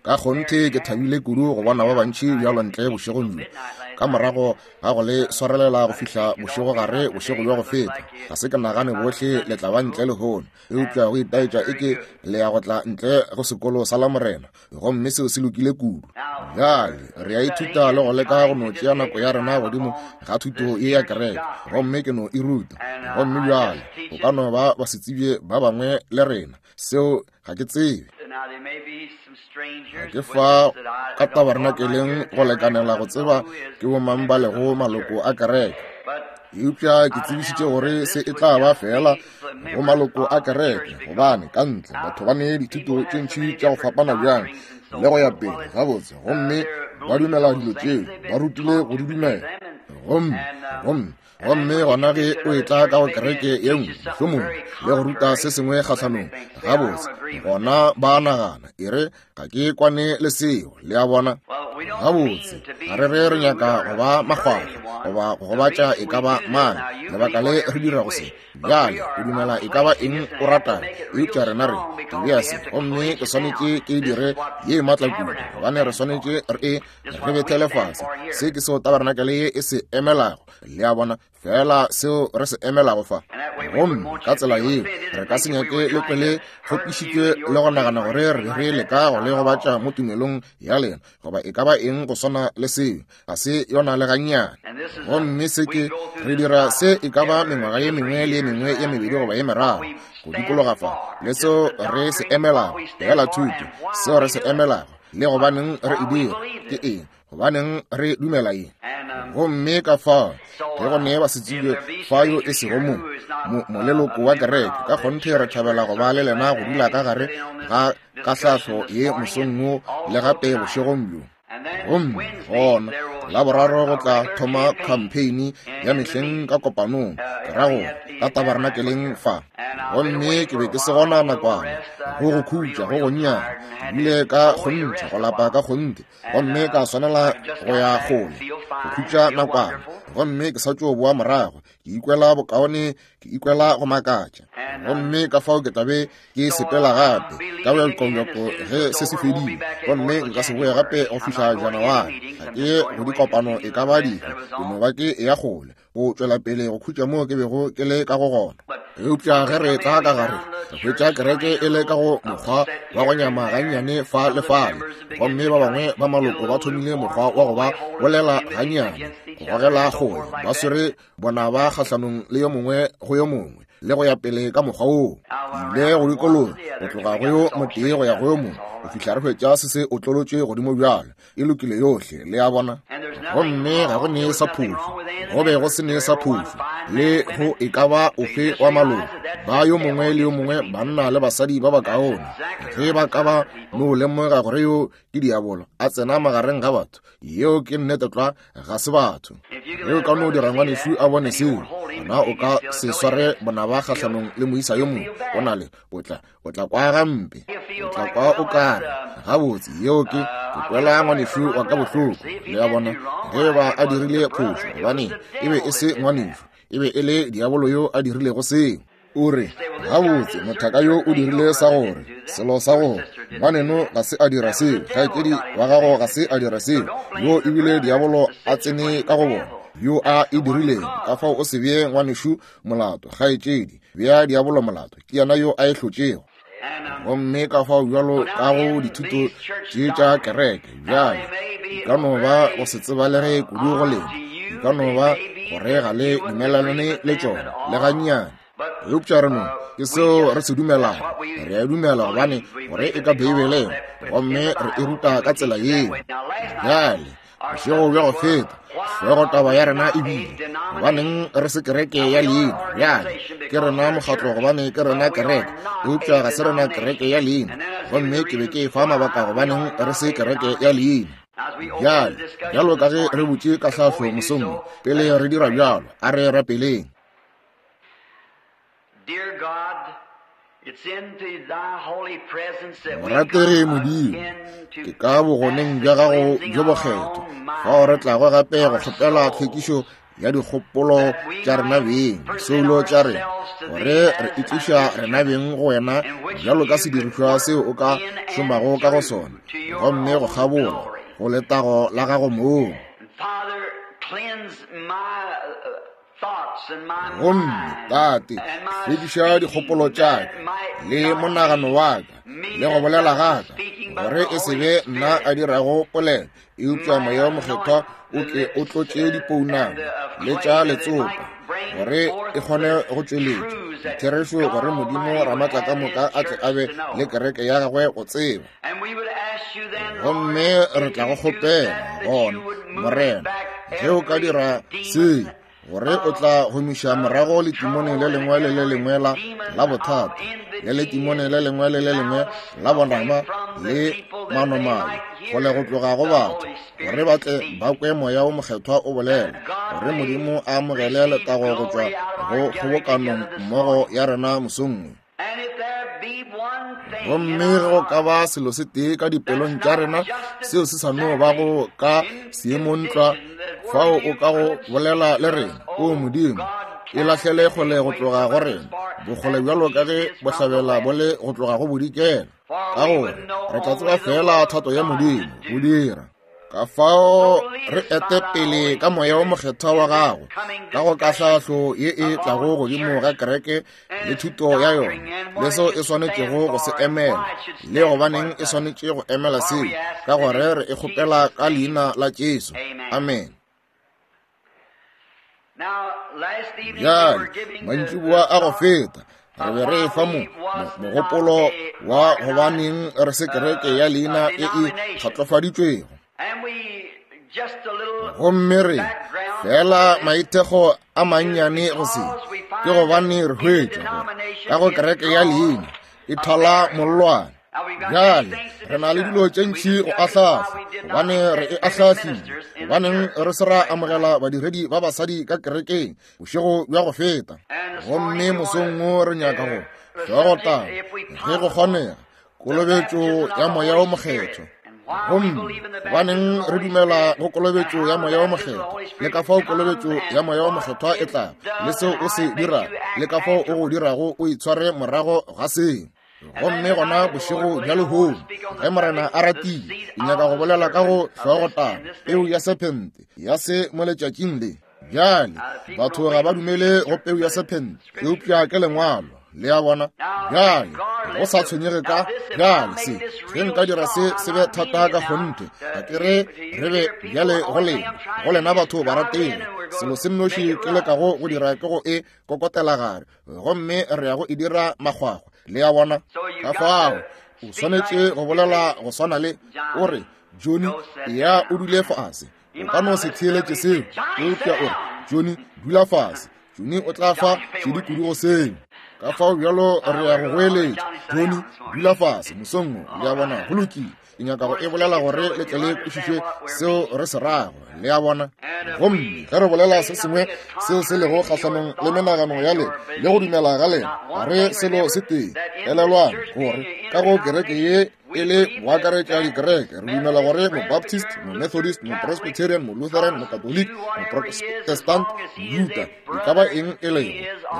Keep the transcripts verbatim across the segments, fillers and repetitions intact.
Ka kgonthe ke thabile kudu go bona ba bantši bjalo ntle bošegong bjo, ka morago ga go le swarelela go fihla bošegogare bošego bja go feta. Ga se ke nagane bohle le tla ba ntle lehono, eupša go itaetša eke le ya go tla ntle go sekolo sa Lamorena, gomme seo se lokile kudu. Bjale re a ithuta le go leka go no tšea nako ya rena godimo ga thuto ye ya kereke, gomme ke no e ruta. Gomme bjale go ka no ba basetsebje ba bangwe le rena, seo ga ke tsebe. Ga ke fa ka tabernakeleng go lekanela go tseba ke bomang ba lego maloko a kereke, eupša ke tsebišitše gore se e tla ba fela go maloko a kereke, gobane ka ntle batho ba ne dithuto tše ntši tša go fapana bjang le go ya pele gabotse, gomme ba dumela dilo tšeo ba rutile go di dumela. Gomme gomme gomme gona ge o etla ka go kereke ye nngwe mohlomongwe le go ruta se sengwe kgahlanong gabotse, gona ba nagana e re ga ke kwane le seo, le a bona. Gabotse ga re re re nyaka go ba makgwakgwa goba go gobatša e ka ba mang, lebaka le re dira go se. Bjale o dumela e ka ba eng o ratago, eupša rena re ke bea se, gomme ke swanetše ke dire ye maatla kudu, gobane re swanetše re e re bethele fase. Se ke seo tabernakeleng ye e se emelago, le a bona, fela seo re se emelago fa. Gomme ka tsela yeo re ka se nyake le kwe le kgopišitšwe le go nagana gore re re leka go le gobatša mo tumelong ya lena goba e ka ba eng go swana le seo, ga se yona le gannyane. Gomme se ke re dira se e ka ba mengwaga ye mengwe le ye mengwe ye mebedi goba ye meraro go dikologa fa, le seo re se emelago, fela thuto, seo re se emelago le gobaneng re e dira ke eng, gobaneng re dumela eng. Gomme ka fao ge go ne basetsebje fa yo e sego mo moleloko wa kereke, ka kgonthe re thabela go ba le lena go dula ka gare ga kahlahlo ye mosong wo le gape bošegong bjo. Gomme gona Laboraro go tla thoma campaign ya mehleng ka kopanong, ke ra go ka tabernakeleng fa. Gomme ke be ke se gona nakwana go go khutša go gonnyane, ke bile ka kgonthe go lapa ka kgonthe, gomme ka swanela go ya kgole go khutša nakwana. Gomme ke sa tšo boa morago, ke ikwela bokaone, ke ikwela go makatša. Gomme ka fao ke tla be ke sepela gape ka bjakobjako ge se se fedile, gomme nka se boe gape go fihla Janaware. Ga ke go dikopano e ka ba dife, ke no ba ke ya kgole go tšwela pele go khutša moo ke bego ke le ka go gona. Eupša ge re tla ka gare, re hwetša kereke e le ka go mokgwa wa go nyama gannyane fa le fale, gomme ba bangwe ba maloko ba thomile mokgwa wa go ba bolela gannyane, go gogela kgole, ba swere bona ba kgahlanong le yo mongwe go yo mongwe le go ya pele ka mokgwa woo. Ile go dikologa go tloga go yo motee go ya go yo mongwe go fihla re hwetša se se otlolotšwe godimo bjalo, e lokile yohle, le a bona. Gomme ga go ne sa phošo, go be go se ne sa phošo le go e ka ba ofe wa maloko ba yo mongwe le yo mongwe, banna le basadi ba bakaone, ge ba ka ba no lemoga gore yo ke diabolo a tsena magareng ga batho, yeo ke nnete tlwa, ga se batho. Ge o ka no dira ngwanešu a bone seo, gona o ka se sware bonaba kgahlanong le moisa yo mongwe, o na le o tla o tla kwa gampe, o tla kwa o kare gabotse, yeo ke ke kwela ngwanešu wa ka bohloko, le a bona, ge ba a dirile phošo, gobane e be e se ngwanešu, e be e le diabolo yo a dirilego seo. O re gabotse mothaka yo o dirile sa gore selo sa gore ngwaneno ga se a dira seo, kgaetšedi wa gago ga se a dira seo, yo ebile diabolo a tsene ka go bona yo a e dirilego. Ka fao o se bee ngwanešu molato, kgaetšedi, bea diabolo molato, ke yena yo a e hlotšego. Gomme ka fao bjalo ka go dithuto tše tša kereke bjale di ka no ba go se tsebalege kudu go lena, di ka no ba gore ga le dumelelane le tšona le gannyane, eupša re no ke seo re se dumelago, re a dumela gobane gore e ka Beibeleng, gomme re e ruta ka tsela yeo. Bjale bošego bja go feta hlogo taba ya rena e bile gobaneng re se kereke ya leina. Bjale ke rena mokgatlo gobane ke rena kereke, eupša ga se rena kereke ya leina. Gomme ke be ke fa mabaka gobaneng re se kereke ya leina. Bjale bjalo ka ge re butše kahlahlo mosong, pele re dira bjalo a re rapeleng. Morategi Modimo, ke ka bogoneng bja gago bjo bokgethwa fao re tlago gape go kgopela tlhwekišo ya dikgopolo tša rena beng, soulo tša rena, gore re itliša rena beng go wena bjalo ka sedirišwa seo o ka šomago ka go sona, gomme go kgabola go letago la gago mong. Gomme Tate, hlwekiša dikgopolo tša ka le monagano wa ka le go bolela ga ka, gore e se be nna a dirago polelo, eupša Moya wo Mokgethwa o ke o tlotše dipounama le tša letsopa, gore e kgone go tšweletša ditherešo, gore Modimo Ramatlakamoka a tle a be le kereke ya gagwe go tseba. Gomme re tla go kgopela gona, Morena, ge o ka dira se, gore o tla gomiša morago letimone le lengwe le le lengwe la la bothata, le letimone le lengwe le le lengwe la bonama le manomale kgole go tloga go batho, gore ba tle ba kwe Moya wo Mokgethwa o bolela, gore Modimo a amogele letago go tšwa go kgobokanong mmogo ya rena mosong wo. Gomme ge go ka ba selo se tee ka dipelong tša rena seo se sa no bago ka seemong tlwa fao o ka go bolela le rena, o Modimo, e lahlele kgole go tloga go rena, bokgole bjalo ka ge bohlabela bo le go tloga go bodikela, ka gore re tla tseba fela thato ya Modimo go dira. Ka fao re ete pele ka Moya wo Mokgethwa wa gago ka go kahlahlo ye e tlago godimo ga kereke le thuto ya yona, le seo e swanetšego go se emela, le gobaneng e swanetše go emela seo, ka gore re e kgopela ka leina la Jesu. Amen. Bjale mantšiboa a go feta re be re fa mo mogopolo wa gobaneng re se kereke ya leina e e kgatlofaditšwego. Gomme re fela maithekgo a mannyane go se, ke gobane re hwetša gore ka go kereke ya leina e thala mollwane. Bjale re na le dilo tše ntši go ahlahla, gobane re e ahlahlile, gobaneng re se ra amogela badiredi ba basadi ka kerekeng bošego bja go feta. Gomme mosong wo re nyaka go hlogotaba, ge go kgonega, kolobetšo ya Moya wo Mokgethwa. Gomme gobaneng re dumela go kolobetšo ya Moya wo Mokgethwa, le ka fao kolobetšo ya Moya wo Mokgethwa e tla, le seo o se dirago, le ka fao o go dirago o itshware morago ga seo. Gomme gona bošego bja lehono, ge Morena a ratile, ke nyaka go bolela ka go hlogotaba peu ya sephente ya se mo letšatšing le. Bjale batho ga ba dumele go peu ya sephente, eupša ke lengwalo. Le a bona? Bjale go sa tshwenyege ka bjale se, ge nka dira se se be thata ka kgonthe, ga ke re re be bjale go lena, go lena batho ba ratege. Selo se nnoši ke lekago go dira ke go e kokotela gare, gomme re ya go e dira makgwakgwa. Le a bona? Ka fao o swanetše go bolela go swana le o re, Johnny, ya o dule fase. O ka no se theeletše seo, eupša o re, Johnny, dula fase. Johnny o tla fa šedi kudu go seo. Ka fao bjalo re ya go goeletša, Johnny, dula fase mosong wo. Le a bona? Go lokile. Ke nyaka go e bolela gore le tle le kwešiše seo re se rago. Le a bona? Gomme ge re bolela se sengwe seo se lego kgahlanong le menagano ya lena le go dumela ga lena, ga re selo se tee. Elelwang gore ka go kereke ye e le go akaretša dikereke, re dumela gore Mobaptist, Momethodist, Mopresbyterian, Molutheran, Mokatolike, Moprotestant, Mojuta, e ka ba eng e lego,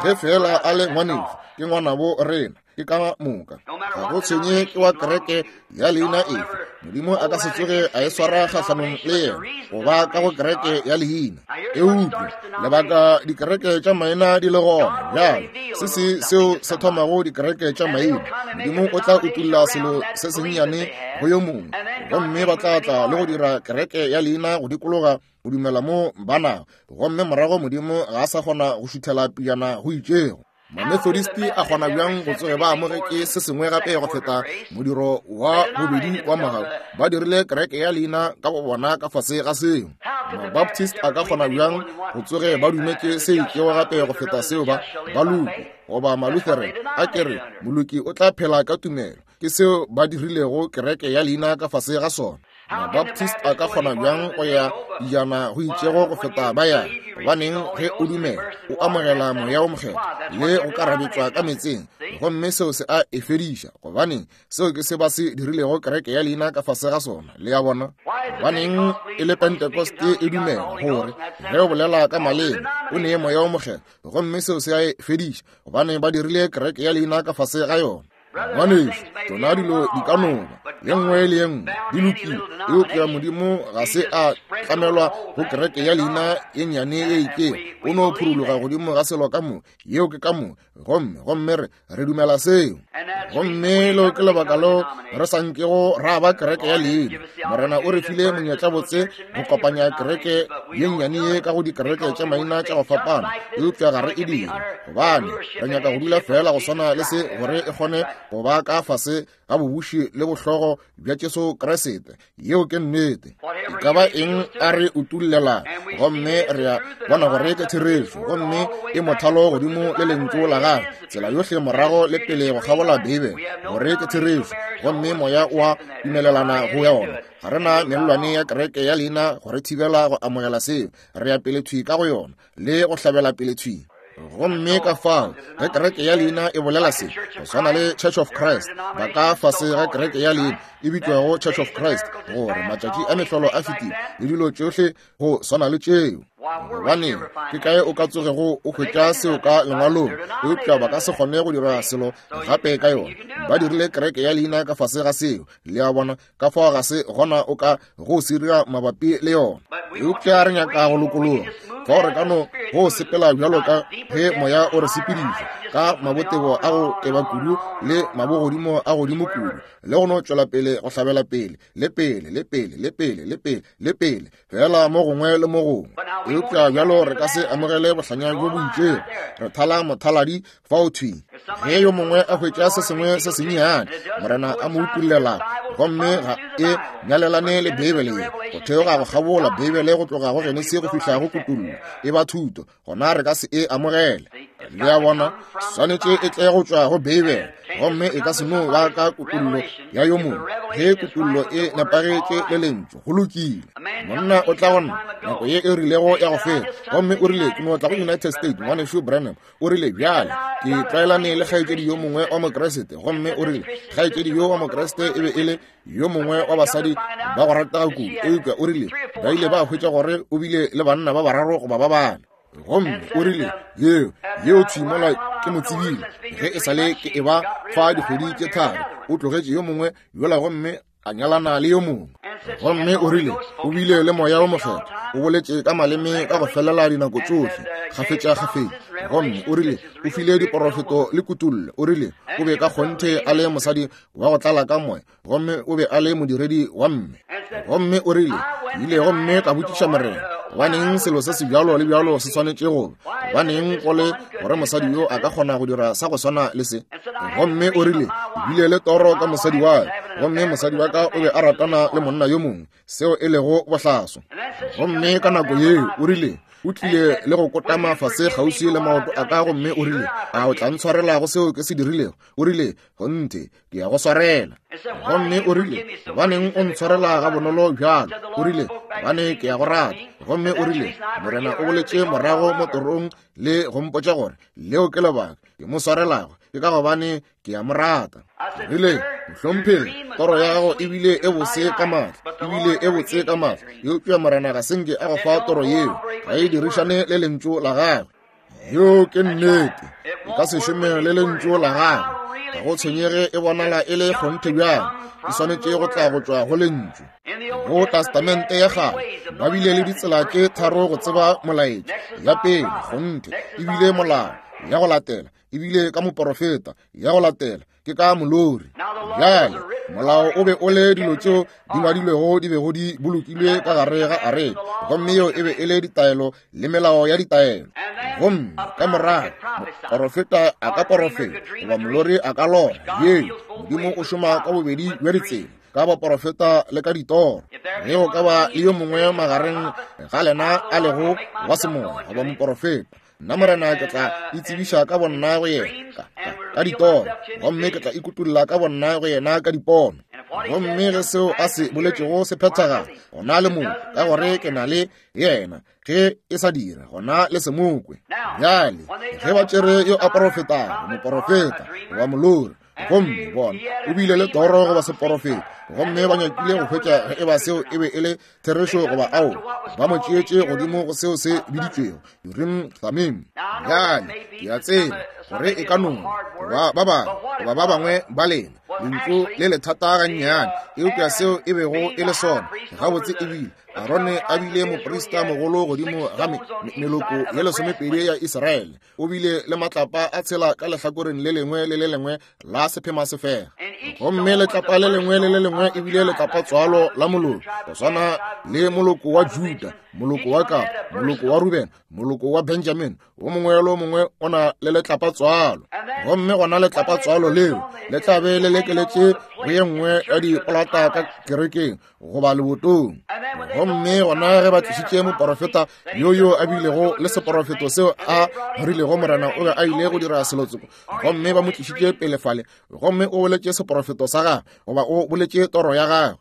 ge fela a le ngwanešu, ke ngwanabo rena, ke ka moka. Ga go tshwenye ke wa kereke ya leina efe, Modimo a ka se tsoge a e swara kgahlanong le yena goba ka go kereke ya leina. Eupša lebaka dikereke tša maina di le gona bjale, se se seo se thomago dikereke tša maina, Modimo o tla utulla selo se sennyane go yo mongwe, gomme ba tla tla le go dira kereke ya leina go dikologa go dumela mo ba nago, gomme morago Modimo ga a sa kgona go šuthela pejana go itšego. Mamethodist a kgona bjang go tsoge ba amogetše se sengwe gape go feta modiro wa bobedi wa mogau? Ba dirile kereke ya leina ka go bona ka fase ga seo. Mabaptist a ka kgona bjang go tsoge ba dumetše se itšego gape go feta seo ba baloki goba Malutheran a kere moloki o tla phela ka tumelo? Ke seo ba dirilego kereke ya leina ka fase ga sona. Mabaptist a ka kgona bjang go ya dijana go itšego go feta ba ya? Gobaneng, ge o dumela o amogela Moya wo Mokgethwa le go karabetšwa ka meetseng, gomme seo se a e fediša. Gobaneng, seo ke se ba se dirilego kereke ya leina ka fase ga sona. Le a bona? Gobaneng e le Pentecost e dumela gore ge o bolela ka maleme o nee Moya wo Mokgethwa, gomme seo se a e fediša. Gobaneng ba dirile kereke ya leina ka fase ga yona? Ngwanešu, tšona dilo di ka no ba ye nngwe le ye nngwe di lokile, eupša Modimo ga se a tlamelwa go kereke ya leina ye nnyane ye itšego. O no phuruluga godimo ga selo ka mo, yeo ke ka mo, gomme gomme re re dumela seo. Gomme leo ke lebaka leo re sa nkego ra ba kereke ya leina. Morena o re file monyetla botse go kopanya kereke ye nnyane ye ka go dikereke tša maina tša go fapana, eupša ga re e dire, gobane re nyaka go dula fela go swana le se, gore e kgone go ba ka fase ga bobuši le bohlogo bja Jesu Kriste. Yeo ke nnete. E ka ba eng a re utullela, gomme re a bona gore ke therešo, gomme e mothalo godimo le lentšu la gagwe, tsela yohle morago le pele go kgabola Beibele, gore ke therešo, gomme Moya o a dumelelana go yona. Ga re na mellwane ya kereke ya leina go re thibela go amogela seo. Re ya pele thwi ka go yona le go hlabela pele thwi. Gomme ka fao ge kereke ya leina e bolela se, go swana le Church of Christ, ba ka fase ga kereke ya leina e bitšwago Church of Christ, gore matšatši a mehlolo a fetile le dilo tšohle go swana le tšeo. Gobane ke kae o ka tsogego o hwetša seo ka lengwalong? Eupša ba ka se kgone go dira selo gape ka yona. Ba dirile kereke ya leina ka fase ga seo. Le a bona? Ka fao ga se gona o ka go se dira mabapi le yona. Eupša re nyaka go lokologa, fao re ka no go sepela bjalo ka ge Moya o re sepediša ka mabotebo a go teba kudu le mabogodimo a godimo kudu, le go no tšwela pele go hlabela pele le pele le pele le pele le pele le pele, fela mo gongwe le mo gongwe. Eupša bjalo re ka se amogele bohlanya bjo bo itšego. Re thala mothaladi fao thwi. Ge yo mongwe a hwetša se sengwe se sennyane, Morena a mo utullela, gomme ga e nyalelane le Beibele ye, go theoga go kgabola Beibele go tloga go Genesi go fihla go Kutullo, e ba thuto, gona re ka se e amogele. Le a bona? Swanetše e tle go tšwa go Beibele, gomme e ka se no ba ka kutullo ya yo mongwe. Ge kutullo e nepagetše le lentšu, go lokile. Monna o tla go nna nako ye e rilego ya go feta, gomme o rile, ke no tla go United States, ngwanešu Branham. O rile, bjale ke tlwaelane le kgaetšedi yo mongwe wa Mokriste, gomme o rile kgaetšedi yo wa Mokriste e be e le yo mongwe wa basadi ba go ratega kudu, eupša o rile ba ile ba hwetša gore o bile le banna ba bararo goba ba bane. Gomme o rile, yeo yeo thwi mola ke mo tsebile ge e sale ke e ba fa dikgwedi tše tharo, o tlogetše yo mongwe yola gomme a nyalana le yo mongwe. Gomme o rile o bile le Moya wo Mokgethwa, o boletše ka maleme ka go felela dinako tšohle kgafetša kgafetša. Gomme o rile o file diporofeto le kutullo. O rile o be ka kgonthe a le mosadi wa go tlala ka moya, gomme o be a le modiredi wa mme. Gomme o rile, ke ile gomme ka botšiša Morena, gobaneng selo se se bjalo le bjalo se swanetše go ba? Gobaneng go le gore mosadi yo a ka kgona go dira sa go swana le se? Gomme o rile, ke bile le toro ka mosadi wa ka, gomme mosadi wa ka o be a ratana le monna yo mongwe, seo e lego bohlaso. Gomme ka nako yeo o rile o tlile le go kotama fase kgauswi le maoto a ka, gomme o rile, a o tla ntshwarela go seo ke se dirilego? O rile, kgonthe ke ya go swarela. Gomme o rile, gobaneng o ntshwarela ga bonolo bjalo? O rile, gobane ke ya go rata. Gomme o rile, Morena o boletše morago mo torong le go mpotša gore leo ke lebaka ke mo swarelago, ke ka gobane ke ya mo rata. Rile, mohlomphegi, toro ya gago e bile e bose ka maatla, e bile e botse ka maatla, eupša Morena ga se nke a go fa toro yeo, ga e dirišane le lentšu la gagwe. Yeo ke nnete, e ka se šome le lentšu la gagwe. Ga go tshwenyege e bonala e le kgonthe bjang, e swanetše go tla go tšwa go lentšu. Go Testamente ya kgale ba bile le ditsela tše tharo go tseba molaetša. Ya pele, kgonthe, e bile molao. Ya go latela e bile ka moporofeta. Ya go latela ke ka molori. Bjale molao o be o le dilo tšeo di ngwadilwego di bego di bolokilwe ka gare ga areka, gomme yeo e be e le ditaelo le melao ya ditaelo. Gomme ka morago moporofeta a ka porofeta goba molori a ka lora. Yeo Modimo o šoma ka bobedi bja ditsela, ka baporofeta le ka ditoro. Ge go ka ba le yo mongwe magareng ga lena a lego wa semoya goba moporofeta, nna Morena ke tla itsebiša ka bonna go yena ka, ka, ka ditoro, gomme ke tla ikutulla ka bonna go yena ka dipono. Gomme ge seo a se boletšego se phethagala, gona le mongwe, ka gore ke na le yena. Ge e sa dira, gona le se mokwe. Bjale ge ba tšere yo a porofetago, moporofeta goba molori, gomme bona o bile le toro goba seporofeta, gomme ba nyakile go hwetša ge e ba seo e be e le therešo goba ao, ba mo tšeetše godimo go seo se biditšwego Urim Thummim. Bjale ke a tseba gore e ka no goba ba bangwe goba ba bangwe ba lena lentšu le lethata gannyane, eupša seo e bego e le sona gabotse ebile Arone a bile moprista mogolo godimo ga meloko ye lesomepedi ya Israele. O bile le matlapa a tshela ka lehlakoreng le lengwe le le lengwe la sephema sefega, gomme letlapa le lengwe le le lengwe e bile letlapa tswalo la moloko, go swana le moloko wa Juda, moloko wa Gad, moloko wa Ruben, moloko wa Benjamin. O mongwe le o mongwe o na le letlapa tswalo, gomme gona letlapa tswalo leo le tla be le lekeletše go ye nngwe ya dipolata ka kerekeng goba lebotong. Gomme gona ge ba tlišitše moporofeta yo yo a bilego le seporofeto seo a rilego Morena o be a ile go dira selotsoko, gomme ba mo tlišitše pele fale, gomme o boletše seporofeto sa gagwe goba o boletše toro ya gagwe.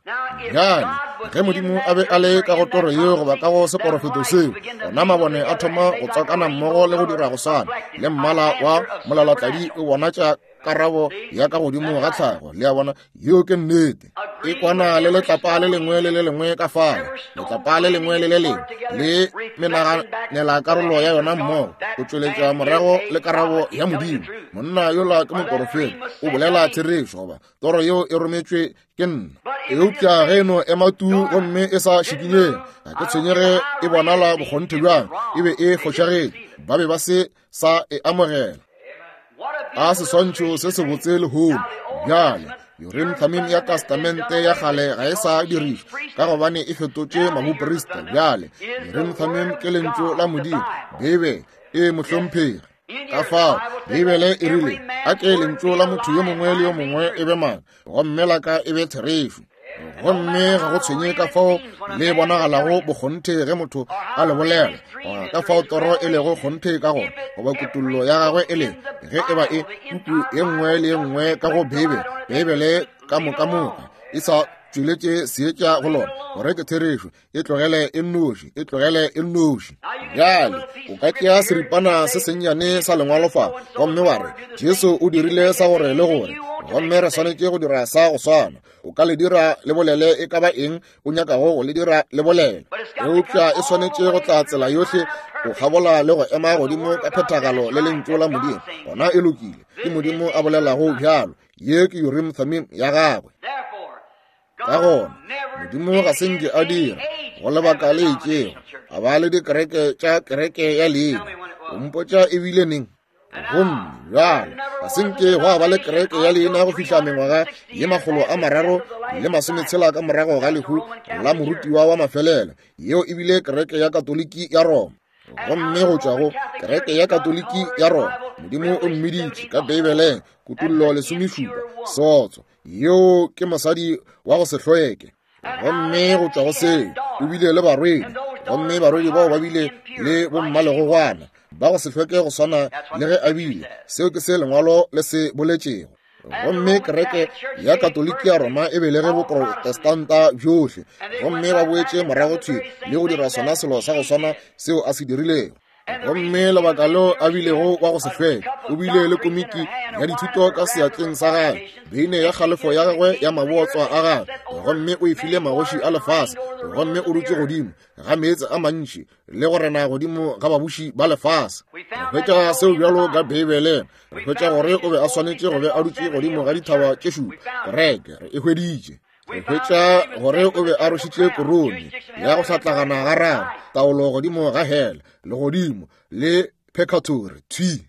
Bjale ge Modimo a be a le ka go toro yeo goba ka go seporofeto seo, gona mabone a thoma go tswakana mmogo le go dira go swana le mmala wa molalatladi o bonatša karabo ya ka godimo ga tlhago. Le a bona, yeo ke nnete. E kwana le letlapa le lengwe le le lengwe ka fao, letlapa le lengwe le le lengwe le menaganela karolo ya yona mmogo go tšweletša morago le karabo ya Modimo. Monna yola ke moporofeta, o bolela therešo goba toro yeo e rometšwe ke nna. Eupša ge e no ema tu gomme e sa šikinyeng, ga ke tshwenyege e bonala bokgonthe bjang, e be e fošagetše, ba be ba se sa e amogela. A seswantšho se sebotse lehono. Bjale Urim Thummim ya Testamente ya kgale ga e sa dirišwa ka gobane e fetotše maboprista. Bjale Urim Thummim ke lentšu la Modimo, Beibele e mohlomphegi. Ka fao Beibele e rile, a ke lentšu la motho yo mongwe le yo mongwe e be maaka, gomme la ka e be therešo. Gomme ga go tshwenye ka fao le bonagalago bokgonthe ge motho a le bolela, goba ka fao toro e lego kgonthe ka gona, goba kutollo ya gagwe e lego, ge e ba e puku ye nngwe le ye nngwe ka go Beibele, Beibele ka moka moka e sa tšweletše seetša go lona gore ke therešo, e tlogele e nnoši, e tlogele e nnoši. Bjale o ka tšea seripana se sennyane sa lengwalo fa gomme wa re Jesu o dirile sa gore le gore, gomme re swanetše go dira sa go swana. O ka le dira le bolele e ka ba eng o nyakago go le dira le bolele, eupša e swanetše go tla tsela yohle go kgabola le go ema godimo ka phethagalo le lentšu la Modimo. Gona e lokile, ke Modimo a bolelago bjalo. Ye ke Urim Thummim ya gagwe. Ka gona Modimo ga se nke a dira go lebaka le itšego a ba le dikereke tša kereke ya leina. O mpotša e bile neng? Gomme bjale ga se nke gwa ba le kereke ya leina go fihla mengwaga ye makgolo a mararo le masometshela ka morago ga lehu la morutiwa wa mafelelo, yeo e bile kereke ya Katoliki ya Roma. Gomme go tšwa go kereke ya Katoliki ya Roma, Modimo o mmiditše ka Beibeleng, Kutollo lesomešupa, sotso, yeo ke mosadi wa go se hlweke. Gomme go tšwa go seo o bile le barwedi, gomme barwedi bao ba bile le bommalegogwana ba go se hlweke go swana le ge a bile. Seo ke se lengwalo le se boletšego. Gomme kereke ya Katoliki ya Roma e belege boprotestanta bjohle, gomme ba boetše morago thwi le go dira sona selo sa go swana seo a se dirilego. Gomme lebaka leo a bilego wa go se hlweke, o bile le komiki ya dithuto ka seatleng sa gagwe, beine ya kgalefo ya gagwe ya mabotswa a gagwe, gomme o e file magoši a lefase, gomme o dutše godimo ga meetse a mantši le go rena godimo ga babuši ba lefase. Re hwetša seo bjalo ka Beibeleng. Re hwetša gore o be a swanetše go be a dutše godimo ga dithaba tše šupa. Kereke re e hweditše. Re hwetša gore o be a rošitše korone ya go hlatlagana ga raro, taolo godimo ga hela, legodimo le purgatory thwi.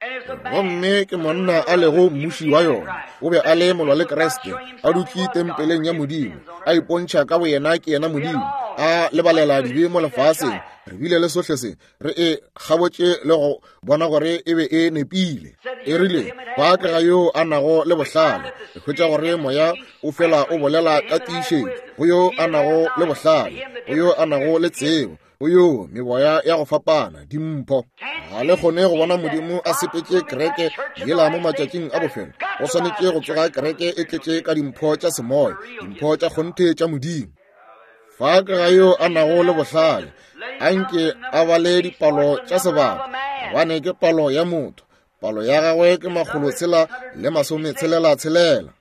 Gomme ke monna a lego mmuši wa yona. O be a le molwa le Kriste, a dutše tempeleng ya Modimo, a ipontšha ka boyena ke yena Modimo, a lebalela dibe mo lefaseng. Re bile le sohle se re e kgabotše le go bona gore e be e nepile. E rile ba ke ga yo a nago le bohlale. Re hwetša gore moya o fela o bolela ka tiišetšo. go yo a nago le bohlale, go yo a nago le tsebo, go yo meboya ya go fapana, dimpho. Ga le kgone go bona Modimo a sepetše kereke yela mo matšatšing a bofelo. Go swanetše go tsoga kereke e tletše ka dimpho tša semoya, dimpho tša kgonthe tša Modimo. Fa ke ga yo a nago le bohlale, anke a bale dipalo tša sebaka, gobane ke palo ya motho. Palo ya gagwe ke makgolo tshela le masome tshelela tshelela.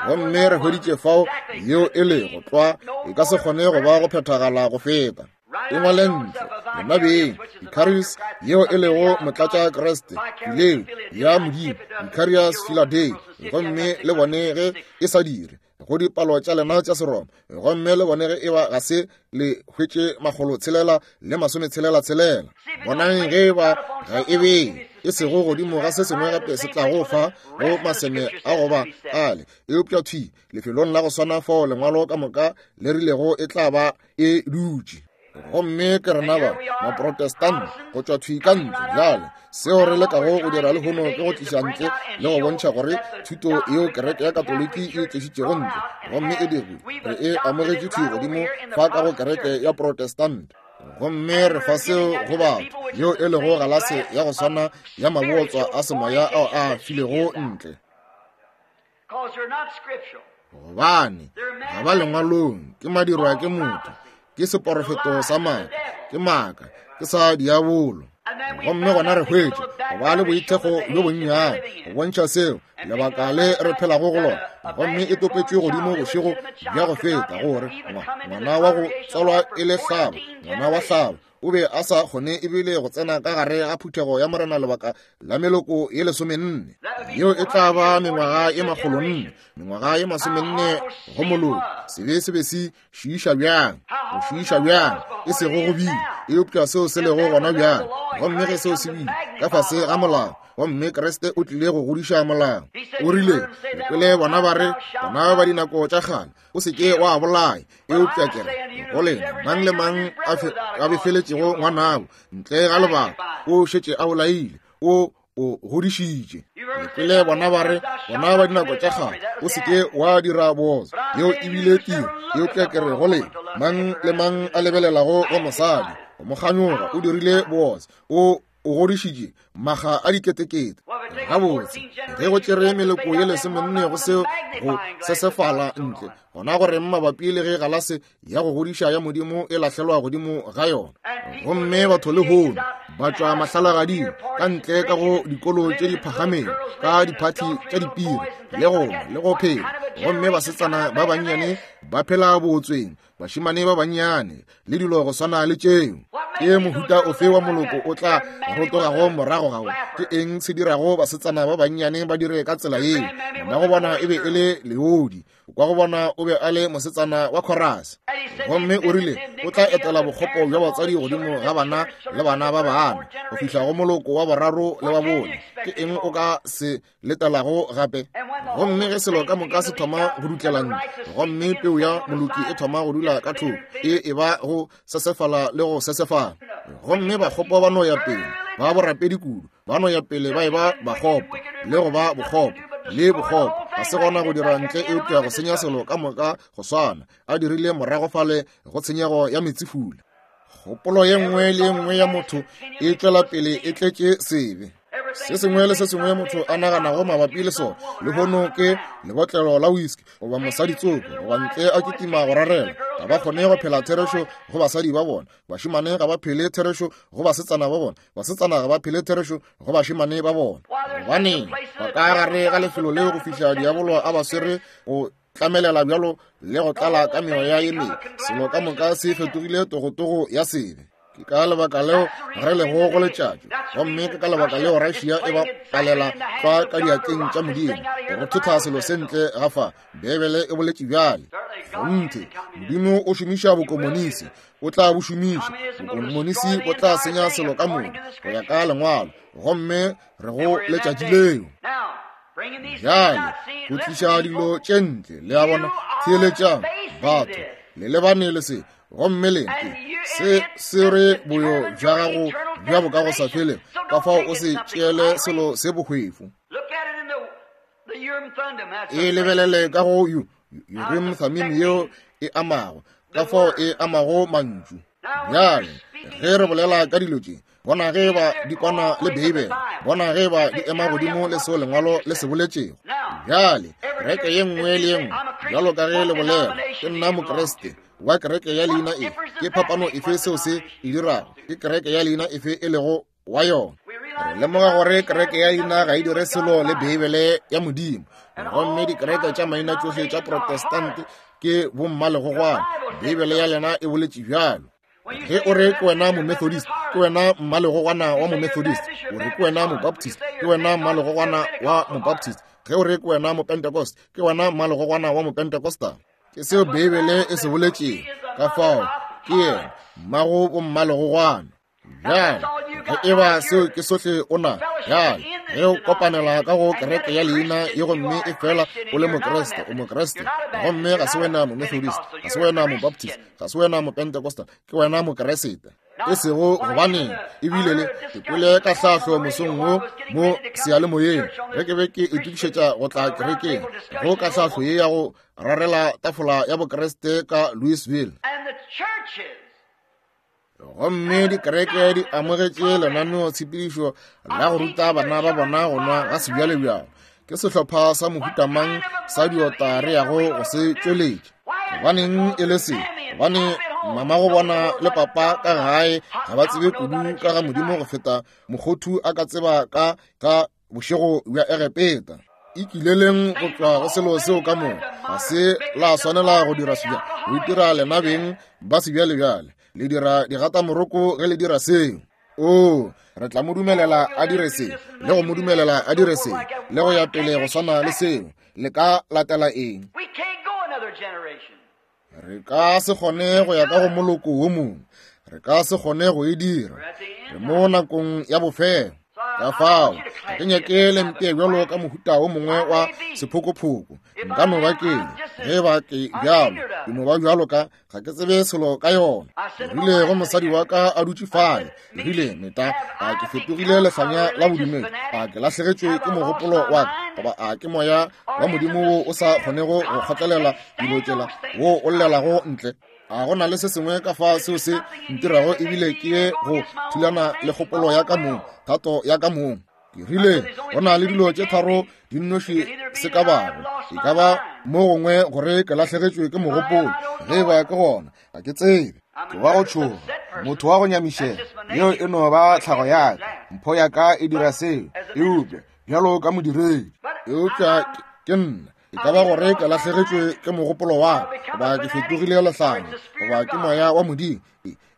Gomme re hweditše fao yeo e le go tlwa e ka se kgone go ba go phethagala go feta. E ngwale ntle lena beng, Vicarius yeo e lego motlatša Kriste, fileo ya Modimo, Vicarius Philadei, gomme le bone ge e sa dire go dipalo tša lena tša Seroma, gomme le bone ge e ba ga se le hwetše makgolo tshelela le masome tshelela tshelela. Bonang ge e ba ga e be e sego godimo ga se sengwe gape se tlago fa go maseme a goba ale, eupša thwi lefelong la go swana fao lengwalo ka moka le rilego e tla ba e dutše. Gomme ke rena ba Maprotestant go tšwa thwi ka ntle. Bjale seo re lekago go dira lehono ke go tliša ntle le go bontšha gore thuto yeo kereke ya Katoliki e tlišitšego ntle gomme e dirwe, re e amogetše thwi godimo fa ka go kereke ya Protestant. Gomme re fa seo go batho yeo e lego galase ya go swana ya mabotswa a semoya ao a filego ntle, gobane ga ba lengwalong, ke madirwa ke motho, ke seporofeto sa maaka, ke maaka, ke sa diabolo. Gomme gona re hwetše go ba le boithekgo bjo bonnyane go bontšha seo lebaka le re phelago go lona. Gomme e topetšwe godimo bošego bja go feta gore ngwana wa go tswalwa e le hlabo, ngwana wa hlabo o be a sa kgone ebile go tsena ka gare ga phuthego ya Morena lebaka la meloko ye lesomenne. Yeo e tla ba mengwaga ye makgolonne, mengwaga ye masomenne go moloko. Sebe se be se šiiša bjang, go šiiša bjang, e sego go bile, eupša seo se lego gona bjang. Gomme ge seo se bile ka fase ga molao, gomme Kriste o tlile go godiša molao. O rile, le kwele bona ba re, bona ba dinako tša kgale, o se ke wa bolaya, eupša ke re go lena, mang le mang a befeletšego ngwanabo ntle ga lebaka o šetše a bolaile, o o godišitše. Le kwele bona ba re, bona ba dinako tša kgale, o se ke wa dira bootswa, yeo e bile tiro, eupša ke re go lena, mang le mang a lebelelago go mosadi go mo kganyoga o dirile bootswa, o o godišitše maga a diketekete. Gabotse, ge go tšere meloko ye lesomenne go seo go sesefala ntle, gona gore mabapi le ge galase ya go godiša ya Modimo e lahlelwa godimo ga yona. Gomme batho lehono ba tšwa mahlalagading ka ntle ka go dikolo tše di phagamego, ka diphathi tša dipiri le go le go phela. Gomme basetsana ba bannyane ba phela bootsweng, bašemane ba bannyane le dilo go swana le tšeo. Ke mohuta ofe wa moloko o tla rotogago morago gago? Ke eng se dirago basetsana ba bannyane ba dire ka tsela yeo? Mma go bona e be e le leodi, kwa go bona o be a le mosetsana wa chorus. Gomme o rile o tla etela bokgopo bja batswadi godimo ga bana le bana ba bana go fihla go moloko wa boraro le wa bone. Ke eng o ka se letelago gape? Gomme ge selo ka moka se thoma go dutlela ntle, gomme peu ya moloki e thoma go dula ka thoko, e e ba go sesefala le go sesefala. Gomme bakgopo ba no ya pele ba borapedi kudu, ba no ya pele ba e ba bakgopo le go ba bokgopo le bokgopo. Ga se gona go dira ntle eupša go senya selo ka moka go swana a dirile morago fale go tshenyego ya metsifula. Kgopolo ye nngwe le ye nngwe ya motho e tšwela pele e tletše sebe. Se sengwe le se sengwe motho a naganago mabapi le sona lehono ke lebotlelo la whisky goba mosadi tsoko goba ntle a kitima go rarela. Ga ba kgone go phela therešo go basadi ba bona, bašemane ga ba phele therešo go basetsana ba bona, basetsana ga ba phele therešo go bašemane ba bona. Gobaneng ba ka gare ga lefelo leo go fihla diabolo a ba swere go tlamelela bjalo le go tlala ka meoya ye mebe. Selo ka moka se fetogile togotogo ya sebe. Ke ka lebaka leo re lego go letšatši, gomme ke ka lebaka leo Russia e ba palela tlwa ka diatleng tša Modimo go thotha selo se ntle ga fa. Beibele e boletše bjale. Kgonthe, Modimo o šomiša bokomonisi, o tla bo šomiša. Bokomonisi bo tla senya selo ka moka go ya ka lengwalo, gomme re go letšatši leo. Bjale go tliša dilo tše ntle, le a bona, theeletšang batho, le lebane le se. Gomme lena se se re boyo bja gago bja boka go sa felego, ka fao o se tšeele selo se bohwefo. E lebelele ka go Urim Thummim yeo e amago, ka fao e amago mantšu. Bjale, ge re bolela ka dilo tše, bona ge ba di kwana le Beibele, bona ge ba di ema godimo le seo lengwalo le se boletšego. Bjale, kereke ye nngwe le ye nngwe, bjalo ka ge le bolela, ke nna Mokriste wa kereke ya leina e, ke phapano efe seo se e dirago? Ke kereke ya leina efe e lego wa yona? Re lemoga gore kereke ya leina ga e dire selo le Beibele ya Modimo, gomme dikereke tša maina tšohle tša Protestant ke bommalegogwana. Beibele ya lena e boletše bjalo. Ge o re ke wena Momethodist, ke wena mmalegogwana wa Momethodist. O re ke wena Mobaptist, ke wena mmalegogwana wa Mobaptist. Ge o re ke wena Mopentecost, ke wena mmalegogwana wa Mopentecostal. Ke seo Beibele e se boletšego. Ka fao ke yena mmago bommalegogwana. Bjale, ge e ba seo ke sohle o na, bjale, ge o kopanela ka go kereke ya leina ye gomme e fela o le Mokriste, o Mokriste, gomme ga se wena Momethodist, ga se wena Mobaptist, ga se wena Mopentecostal, ke wena Mokriste. E sego gobaneng ebile le ke kwele ka hlahlo mosong wo mo seyalemoyeng ge ke be ke itokišetša go tla kerekeng, go ka hlahlo ye ya go rarela tafola ya Bokriste ka Louisville. Gomme dikereke di amogetše lenaneo-tshepedišo la go ruta bana ba bona go nwa ga sebjalebjalo. Ke sehlopha sa mohutamang sa diota re yago go se tšweletša? Gobaneng e le se? Gobane mama go bona le papa ka gae ga ba tsebe kudu ka ga Modimo go feta mokgothu a ka tseba ka ka bošego bja Egepeta. Ikileleng go tšwa go selo seo ka moka. Ga se la swanela go dira sebja, go itira lena beng ba sebjalebjale. Le dira digatamoroko ge le dira seo. Oo, re tla mo dumelela a dire se, le go mo dumelela a dire se, le go ya pele go swana le seo. Le ka latela eng? Re ka se kgone go ya ka go moloko wo mongwe. Re ka se kgone go e dira. Re mo nakong ya bofelo. Ka fao, ga ke nyake le mpee bjalo ka mohuta wo mongwe wa sephokophoko. Nka no ba ke le, ge ba ke bjalo, ke no ba bjalo ka, ga ke tsebe selo ka yona. Ke rile go mosadi wa ka a dutše fale, ke rile, Meta, a ke fetogile lehlanya la bodumedi? A ke lahlegetšwe ke mogopolo wa ka? Goba a ke moya wa Modimo wo o sa kgonego go kgotlelela dilo tšela, wo o llelago ntle? A go na le se sengwe ka fa seo se ntirago ebile ke ye go thulana le kgopolo ya ka mong, thato ya ka mong? Ke rile, go na le dilo tše tharo di nnoši se ka bago. E ka ba mo gongwe gore ke lahlegetšwe ke mogopolo, ge e ba ke gona, ga ke tsebe. Ke wa go tšhoga, motho wa go nyamišega, yeo e no ba tlhago ya ka, mpho ya ka e dira seo, eupša bjalo ka modiredi. Eupša ke nna. E ka ba gore ke lahlegetšwe ke mogopolo wa ka, goba ke fetogile lehlanya, goba ke moya wa Modimo.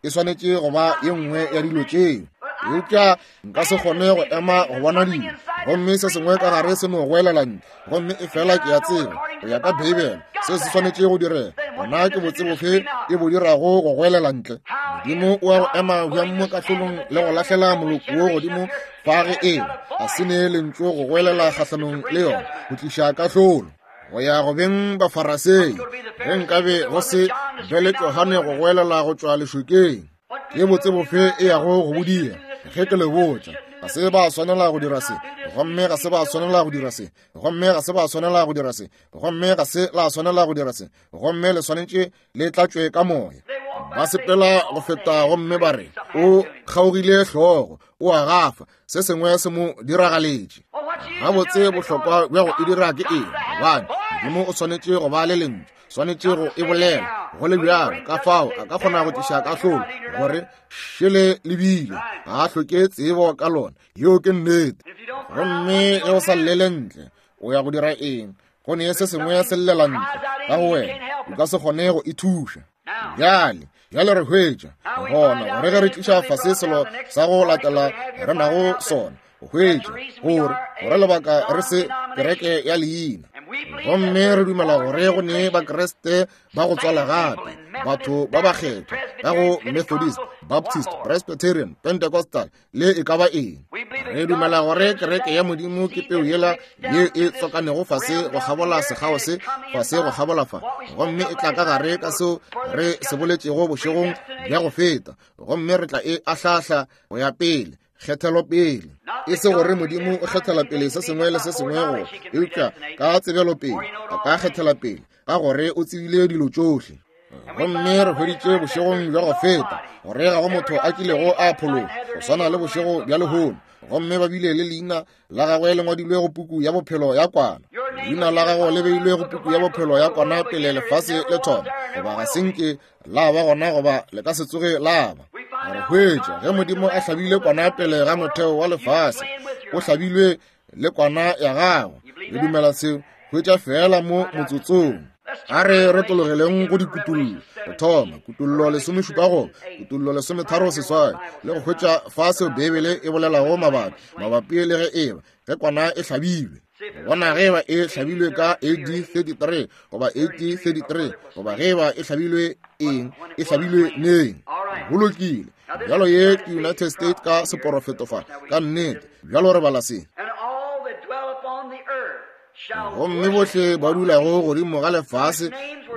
E swanetše go ba ye nngwe ya dilo tšeo. Eupša nka se kgone go ema go bona dilo, gomme se sengwe ka gare se no goelela ntle, gomme e fela ke a tseba go ya ka Beibele se se swanetše go direga. Gona ke botse bofe e bo dirago go goelela ntle? Modimo o a go ema bjang mo kahlolong le go lahlela moloko wo godimo fa ge eba a se ne lentšu go goelela kgahlanong le yona go tliša kahlolo? Go ya go beng Bafarasei, ge nkabe go se be le Johane go goelela go tšwa lešokeng, ke botse bofe e yago go bodia? Ge ke le botša, ga se ba swanela go dira se, gomme ga se ba swanela go dira se, gomme ga se ba swanela go dira se, gomme ga se la swanela go dira se, gomme le swanetše le tlatšwe ka moya. Ba sepela go feta gomme ba re, o kgaogile hlogo, o a gafa, se sengwe se mo diragaletše. Gabotse bohlokwa bja go e dira ke eng? Gobane Modimo o swanetše go ba le lentšu, swanetše go e bolela go le bjalo. Ka fao a ka kgona go tliša kahlolo gore šele lebile, ga a hloke tsebo ka lona. Yeo ke nnete. Gomme ge o sa llele ntle, o ya go dira eng? Go ne se sengwe se llela ntle ka go wena, o ka se kgone go e thuša. Bjale, bjale re hwetša gona gore ge re tliša fase selo sa go latela re nago sona, go hwetša gore gore lebaka re se kereke ya leina. Gomme re dumela gore go ne Bakriste ba go tswala gape, batho ba bakgethwa ka go Methodist, Baptist, Presbyterian, Pentecostal le e ka ba eng. Re dumela gore kereke ya Modimo ke peu yela ye e tswakanego fase go kgabola sekgao se, fase go kgabola fa, gomme e tla ka gare ka seo re se boletšego bošegong bja go feta, gomme re tla e ahlahla go ya pele. Kgethelo pele, e se gore Modimo o kgethela pele se sengwe le se sengwe go, eupša ka tsebelo pele a ka kgethela pele ka gore o tsebile dilo tšohle. Gomme re hweditše bošegong bja go feta gore ga go motho a kilego a phologa go swana le bošego bja lehono. Gomme ba bile le leina la gagwe le ngwadilwe go puku ya bophelo ya kwana. Leina la gago le beilwe go puku ya bophelo ya kwana pele lefase le thoma, goba ga se nke la ba gona goba le ka se tsoge la ba. Re hwetša ge Modimo a hlabile kwana pele ga motheo wa lefase, o hlabilwe le kwana ya gago. Le dumela seo? Hwetša fela mo motsotsong. A re re tologeleng go dikutullo. Go thoma kutullo lesomešupa go kutullo lesometharo seswai, le go hwetša fa seo Beibele e bolelago mabapi mabapi le ge eba ge kwana e hlabilwe. Bona ge eba e hlabilwe ka A D thirty-three goba A D thirty-three, goba ge eba e hlabilwe eng, e hlabilwe neng. Go lokile. Bjalo ye ke United States ka seporofeto fa, ka nnete. Bjalo re bala se. Gomme bohle ba dulago godimo ga lefase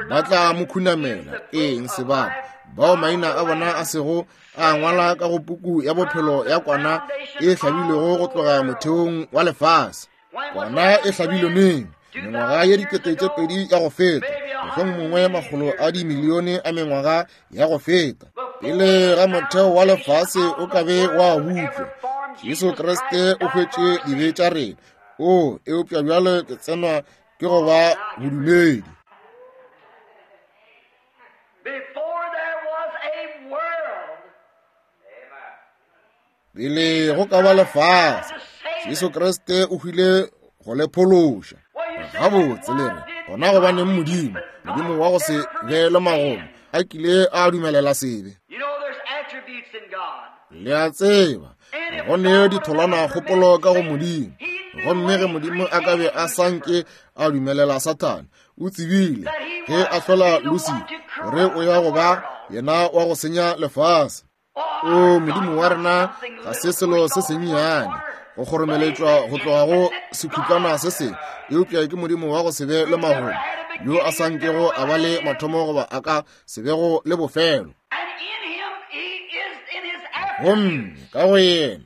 ba tla mo khunamela. Eng sebaka? Bao maina a bona a sego a ngwala ka go puku ya bophelo ya kwana e hlabilwego go tloga motheong wa lefase. Kwana e hlabilwe neng? Mengwaga ye dikete tše pedi ya go feta, mohlomongwe makgolo a dimilione a mengwaga ya go feta, pele ga motheo wa lefase o ka be wa bupša, Jesu Kriste o hwetše dibe tša rena. O, eupša bjale ke tsenwa ke go ba bodumedi. Pele go ka ba lefase, Jesu Kriste o hwile go le phološa. Gabotse le re, gona gobaneng Modimo, Modimo wa go se be le magomo, a kile a dumelela sebe? Le a tseba, go ne ditholwana kgopolo ka go Modimo. Gomme ge Modimo a ka be a sa nke a dumelela Sathane, o tsebile ge a hlola Lucifer gore o ya go ba yena wa go senya lefase. O Modimo wa rena ga se selo se sennyane go kgoromeletšwa go tloga go sekhutlwana se sengwe, eupša ke Modimo wa go se be le magomo, yo a sa nkego a ba le mathomo goba a ka se bego le bofelo. Gomme ka go yena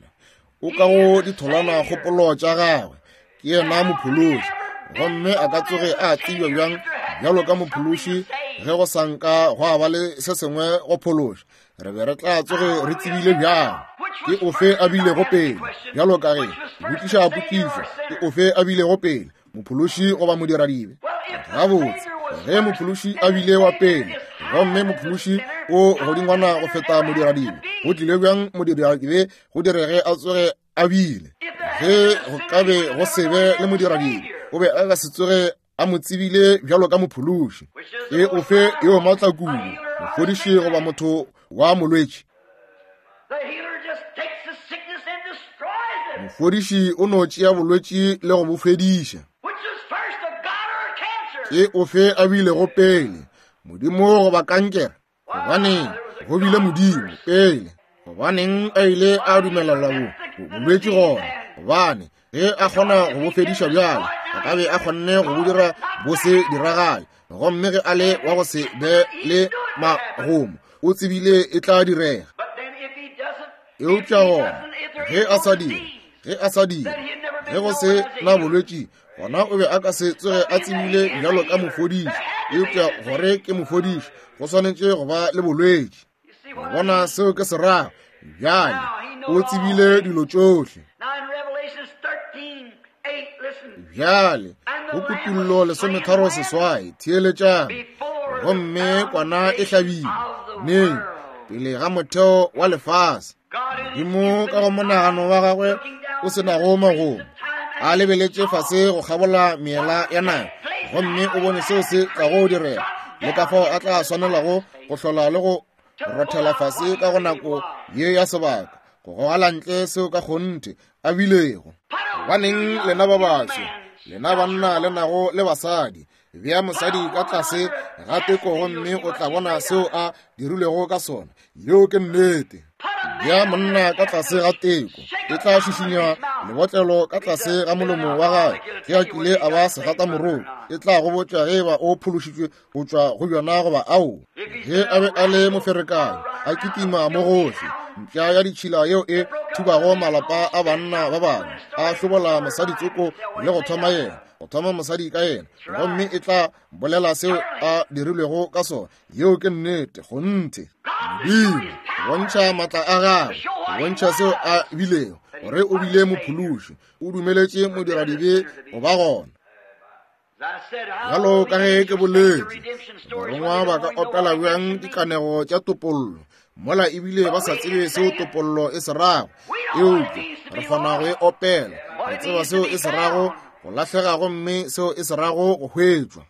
o ka go ditholwana kgopolo tša gagwe, ke yena mophološi. Gomme a ka tsoge a tsebja bjang bjalo ka mophološi ge go sa nka gwa ba le se sengwe go phološa? Re be re tla tsoge re tsebile bjang ke ofe a bilego pele? Bjalo ka ge botšiša potšišo, ke ofe a bilego pele, mophološi goba modiradibe? Gabotse, ge mophološi a bile wa pele, gomme mophološi o godingwana go feta modiradibe, go tlile bjang modiradibe go direge a tsoge a bile? Ge go ka be go se be le modiradibe, o be a ka se tsoge a mo tsebile bjalo ka mophološi. Ke ofe yo maatla kudu, mofodiši goba motho wa molwetši? Mofodiši o no tšea bolwetši le go bo fediša. Ke ofe a bilego pele, Modimo goba kankere? Gobaneng go bile Modimo pele? Gobaneng a ile a dumelela bo bolwetši gona? Gobane ge a kgona go bo fediša bjalo, a ka be a kgonne go bo dira bo se diragale. Gomme ge a le wa go se be le magomo, o tsebile e tla direga. Eupša gona ge a sa dire, ge a sa dire, ge go se na bolwetši, gona o be a ka se tsoge a tsebile bjalo ka mofodiši. Eupša gore ke mofodiši, go swanetše go ba le bolwetši. Bona seo ke se rago? Bjale o tsebile dilo tšohle. Bjale go kutullo lesometharo seswai, theeletšang. Gomme kwana e hlabilwe neng? Pele ga motheo wa lefase. Modimo ka go monagano wa gagwe o se nago magomo, a lebeletše fase go kgabola meela ya naga, gomme o bone seo se tlago direga, le ka fao a tla swanelago go hlola le go rothela fase ka go nako ye ya sebaka, go gogela ntle seo ka kgonthe a bilego. Gobaneng lena ba baso, lena banna le nago le basadi, bea mosadi ka tlase ga teko gomme o tla bona seo a dirilego ka sona. Yeo ke nnete. Bea monna ka tlase ga teko, e tla šišinya lebotlelo ka tlase ga molomo wa gagwe ge a kile a ba segatamoroko. E tla go botša ge eba o phološitšwe go tšwa go bjona goba ao. Ge a be a le moferekanyi, a kitima mo gohle, Mpša ya ditšhila yeo e thubago malapa a banna ba bangwe, a hlobola mosadi tsoko le go thoma yena, go thoma mosadi ka yena, gomme e tla bolela seo a dirilwego ka sona. Yeo ke nnete, kgonthe. Modimo bontšha maatla a gagwe, bontšha seo a bilego, gore o bile mophološi, o dumeletše modiradibe go ba gona. Bjalo ka ge ke boletše, barongwa ba ka opela bjang dikanego tša topollo mola ebile ba sa tsebe seo topollo e se rago? Eupša re kgona go e opela, re tseba seo e se rago go lahlega gomme seo e se rago go hwetšwa.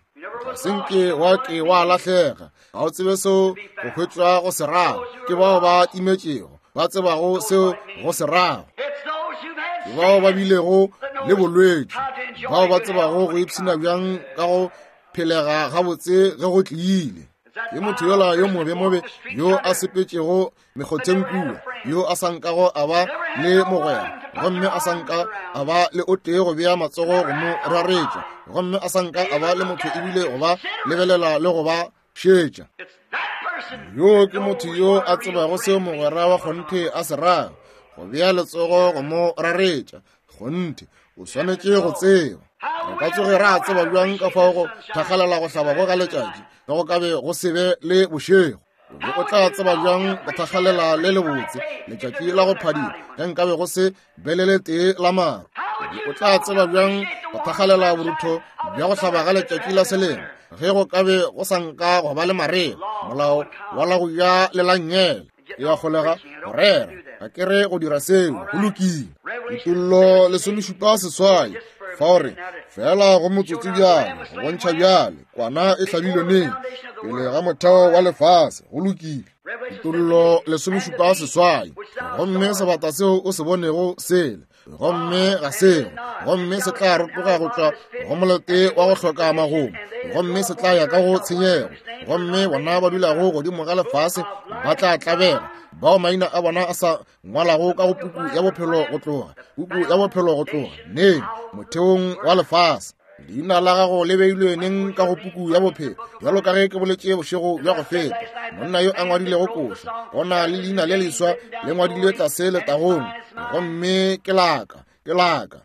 Ga se nke wa ke wa lahlega, ga o tsebe seo go hwetšwa go se rago. Ke bao ba timetšego ba tsebago seo go se rago. Ke bao ba bilego le bolwetši, bao ba tsebago go ipshina bjang ka go phelega gabotse ge go tlile. Ke motho yola yo mobe-mobe yo a sepetšego mekgotheng kua, yo a sa nkago a ba le mogwera, gomme a sa nka a ba le o tee go bea matsogo go mo raretša, gomme a sa nka a ba le motho ebile go ba lebelela le go ba šetša. Yo ke motho yo a tsebago seo mogwera wa kgonthe a se rago, go bea letsogo go mo raretša. Kgonthe o swanetše go tseba. Re ka tsoge ra tseba bjang ka fao go thakgalela go hlaba go ga letšatši ge go ka be go se be le bošego? O tla tseba bjang go thakgalela le lebotse letšatši la go phadima ge nkabe go se be le letee la maru? O tla tseba bjang go thakgalela borutho bja go hlaba ga letšatši la selemo ge go ka be go sa nka go ba le marega, molao wa la go ja le la nnyele? E a kgolega go rera, ga ke re go dira seo, go lokile. Kutollo lesomešupa seswai, fao re fela go motsotso bjale, go bontšha bjale kwana e hlabilwe neng, pele ga motheo wa lefase. Go lokile. Kutollo lesomešupa seswai, gomme sebata seo o se bonego sele, gomme ga seo, gomme se tla rotoga go tšwa go molete wa go hloka magomo, gomme se tla ya ka go tshenyego, gomme bona ba dulago godimo ga lefase ba tla tlabega, bao maina a bona a sa ngwalago ka go puku ya bophelo go tloga, puku ya bophelo go tloga neng, motheong wa lefase. Leina la gago le beilwe neng ka go puku ya bophelo? Bjalo ka ge ke boletše bošego bja go feta, monna yo a ngwadilego koša, go na le leina le leswa le ngwadilwe tlase letagong, gomme ke laka, ke laka.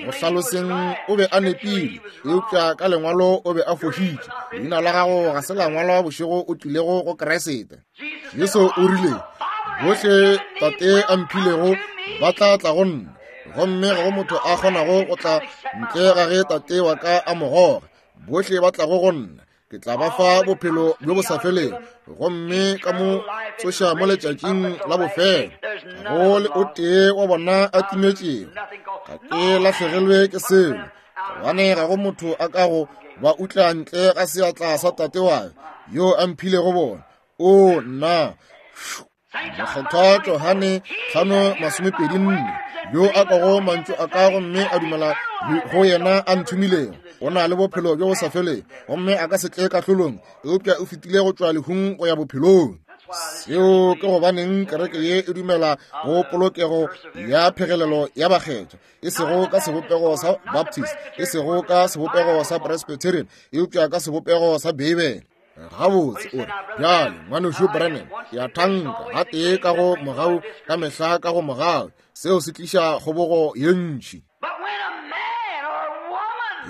Go hlaloseng o be a nepile, eupša ka lengwalo o be a fošitše. Leina la gago ga se la ngwalwa bošego o tlilego go Kriste. Jesu o rile, bohle Tate a mphilego ba tla tla go nna, gomme ga go motho a kgonago go tla ntle ga ge Tate wa ka a mo goga. Bohle ba tlago go nna, ke tla ba fa bophelo bjo bo sa felego, gomme ka mo tsoša mo letšatšing la bofelo. Ga go le o tee wa bona a timetšego, ga ke lahlegelwe ke selo, gobane ga go motho a ka go ba utla ntle ga seatla sa Tate wa ka yo a mphilego bona. O nna! Mokgethwa Johane hlano masomepedi nne, yo a kwago mantšu a ka gomme a dumela go yena a nthomilego, o na le bophelo bjo bo sa felego, gomme a ka se tle kahlolong, eupša o fetile go tšwa lehung go ya bophelong. Seo ke gobaneng kereke ye e dumela go polokego ya phegelelo ya bakgethwa, e sego ka sebopego sa Baptist, e sego ka sebopego sa Presbyterian, eupša ka sebopego sa Beibele. Gabotse o re, bjale ngwanešu Branham, ke a thanka gatee ka go mogau ka mehla ka go mogau, seo se tliša kgobogo ye ntši.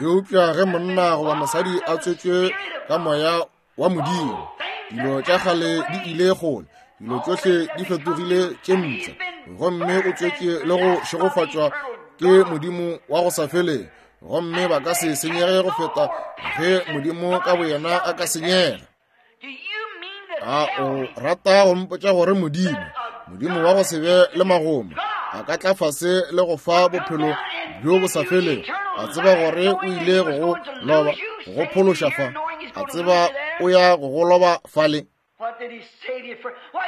Eupša ge monna goba mosadi a tswetšwe ka moya wa Modimo, dilo tša kgale di ile kgole, dilo tšohle di fetogile tše mpsha, gomme o tswetše le go šegofatšwa ke Modimo wa go sa felego, gomme ba ka se senyege go feta ge Modimo ka boyena a ka senyega. A o rata go mpotša gore Modimo, Modimo wa go se be le magomo, a ka tla fase le go fa bophelo bjo bo sa felego, a tseba gore o ile go go loba, go go phološa fa, a tseba o ya go go loba fale?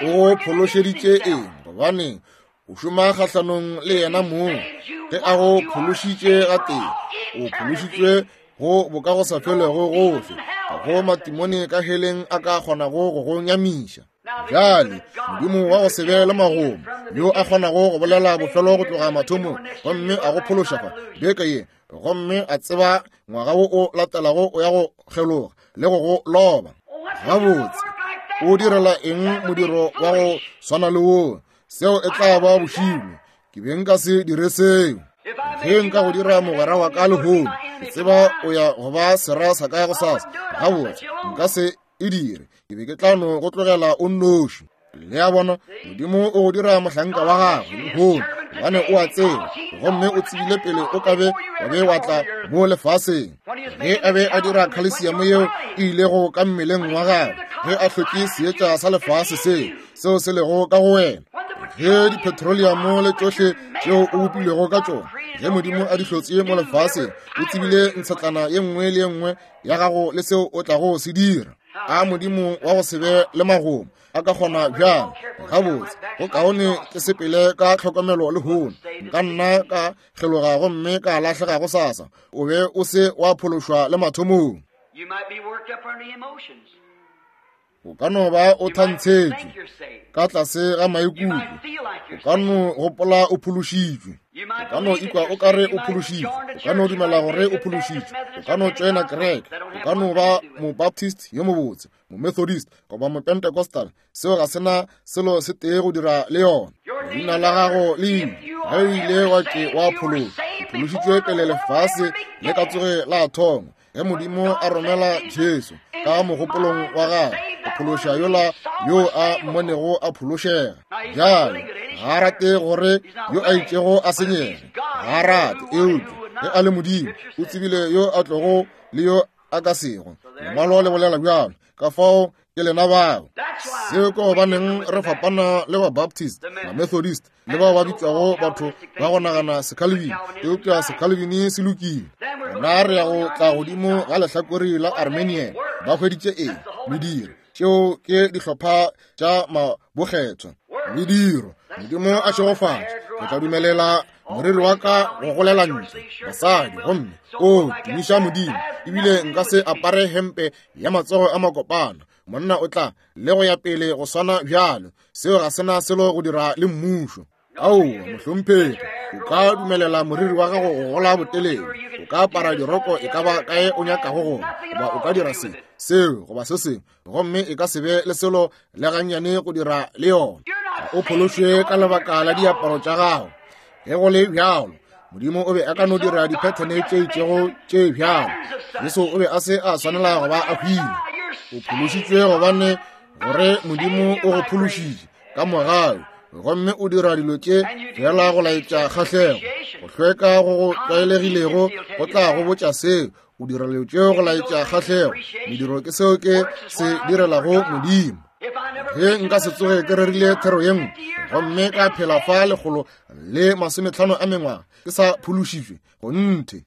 O phološeditše eng? Gobane o šoma kgahlanong le yena mong. Ge a go phološitše gatee, o phološitšwe go boka go sa felego gohle, ga go matimone ka heleng a ka kgonago go go nyamiša. Bjale Modimo wa go se be le magomo, yo a kgonago go bolela bofelo go tloga mathomong, gomme a go phološa fa beke ye, gomme a tseba ngwaga wo o latelago o ya go kgeloga le go go loba. Gabotse o direla eng modiro wa go swana le wo? Seo e tla ba bošilo. Ke be nka se dire seo. Ge nka go dira mogwera wa ka lehono, ke tseba o ya go ba sera sa ka gosasa. Gabotse, nka se e dire. Ke be ke tla no go tlogela o nnoši. Le a bona, Modimo o go dira mohlanka wa gagwe lehono, gobane o a tseba, gomme o tsebile pele o ka be wa be wa tla mo lefaseng. Ge a be a dira khalesiamo yeo e ilego ka mmeleng wa gagwe, ge a hlotše seetša sa lefase seo, seo se lego ka go wena, ge dipetroleamo le tšohle tšeo o bopilwego ka tšona, ge Modimo a di hlotše mo lefaseng, o tsebile ntshetlana ye nngwe le ye nngwe ya gago le seo o tlago se dira. A Modimo wa go se be le magomo a ka kgona bjang? Gabotse, go kaone ke sepele ka tlhokomelo lehono. Nka nna ka kgeloga gomme ka lahlega gosasa. O be o se wa phološwa le mathomong. O ka no ba o thantshetšwe ka tlase ga maikutlo. O ka no gopola o phološitšwe. O ka no ikwa o kare o phološitšwe. O ka no dumela gore o phološitšwe. O ka no tšoena kereke. O ka no ba mobaptist yo mobotse, momethodist goba mopentecostal. Seo ga sena selo se tee go dira le yona. Leina la gago le ile ge o ile wa ke wa phološwa. O phološitšwe pele lefase le ka tsoge la thoma. Ge Modimo a romela Jesu ka mogopolong wa gagwe go phološa yola yo a mmonego a phološega. Bjale ga a rate gore yo a itšego a senyege, ga a rate, eupša ge a le Modimo o tsebile yo a tlogo le yo a ka sego. Lengwalo le bolela bjalo. Ka fao ke lena bao. Seo ke gobaneng re fapana le ba Baptist, ba Methodist le bao ba bitšwago batho ba go nagana Secalvini, eupša Secalvini se lokile. Gona re ya go tla godimo ga lehlakore la Armenian. Ba hweditše eng? Mediro. Tšeo ke dihlopha tša mabokgethwa. Mediro. Modimo a šegofatše. Ke tla dumelela moriri wa ka go golela ntle, basadi, gomme o tumiša Modimo. Ebile nka se apare hempe ya matsogo a makopana. Monna o tla le go ya pele go swana bjalo. Seo ga sena selo go dira le mmušo. Aowa, mohlomphegi, o ka dumelela moriri wa gago go gola botelele. O ka apara diroko e ka ba kae o nyakago gona, goba o ka dira se, seo goba se sengwe, gomme e ka se be le selo le gannyane go dira le yona. Ga o phološwe ka lebaka la diaparo tša gago. Ge go le bjalo, Modimo o be a ka no dira diphethene tše itšego tše bjalo. Jesu o be a se a swanela go ba a hwile. O phološitšwe gobane gore Modimo o go phološitše ka mogau, gomme o dira dilo tše fela go laetša kgahlego. Go hlweka go go tlwaelegilego go tla go botša seo. O dira dilo tšeo go laetša kgahlego. Mediro ke seo ke se direlago Modimo. Ge nka se tsoge ke rerile thero ye nngwe gomme ka phela fa lekgolo le masometlhano a mengwaga ke sa phološitšwe, gonthe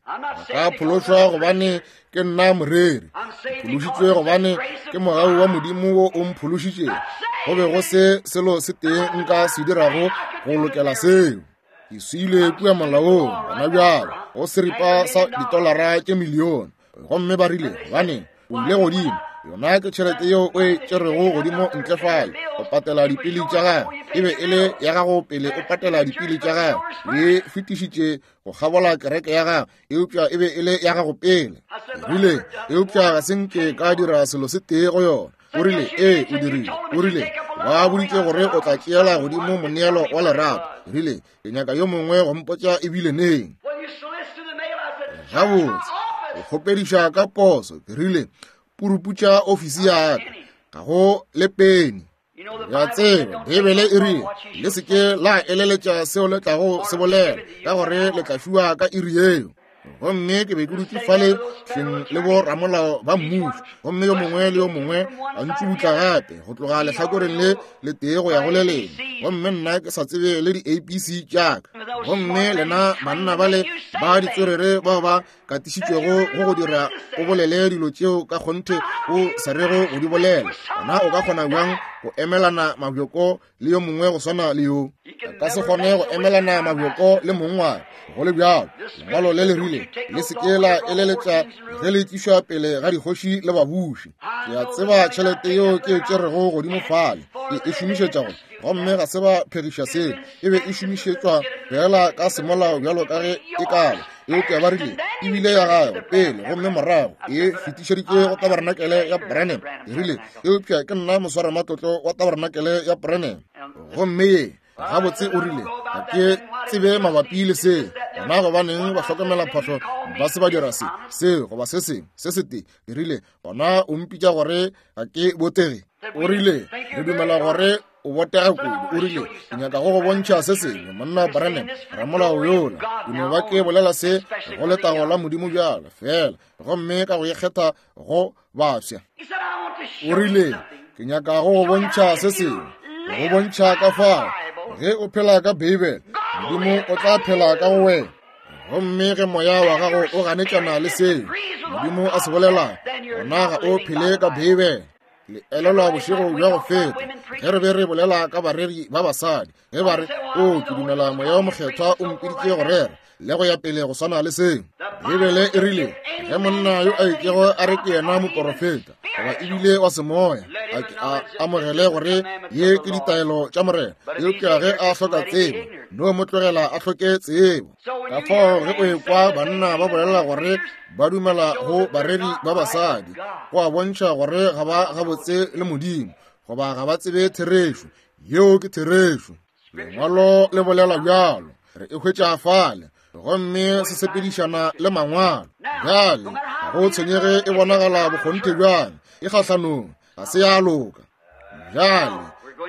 ka phološwa gobane ke nna moreri. Ke phološitšwe gobane ke mogau wa Modimo wo o mphološitšego. Go be go se selo se tee nka se dirago go lokela seo. Ke swile kua molaong gona bjalo go seripa sa ditolara tše milione, gomme ba rile gobane o ile godimo. Yona ke tšhelete yeo o e tšerego godimo ntle fale go patela dipili tša gago. E be e le ya gago pele o patela dipili tša gago. E fetišitše go kgabola kereke ya gago, eupša e be e le ya gago pele. Ke rile, eupša ga se nke ka dira selo se tee go yona. O rile, ee, o dirile. O rile, ba boditše gore o tla tšeela godimo moneelo wa lerato. Ke rile, ke nyaka yo mongwe go mpotša ebile neng. Gabotse, o kgopediša ka poso. Ke rile, puruputša ofisi ya ka, ga go le peni. Ya tseba, Beibele e rile, le se ke la eleletša seo le tlago se bolela, ka gore le tla fiwa ka iri yeo. Gomme ke be ke dutše fale hleng le bo ramolao ba mmušo, gomme yo mongwe le yo mongwe a ntšubutla gape go tloga lehlakoreng le le tee go ya go le lengwe, gomme nna ke sa tsebe le di-A B C tša ka. Gomme lena banna bale ba ditswerere bao ba katišitšwego go go dira o bolele dilo tšeo ka kgonthe o sa rego go di bolela, gona o ka kgona bjang go emelana mabjoko le yo mongwe go swana le yo? A ka se kgone go emelana mabjoko le mong wa go le bjalo. Lengwalo le le rile, le se ke la eleletša ge le tlišwa pele ga dikgoši le babuši. Ke a tseba tšhelete yeo ke e tšerego godimo fale ke e šomišetša go, gomme ga se ba phegiša seo. E be e šomišetšwa fela ka semolao bjalo ka ge e kaba, eupša ba rile ebile ya gagwe pele gomme morago e fetišeditše go tabarenakele ya Branham. E rile, eupša ke nna moswaramatlotlo wa tabarenakele ya Branham, gomme ye Gabotse o rile, ga ke tsebe mabapi le seo. Gona gobaneng ba hlokomela phahlo ba se ba dira se, seo goba se sengwe, se setee. Ke rile, gona o mpitša gore ga ke botege. O rile, re dumela gore o botega kudu. O rile, ke nyaka go go bontšha se sengwe, monna Branham, ramolao yola. Ke no ba ke bolela se go letago la Modimo bjalo fela, gomme ka go ikgetha go bafsa. O rile, ke nyaka go go bontšha se sengwe, go bontšha ka fao ge o phela ka Beibele, Modimo o tla phela ka go wena. Gomme ge moya wa gago o ganetšana le seo Modimo a se bolelago, gona ga o phele ka Beibele. Le elelwa bošego bja go feta ge re be re bolela ka bareri ba basadi, ge ba re, o ke dumela moya o mokgethwa o mpiditše go rera le go ya pele go swana le seo. Beibele e rile, ge monna yo a itšego a re ke yena moporofeta goba ebile wa semoya, a ke a amogele gore ye ke ditaelo tša Morena, eupša ge a hloka tsebo, no mo tlogela a hloke tsebo. Ka fao ge o ekwa banna ba bolela gore ba dumela go bareri ba basadi, go a bontšha gore ga ba gabotse le Modimo, goba ga ba tsebe therešo. Yeo ke therešo. Lengwalo le bolela bjalo, re e hwetša fale, gomme se sepedišana le mangwalo. Bjale ga go tshwenyege e bonagala bokgonthe bjang, e kgahlanong, ga se ya loka. Bjale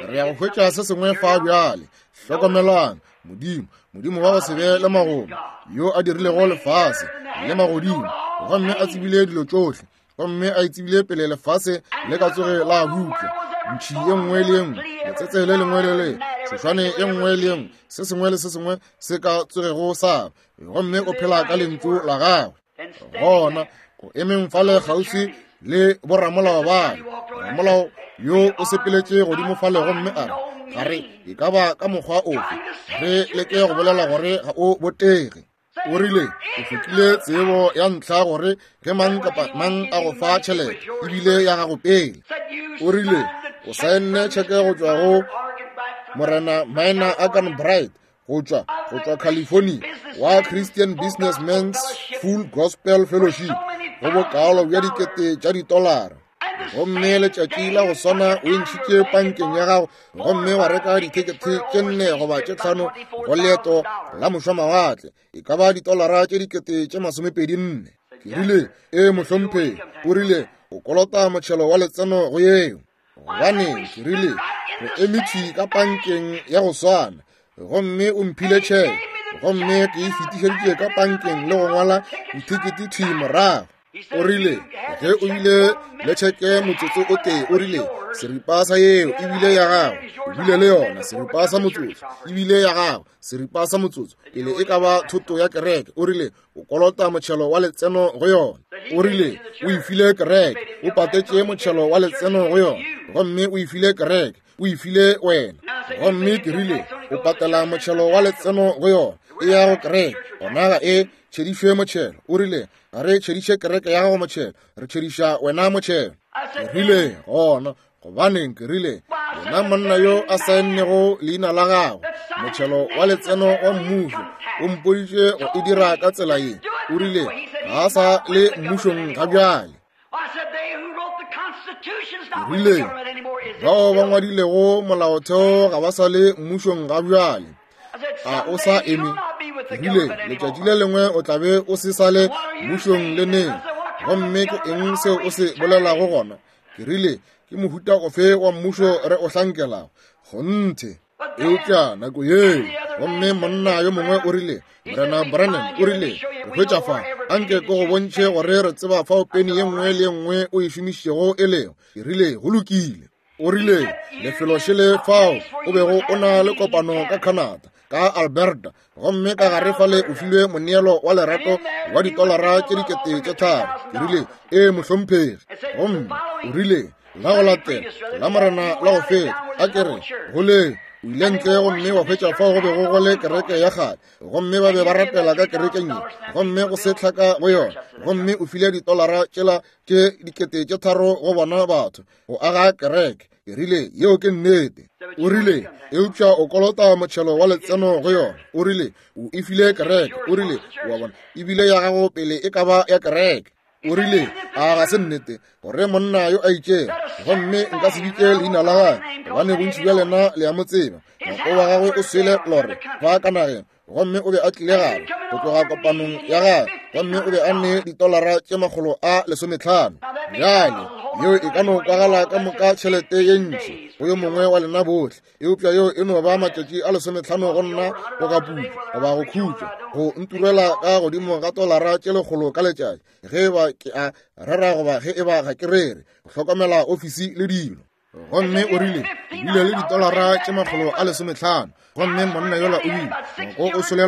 re ya go hwetša se sengwe fa bjale. Hlokomelang, Modimo, Modimo wa go se be le magomo, yo a dirilego lefase le magodimo, gomme a tsebile dilo tšohle, gomme a itsebile pele lefase le ka tsoge la butla. Ntšhi ye nngwe le ye nngwe, letsetse le lengwe le le, tšhošwane ye nngwe le ye nngwe, se sengwe le se sengwe se ka tsogego sa, gomme o phela ka lentšu la gagwe. Gona o emeng fale kgauswi le boramolao bale, ramolao yo o sepeletše godimo fale gomme a re, ga re e ka ba ka mokgwa ofe re leke go bolela gore ga o botege. O rile, o hlokile tsebo ya ntlha gore ge mang kapa mang a go fa tšhelete ebile ya gago pele. O rile, o saenne tšheke go tšwa go Morena Minor Akan Bright go tšwa go tšwa California wa Christian Businessmen's Full Gospel Fellowship go bokaalo bja dikete tša ditolara. Gomme letšatši la go swana o ntšhitše pankeng ya gago gomme wa reka dithekethe tše nne goba tše tlhano go leeto la mošwamawatle, e ka ba ditolara tše dikete tše masomepedi nne. Ke rile, e mohlomphegi. O rile, o kolota motšhelo wa letseno go yeo. Gobane ke rile, o eme thwi ka pankeng ya go swana, gomme o mphile tšheke, gomme ke e fetišeditše ka pankeng le go ngwala dithekete thwi morago. O rile, ge o bile le tšheke motsotso o tee, o rile, seripa sa yeo ebile ya gago, o bile le yona seripa sa motsotso, ebile ya gago seripa sa motsotso, pele e ka ba thoto ya kereke. O rile, o kolota motšhelo wa letseno go yona. O rile, o e file kereke, o patetše motšhelo wa letseno go yona, gomme o e file kereke, o e file wena. Gomme ke rile, o patela motšhelo wa letseno go yona, e ya go kereke, gona ga e tšhedišwe motšhelo. O rile, ga re tšhediše kereke ya gago motšhelo, re tšhediša wena motšhelo. Ke rile, gona gobaneng? Ke rile, yena monna yo a saennego leina la gagwe motšhelo wa letseno wa mmušo o mpoditše go e dira ka tsela ye. O rile, ga a sa le mmušong ga bjale. Ke rile, bao ba ngwadilego molaotheo ga ba sa le mmušong ga bjale. A o sa eme? Ke rile, letšatši le lengwe o tla be o se sa le mmušong le neng. Gomme ke eng seo o se bolelago gona? Ke rile, ke mohuta ofe wa mmušo re o hlankelago? Kgonthe. Eupša nako yeo, gomme monna yo mongwe o rile, Morena Branham, o rile, o hwetša fa, anke ke go bontšhe gore re tseba fao peni ye nngwe le ye nngwe o e šomišitšego e lego. Ke rile, go lokile. O rile, lefelo šele fao o bego o na le kopano ka Canada, ka Alberta, gomme ka gare fale o filwe moneelo wa lerato wa ditolara tše dikete tše tharo. Ke rile, ee mohlomphegi. Gomme o rile, la go latela la Morena la go feta, a ke re go le o ile ntle gomme wa hwetša fao go bego go le kereke ya kgale, gomme ba be ba rapela ka kerekeng ye, gomme go se tlhaka go yona, gomme o file ditolara tšela tše dikete tše tharo go bona batho go aga kereke. Ke rile, yeo ke nnete. O rile, eupša o kolota motšhelo wa letseno go yona. O rile, o e file kereke. O rile, wa bona, ebile ya gago pele e ka ba ya kereke. O rile, a ga se nnete gore monna yo a itšego, gomme nka se bitše leina la gagwe gobane bontši bja lena le a mo tseba. Ngwako wa gagwe o swele lore fa ka nageng, gomme o be a tlile gape go tloga kopanong ya gagwe, gomme o be a ne ditolara tše makgolo a lesometlhano. Bjale yeo e ka no kwagala ka moka tšhelete ye ntši go yo mongwe wa lena bohle, eupša yeo e no ba matšatši a lesometlhano go nna go ka putša goba go khutša, go nturela ka godimo ga tolara tše lekgolo ka letšatši ge e ba ke a rera goba ge e ba ga ke rere, go hlokomela ofisi le dilo. Gomme o rile, ke bile le ditolara tše makgolo a lesometlhano, gomme monna yola o bile ngwako o swele,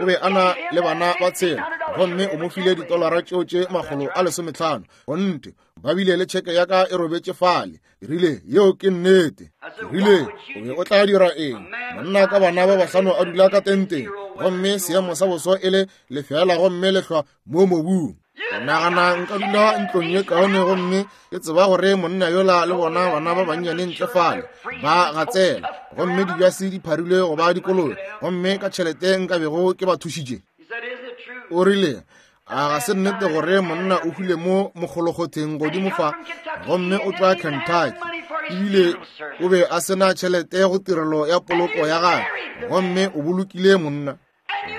o be a na le bana ba tshela, gomme o mo file ditolara tšeo tše makgolo a lesometlhano. Gonte ba bile le tšheke ya ka e robetše fale. Ke rile, yeo ke nnete. Ke rile, o be o tla dira eng? Monna ka bana ba bahlano a dula ka tenteng, gomme seemo sa boso e le lefela gomme lehlwa mo mobung. Ke nagana nka dula ntlong ye kaone, gomme ke tseba gore monna yola le bona bana ba bannyane ntle fale ba gatsela, gomme dibjase di pharilwe go ba dikoloi, gomme ka tšhelete nka bego ke ba thušitše. O rile, a ga se nnete gore monna o hwile mo mokgolokgotheng godimo fa, gomme o tšwa Kentucky, ebile o be a sena tšhelete go tirelo ya poloko ya gagwe, gomme o bolokile monna.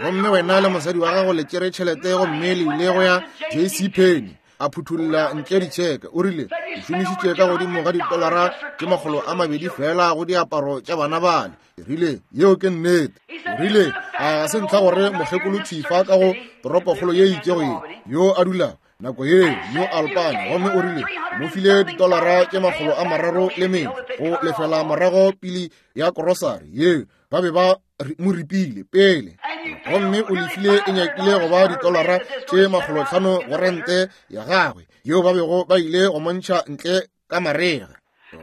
Gomme wena le mosadi wa gago le tšere tšhelete gomme le ile go ya J C Penney, a phuthulla ntle ditšheke. O rile, o šomišitše ka godimo ga ditolara tše makgolo a mabedi fela go diaparo tša bana bale. Ke rile, yeo ke nnete. O rile, a ga se ntlha gore mokgekolo thifa ka go toropokgolo ye itšego ye yo a dulago nako ye New Albany, gomme o rile mo file ditolara tše makgolo a mararo le mene go lefela morago pili ya korosari ye ba be ba mo ripile pele, gomme o lefile e nyakile go ba ditolara tše makgolotlhano go rente ya gagwe yeo ba bego ba ile go montšha ntle ka marega.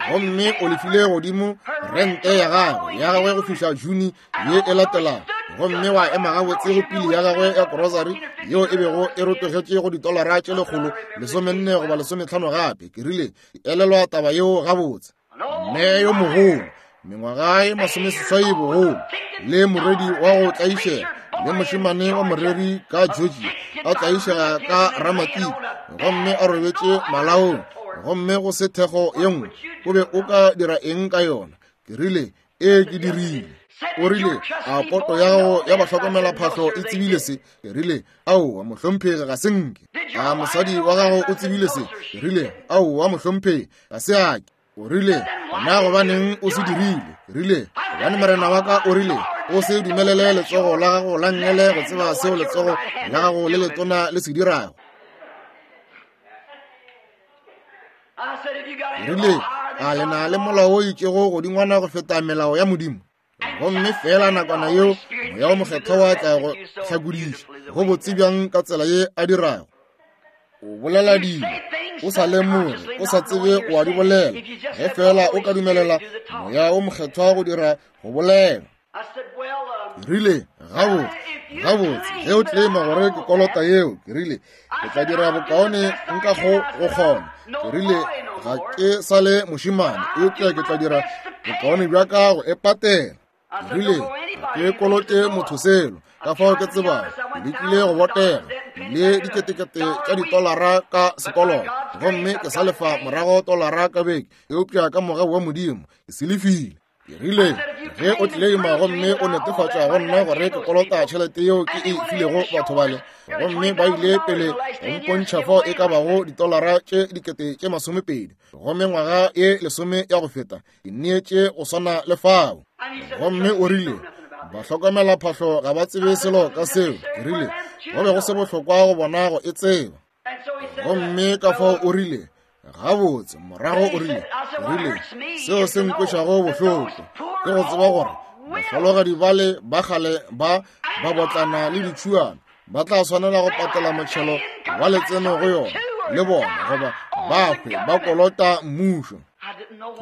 Gomme o lefile godimo rente ya gagwe ya gagwe go fihla June ye e latelago, gomme wa ema gabotse go pili ya gagwe ya korosari yeo e bego e rotogetše go ditolara tše lekgolo lesomenne goba lesometlhano gape. Ke rile, elelwa taba yeo gabotse. Mme yo mogolo, mengwaga e masomeseswai bogolo, le morwedi wa go tlaišega, le mošemane wa moreri ka Georgia a tlaišega ka Ramatiki, gomme a robetše malaong, gomme go se thekgo ye nngwe, o be o ka dira eng ka yona? Ke rile, ee ke dirile. O rile, a poto ya gago ya bahlokomela phahlo e tsebile se? Ke rile, aowa mohlomphegi, ga se nke. A mosadi wa gago o tsebile se? Ke rile, aowa mohlomphegi, ga se ake. O rile, na gobaneng o se dirile? Ke rile, gobane morena wa ka o rile, o se dumelele letsogo la gago la nngele go tseba seo letsogo la gago le letona le se dirago. Ke rile, a le na le molao o itšego godingwana go feta melao ya Modimo? Gomme fela nakwana yeo moya o mokgethwa wa tla go hlakodiša go botse bjang ka tsela ye a dirago. O bolela dilo o sa lemoge, o sa tsebe o a di bolela, ge fela o ka dumelela moya o mokgethwa go dira go bolela. Ke rile, gabotse gabotse, ge o tlema gore ke kolota yeo, ke rile, ke tla dira bokaone nka go go kgona. Ke rile, ga ke sa le mošemane, eupša ke tla dira bokaone bja ka go e patela. Ke rile, ga ke kolote motho selo, ka fao ke tsebago ke lekile go botega le diketekete tša ditolara ka sekoloto, gomme ke sa lefa morago tolara ka beke, eupša ka mogau wa Modimo ke se lefile. Ke rile, ge o tleleima gomme o netefatša go nna gore ke kolota tšhelete yeo ke e filego batho bale, gomme ba ile pele go mpontšha fao e ka bago ditolara tše dikete tše masomepedi, gomme ngwaga ye lesome ya go feta ke neetše go swana le fao. Gomme o rile, bahlokomela phahlo ga ba tsebe selo ka seo. Ke rile, go be go se bohlokwa go bona go e tseba. Gomme ka fao o rile, gabotse, morago o rile, rile, seo se nkwešago bohloko ke go tseba gore bahlologadi bale ba kgale ba ba botlana le ditšhuana ba tla swanela go patela motšhelo wa letseno go yona le bona, goba ba hwe ba kolota mmušo.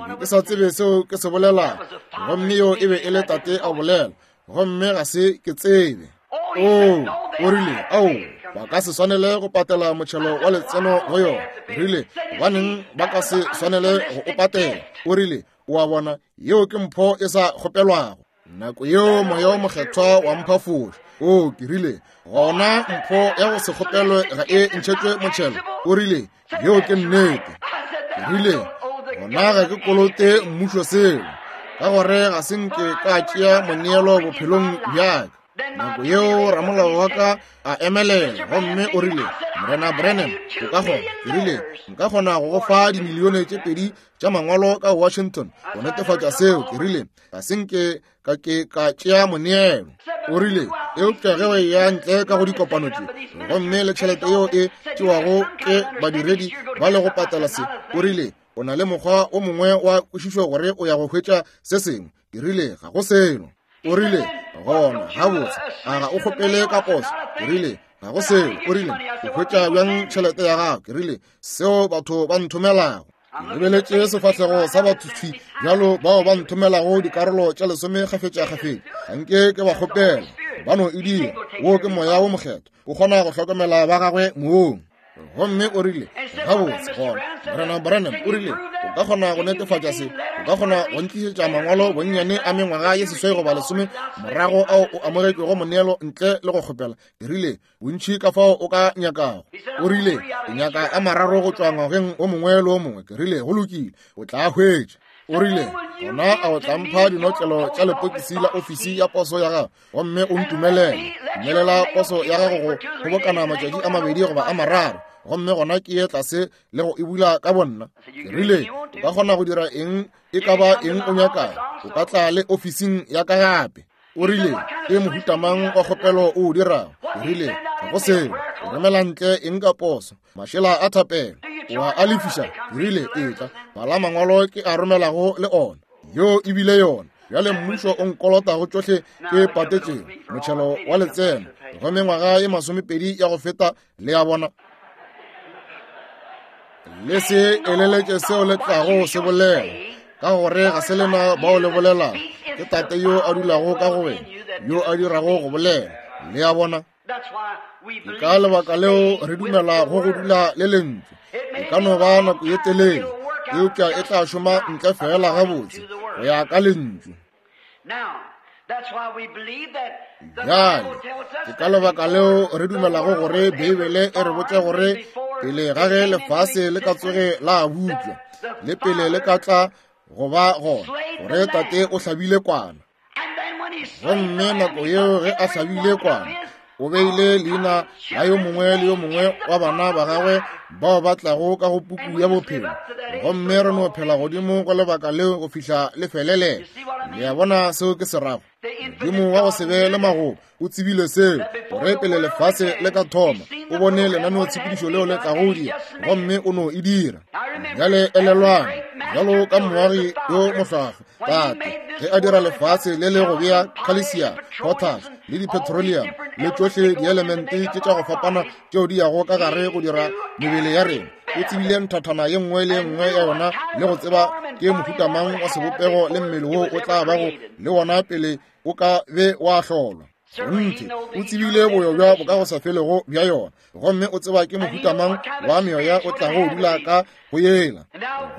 Ke ke sa tsebe seo ke se bolelago, gomme yo e be e le tate a bolela, gomme ga se ke tsebe. O, o rile, ao, ba ka se swanele go patela motšhelo wa letseno go yona. Rile, gobaneng ba ka se swanele go o patela? O rile, o a bona, yeo ke mpho e sa kgopelwago. Nako yeo moya o mokgethwa wa mphafoša. O, ke rile, gona mpho ya go se kgopelwe ga e ntšhetšwe motšhelo. O rile, yeo ke nnete. Ke rile, gona ga ke kolote mmušo selo, ka gore ga se nke ka tšea moneelo bophelong bja ka. Nako yeo ramolao wa ka a emelela gomme o rile, Morena Branham, o ka kgona? Ke rile, nka kgona go go fa dimilione tše pedi tša mangwalo ka Washington go netefatša seo. Ke rile, ga se nke ka ke ka tšea moneelo. O rile, eupša ge o eya ntle ka go dikopano tše gomme le tšhelete yeo e tšewago ke badiredi ba le go patela se, o rile, o na le mokgwa o mongwe wa kwešišo gore o ya go hwetša se sengwe. Ke rile, ga go selo. O rile, gona gabotse, a ga o kgopele ka poso? Ke rile, ga go selo. O rile, o hwetša bjang tšhelete ya gago? Ke rile, seo batho ba nthomelago. Ke lebeletše sefahlego sa batho thwi bjalo bao ba nthomelago dikarolo tša lesome kgafetša-kgafetša. Ga nke ke ba kgopela, ba no e dira. Wo ke moya wo mokgethwa, o kgona go hlokomela ba gagwe moong. Gomme o rile, gabotse gona, Morena Branham, o rile, o ka kgona go netefatša se? O ka kgona go ntlišetša mangwalo bonnyane a mengwaga ye seswai goba lesome morago ao o amogetšwego moneelo ntle le go kgopela? Ke rile, bontši ka fao o ka nyakago. O rile, ke nyaka a mararo go tšwa ngwageng o mongwe le o mongwe. Ke rile, go lokile, o tla hwetša. O rile, gona a o tla mpha dinotlelo tša lepokisi la ofisi ya poso ya gago gomme o ntumelele. Dumelela poso ya gago go kgobokana matšatši a mabedi goba a mararo, gomme gona ke ye tlase le go e bula ka bonna. Ke rile, o ka kgona go dira eng e ka ba eng o nyakago, o ka tla le ofising ya ka gape. O rile, ke mohuta mang wa kgopelo o o dirago? Ke rile, ga go selo. O romela ntle eng ka poso? Mašela a thapelo. O a a lefiša? Ke rile, etla, bala mangwalo ke a romelago le ona. Yo e bile yona. Bjale mmušo o nkolotago tšohle ke patetšego motšhelo wa letseno go mengwaga ye masomepedi ya go feta. Le a bona? Le se eleletše seo le tlago se bolela, ka gore ga se lena bao le bolelago, ke Tate yo a dulago ka go wena, yo a dirago go bolela. Le a bona? Ke ka lebaka leo re dumela go go dula le lentšu. E ka no ba nako ye telele, eupša e tla šoma ntle fela gabotse go ya ka lentšu. Bjale, ke ka lebaka leo re dumelago gore Beibele e re botša gore pele ga ge lefase le ka tsoge la butšwa, le pele le ka tla go ba gona, gore Tate o hlabile kwana. Gomme nako yeo ge a hlabile kwana, o beile leina la yo mongwe le yo mongwe wa bana ba gagwe bao ba tlago ka go puku ya bophelo. Gomme re no phela godimo go lebaka leo go fihla le felele. Le a bona seo ke se rago? Modimo wa go se be le magobo o tsebile seo, gore pele lefase le ka thoma, o bone lenaneotshepedišo leo le tlago dira, gomme o no e dira. Bjale elelwang, bjalo ka moagi yo mohlwahlwa, Tate, ge a dira lefase le le go bea calcium, potash le di-petroleum le tšohle dielemente tše tša go fapana tšeo di yago ka gare go dira mebele ya rena, o tsebile nthathana ye nngwe le ye nngwe ya yona le go tseba ke mohuta mang wa sebopego le mmele wo o tla bago le wona pele o ka be wa hlolwa. Nthe o tsebile boyo bja bokagosafelego bja yona, gomme o tseba ke mohuta mang wa meoya o tlago o dula ka go yela.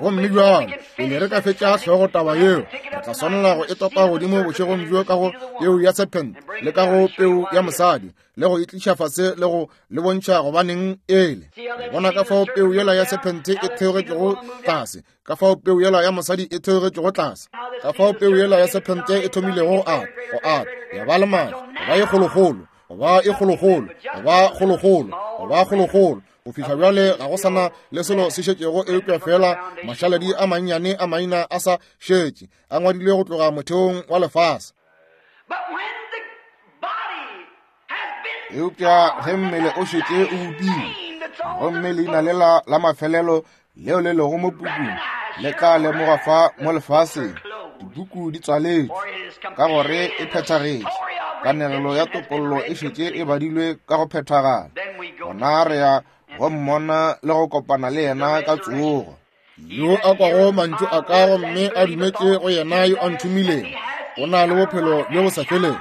Gomme bjalo pele re ka fetša hlogo taba yeo, re tla swanela go e topa godimo bošegong bjo ka go peu ya serpent le ka go peu ya mosadi, le go e tliša fase le go le bontšha gobaneng ele. Bona ka fao peu yela ya serpent e theogetšego tlase, ka fao peu yela ya mosadi e theogetšego tlase, ka fao peu yela ya serpent e thomilego go ata, go ata, ya ba le maatla, go ba e kgolokgolo, go ba e kgolokgolo, go ba kgolokgolo, go ba kgolokgolo, go fihla bjale ga go sana le selo se šetšego eupša fela mašaledi a mannyane a maina a sa šetše a ngwadilwe go tloga motheong wa lefase. Eupša ge mmele o šetše o bopile, gomme leina lela la mafelelo leo le lego mo pukung le tla lemogwa fa mo lefaseng, dipuku di tswaletšwe ka gore e phethagetše. Kanegelo ya topollo e šetše e badilwe ka go phethagala. Gona re ya go mmona le go kopana le yena ka tsogo. Yo a kwago mantšu a ka gomme a dumetše go yena yo a nthomilego, o na le bophelo bjo bo sa felego,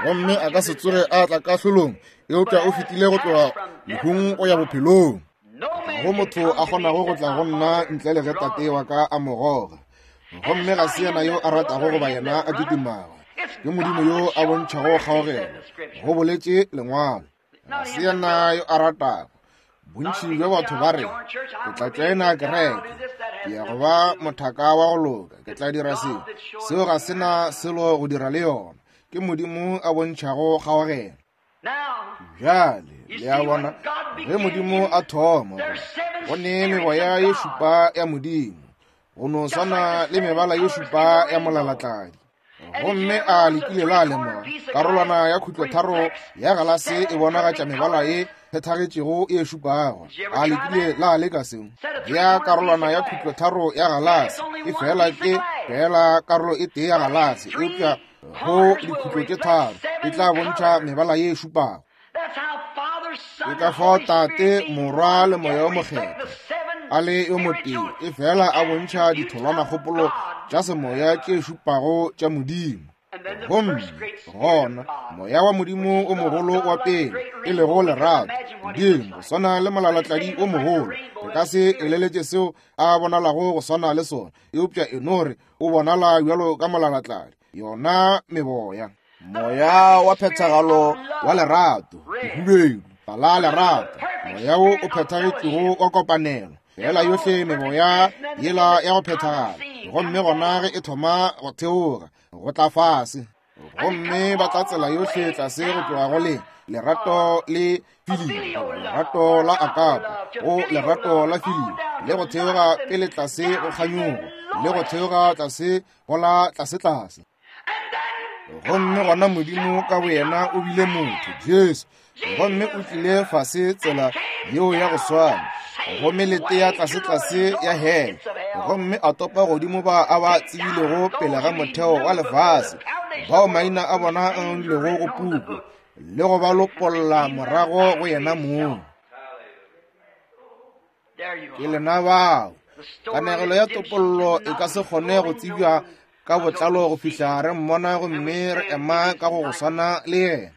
gomme a ka se tsoge a tla kahlolong, eupša o fetile go tloga lehung go ya bophelong. Ga go motho a kgonago go tla go nna ntle le ge Tate wa ka a mo goga, gomme ga se yena yo a ratago goba yena a kitimago, Ke Modimo yo a bontšhago kgaogelo, go boletše Lengwalo. Ga se yena yo a ratago. Bontši bja batho ba re, ke tla tšoena kereke, ke ya go ba mothaka wa go loka, ke tla dira seo. Seo ga se na selo go dira le yona. Ke Modimo a bontšhago kgaogelo. Bjale, le a bona, ge Modimo a thoma, go ne meboya ye šupa ya Modimo, go no swana le mebala ye šupa ya molalatladi. Gomme a lekile la lemoga, karolwana ya khutlotharo ya galase e bonagatša mebala ye phethagetšego e šupago. A lekile la leka seo? Ya karolwana ya khutlotharo ya galase e fela ke fela karolo e tee ya galase, eupša go dikhutlo tše tharo e tla bontšha mebala ye šupago. Ke ka fao Tate, Morwa le Moya o Mokgethwa a le yo motee, e fela a bontšha ditholwanakgopolo tša semoya tše šupago tša Modimo. Gomme gona moya wa Modimo o mogolo wa pele, e lego lerato, Modimo go swana le molalatladi o mogolo. Re ka se eleletše seo a bonalago go swana le sona, eupša e no re o bonala bjalo ka molalatladi. Yona meboya, moya wa phethagalo wa lerato, lehubedu, tala lerato, moya wo o phethagetšego wa kopanelo, fela yohle meboya yela ya go phethagala. Gomme gona ge e thoma go theoga go tla fase, gomme ba tla tsela yohle tlase go tloga go le lerato le filio, lerato la akapo, go lerato la filio, le go theoga pele tlase go kganyogo, le go theoga tlase go la tlase tlase. Gomme gona Modimo ka boyena o bile motho, Jesu, gomme o tlile fase tsela yeo ya go swana, gomme lete ya tlase tlase ya hele, gomme a topa godimo ba a ba tsebilego pele ga motheo wa lefase, bao maina a bona a ngwadilwego go puku, le go ba lopolla morago go yena mong. Ke lena bao. Kanegelo ya topollo e ka se kgone go tsebja ka botlalo go fihla re mmona gomme re ema ka go go swana le yena.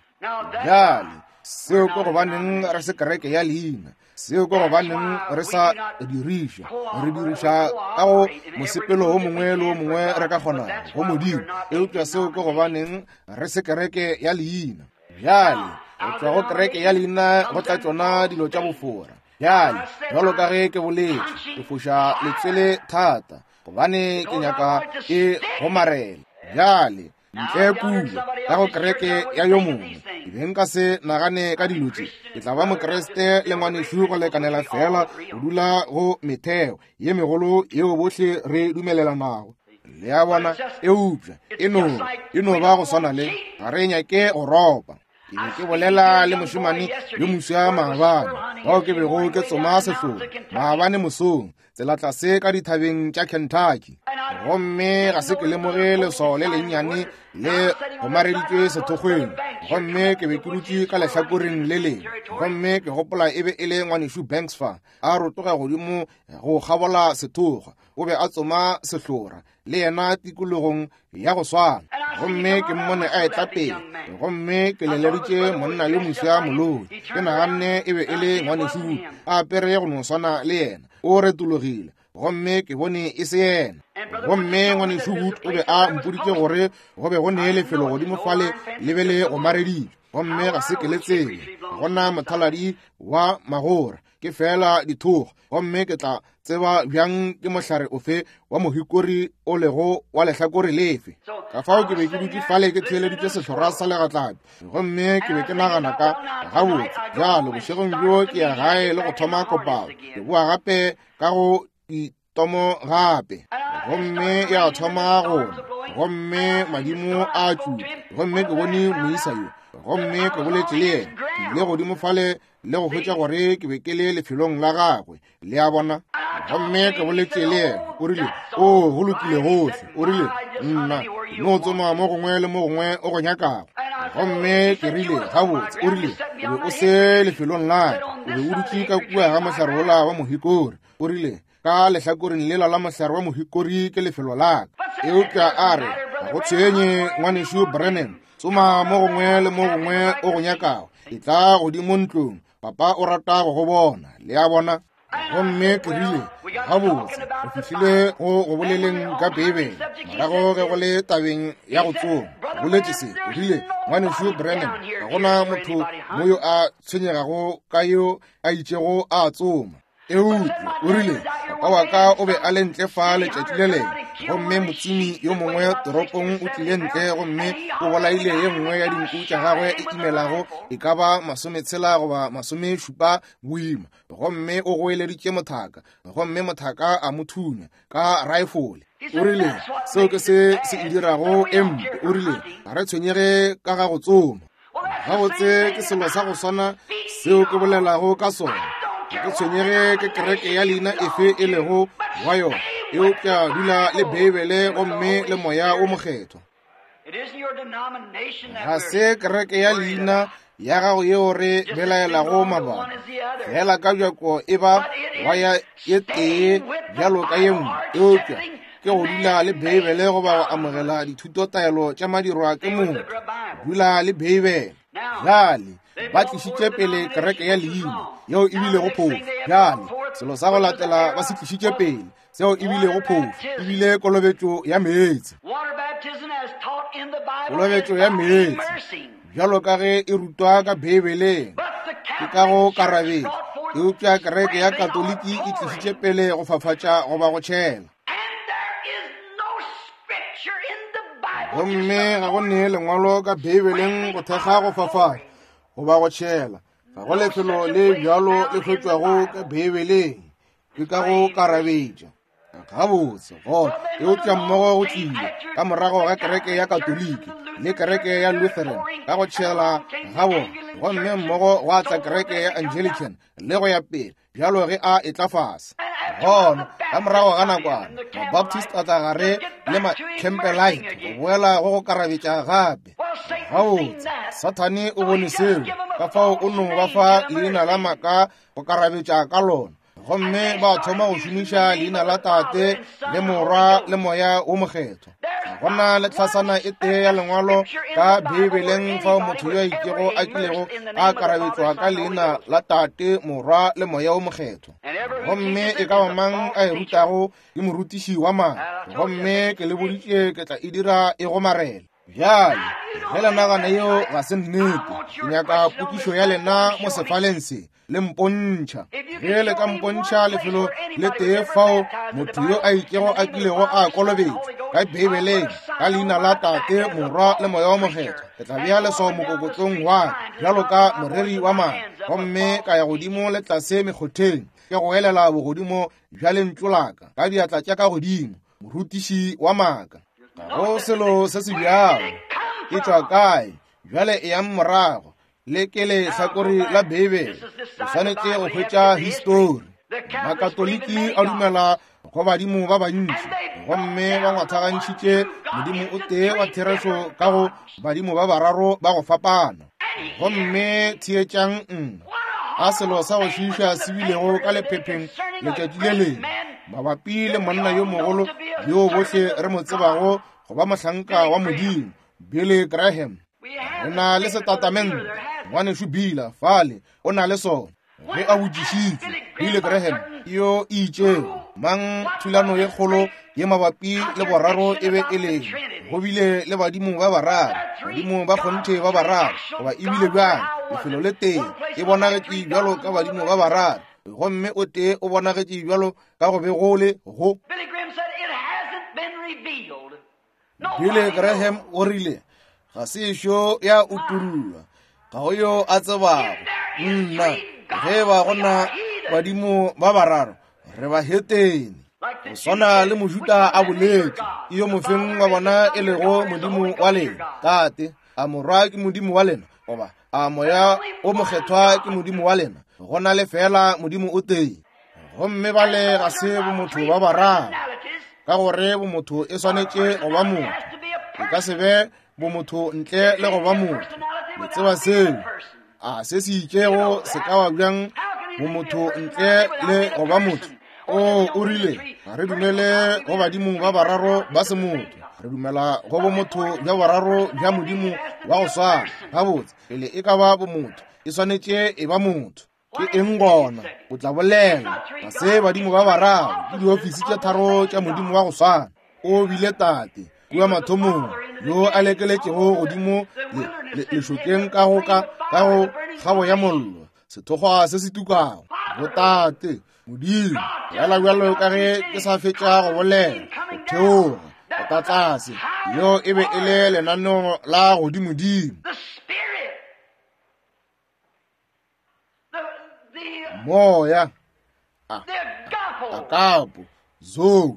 Bjale, seo ke gobaneng re se kereke ya leina, seo ke gobaneng re sa diriša, re diriša ka go mosepelo o mongwe le o mongwe re ka kgonago go Modimo, eupša seo ke gobaneng re se kereke ya leina. Bjale, go tšwa go kereke ya leina go tla tšona dilo tša bofora. Bjale, bjalo ka ge ke boletše, ke foša letswele thata, gobane ke nyaka e gomarela. Bjale, ntle kua ka go kereke ya yo mongwe, ke be nka se nagane ka dilo tše. Ke tla ba Mokriste le ngwanešu go lekanela fela go dula go metheo ye megolo yeo bohle re dumelelanago. Le a bona, eupša e no e no ba go swana le ga re nyake go ropa. Ke be ke bolela le mošemane yo moswa maabane, bao ke bego ke tsoma sehlogo maabane mosong, tsela tlase ka dithabeng tša Kentucky. Gomme ga se ke lemoge leswao le lennyane le gomareditšwe sethokgweng, gomme ke be ke dutše ka lehlakoreng le lengwe, gomme ke gopola e be e le ngwanešu Banks fa a rotoga godimo go kgabola sethokgwa. O be a tsoma sehlora le yena tikologong ya go swana, gomme ke mmone a etla pele, gomme ke leleditše monna yo moswa moloi. Ke naganne e be e le ngwanešu a apere go no swana le yena. O retologile, gomme ke bone e se yena. Gomme ngwanešu Wood o be a mpoditše gore go be go ne lefelo godimo fale le be le gomareditšwe, gomme ga se ke le tsebe. Gona mothaladi wa magora ke fela dithokgwa, gomme ke tla tseba bjang ke mohlare ofe wa mohikori o lego wa lehlakore lefe. Ka fao ke be ke dutše fale ke theeleditše sehlora sa legatlapi, gomme ke be ke nagana ka gabotse bjalo bošegong bjo ke ya gae le go thoma kopano, ke boa gape ka go ditomo gape, gomme ya thoma go na, gomme madimo a tšupa, gomme ke bone moisa yo, gomme ke boletše le yena. Ke ile godimo fale le go hwetša gore ke be ke le lefelong la gagwe, le a bona. Gomme ke boletše le yena, o rile, o go lokile gohle. O rile, nna no tsoma mo gongwe le mo gongwe o go nyakago. Gomme ke rile, gabotse. O rile, o be o se lefelong la ka, o be o dutše ka kua ga mohlare wola wa mohikori. O rile, ka lehlakoreng lela la mohlare wa mohikori ke lefelo la ka. Eupša a re, ga go tshwenye ngwanešu Branham, tsoma mo gongwe le mo gongwe o go nyakago, e tla godimo ntlong, papa o rata go go bona. Le a bona. Gomme ke rile, gabotse, re fihlile go go boleleng ka Beibele, morago ge go le tabeng ya go tsoma. boletše se, o rile, Ngwanešu Branham, ga gona motho mo yo a tshwenyegago ka yo a itšego a tsoma. Eupša o rile, papa wa ka o be a le ntle fa letšatši le lengwe, gomme motsomi yo mongwe toropong o tlile ntle gomme o bolaile ye nngwe ya dinku tša gagwe e imelago e ka ba masometshela goba masomešupa boima, gomme o goeleditše mothaka, gomme mothaka a mo thunya ka raefole. O rile, seo ke se se e dirago e mpe. O rile, ga re tshwenyege ka ga go tsoma. Gabotse ke selo sa go swana seo ke bolelago ka sona. Ga ke tshwenyege ke kereke ya leina efe e lego wa yona, eupša dula le Beibele gomme le Moya o Mokgethwa. Ga se kereke ya leina ya gago yeo re belaelago mabaka, fela ka bjako e ba wa ya e tee bjalo ka ye nngwe, eupša ke go dula le Beibele goba go amogela dithutotaelo tša madirwa ke motho. Dula le Beibele. Bjale ba tlišitše pele kereke ya leina yeo e bilego phofu. Bjale selo sa go latela ba se tlišitše pele seo e bilego phofu e bile kolobetšo ya meetse. Kolobetšo ya meetse bjalo ka ge e rutwa ka Beibeleng ke ka go karabetša, eupša kereke ya Katoliki e tlišitše pele go fafatša goba go tšhela. Gomme ga go ne lengwalo ka Beibeleng go thekga go fafatša goba go tšhela. Ga go lefelo le bjalo le hwetšwago ka Beibeleng, ke ka go karabetša. Gabotse gona, eupša mmogo go tlile ka morago ga kereke ya Katoliki le kereke ya Lutheran ka go tšhela ga bona, gomme mmogo gwa tla kereke ya Anglican le go ya pele bjalo ge a etla fase. Gona ka morago ga nakwana Mabaptist a tla gare le Macampbellite go boela go go karabetša gape. Gabotse Sathane o bone seo, ka fao o no ba fa leina la maaka go karabetša ka lona, gomme ba thoma go šomiša leina la Tate le Morwa le Moya o Mokgethwa. Ga gona le tlhasana e tee ya lengwalo ka Beibeleng fao motho yo a itšego a kilego a karabetšwa ka leina la Tate, Morwa le Moya o Mokgethwa. Gomme e ka ba mang a e rutago ke morutiši wa maaka, gomme ke le boditše ke tla e dira e gomarele. Bjale ge le nagana yeo ga se nnete, ke nyaka potšišo ya lena mo sefaleng se le mpontšha. Ge le ka mpontšha lefelo le tee fao motho yo a itšego a kilego a kolobetšwa ka Beibeleng ka leina la Tate, Morwa le Moya o Mokgethwa, ke tla bea leswao mokokotlong wa ka bjalo ka moreri wa maaka, gomme ka ya godimo le tlase mekgotheng ke go elela bogodimo bja lentšu la ka ka diatla tša ka godimo, morutiši wa maaka. Ga go selo se se bjalo. E tšwa kae? Bjale eyang morago le ke lehlakore la Beibele. O swanetše go hwetša histori. Makatoliki a dumela go badimo ba bantši, gomme ba ngwathagantšhitše Modimo o tee wa therešo ka go badimo ba bararo ba go fapana. Gomme theetšang nna, a selo sa go šiiša se bilego ka lephepheng letšatši le lengwe mabapi le monna yo mogolo yo bohle re mo tsebago go ba mohlanka wa Modimo, Billy Graham. Re na le setatamente, ngwanešu Bila fale o na le sona. Ge a botšišitšwe Billy Graham yo e itšego mang thulano ye kgolo ye mabapi le boraro e be e leng, go bile le badimo ba bararo, badimo ba kgonthe ba bararo, goba e bile bjang lefelo le tee e bonagetše bjalo ka badimo ba bararo, gomme o tee o bonagetše bjalo ka go be go le go. Billy Graham o rile, ga se ešo ya utullwa, ga go yo a tsebago. Nna, ge ba gona badimo ba bararo, re ba hetene. Go swana le Mojuda a boletše, ke yo mofeng wa bona e lego Modimo wa lena, Tate, a Morwa ke Modimo wa lena, goba a Moya o Mokgethwa ke Modimo wa lena? Go na le fela Modimo o tee. Gomme bale ga se bomotho ba bararo, ka gore bomotho e swanetše go ba motho. E ka se be bomotho ntle le go ba motho. Le tseba seo. A se se itšego se ka ba bjang bomotho ntle le go ba motho? O o rile, ga re dumele go badimo ba bararo ba se motho, re dumela go bomotho bja bararo bja Modimo wa go swana. Gabotse, pele e ka ba bomotho, e swanetše e ba motho. Ke eng gona? O tla bolela, ga se badimo ba bararo, ke diofisi tše tharo tša Modimo wa go swana. O bile Tate kua mathomong, yo a lekeletšego godimo lešokeng ka go ka ka go kgabo ya mollo, sethokgwa se se tukago, botate Modimo, bjala bjalo ka ge ke sa fetša go bolela, go theoga go tla tlase. Leo e be e le lenaneo la godimodimo. Moya, akapo, zoe,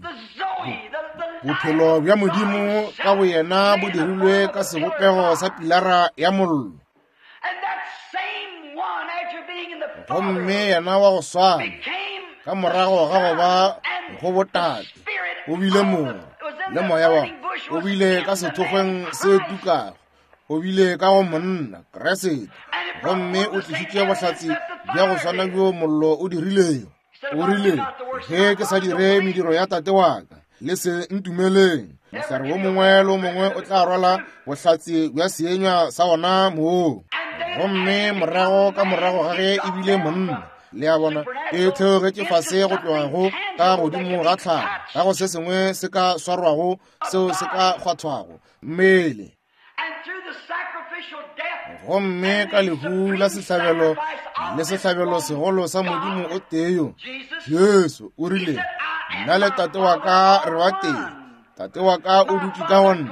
bophelo bja Modimo ka boyena bo dirilwe ka sebopego sa pilara ya mollo. Gomme yena wa go swana ka morago ga go ba go botate o bile mongwe le moya wa o bile ka sethokgweng se tukago, o bile ka go monna Kriste, gomme o tlišitše bohlatse bja go swana bjo mollo o dirilego. O rile, ge ke sa dire mediro ya tate wa ka, le se ntumeleng. Mohlare wo mongwe le wo mongwe o tla rwala bohlatse bja seenywa sa wona moo. Gomme morago ka morago ga ge e bile monna, le a bona, e theogetše fase go tloga go ka godimo ga tlhago, ga go se sengwe se ka swarwago seo se ka kgwathwago mmele. Gomme ka lehu la sehlabelo le sehlabelo segolo sa Modimo o tee yo, Jesu, o rile, nna le tate wa ka re ba tee. Tate wa ka o dutše ka go nna,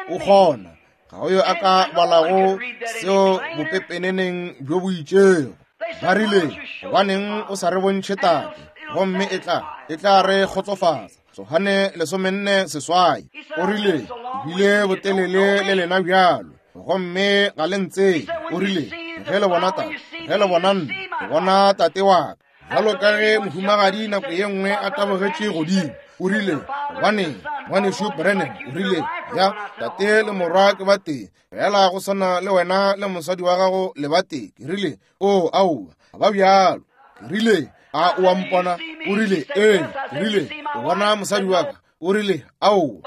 o kgona. Ga go yo a ka balago seo bopepeneneng bjo bo itšego. Ba rile, gobaneng o sa re bontšhe tate, gomme e tla e tla re kgotsofatsa. Johane lesomenne seswai. O rile, bile botelele le lena bjalo, gomme ga le ntsebe. O rile, ge le bona tate, ge le bona nna, le bona tate wa ka. Bjalo ka ge mohumagadi nako ye nngwe a tabogetše godimo, o rile, gobaneng ngwanešu Branham, o rile, ya tate le morwa ke ba tee, fela go swana le wena le mosadi wa gago le ba tee. Ke rile, o aowa, ga ba bjalo. Ke rile, a o a mpona? O rile, ee. Ke rile, o bona mosadi wa ka? O rile, aowa.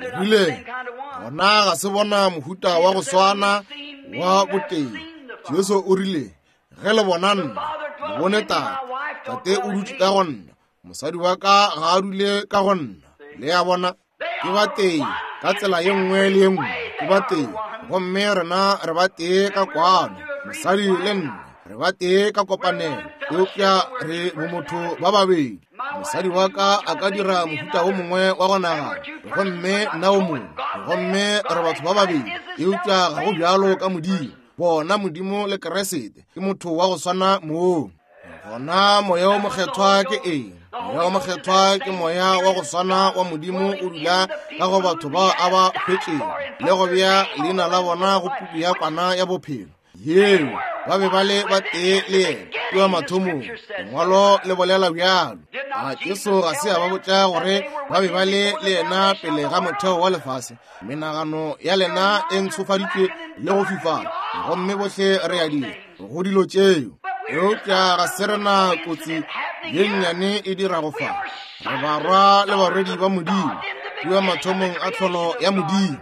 Ke rile, gona ga se bona mohuta wa go swana wa botee. Jesu o rile, ge le bona nna, le bone tate. Tate o dutše ka go nna, mosadi wa ka ga a dule ka go nna. Le a bona, ke ba tee ka tsela ye nngwe le ye nngwe, ke ba tee. Gomme rena re ba tee ka kwano, mosadi le nna re ba tee ka kopanelo, eupša re bomotho ba babedi. Mosadi wa ka a ka dira mohuta wo mongwe wa go nagana, gomme nna wo mongwe, gomme re batho ba babedi, eupša ga go bjalo ka Modimo. Bona Modimo le Kriste ke motho wa go swana moo. Gona moya o mokgethwa ke eng? Moya o mokgethwa ke moya wa go swana wa Modimo o dula ka go batho bao a ba hwetšego le go bea leina la bona go puku ya kwana ya bophelo. Yeo ba be ba le ba tee le yena kua mathomong. Lengwalo le bolela bjalo. A Jesu ga se a ba botša gore ba be ba le le yena pele ga motheo wa lefase? Menagano ya lena e ntshofaditšwe le go fifala, gomme bohle re a dira go dilo tšeo. Eupša ga se rena kotsi ye nnyane e dirago fa. Re barwa le barwedi ba Modimo kua mathomong a tlholo ya Modimo,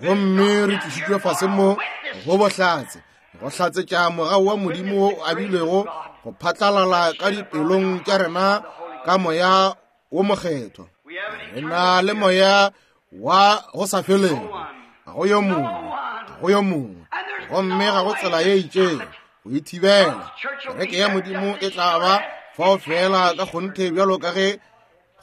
gomme re tlišitšwe fase mo go bohlatse, go hlatsetša mogau wa Modimo wo o abilwego go phatlalala ka dipelong tša rena ka moya wo mokgethwa. Re na le moya wa go sa felego, ga go yo mongwe, ga go yo mongwe, gomme ga go tsela ye itšego go e thibela. Kereke ya Modimo e tla ba fao fela ka kgonthe bjalo ka ge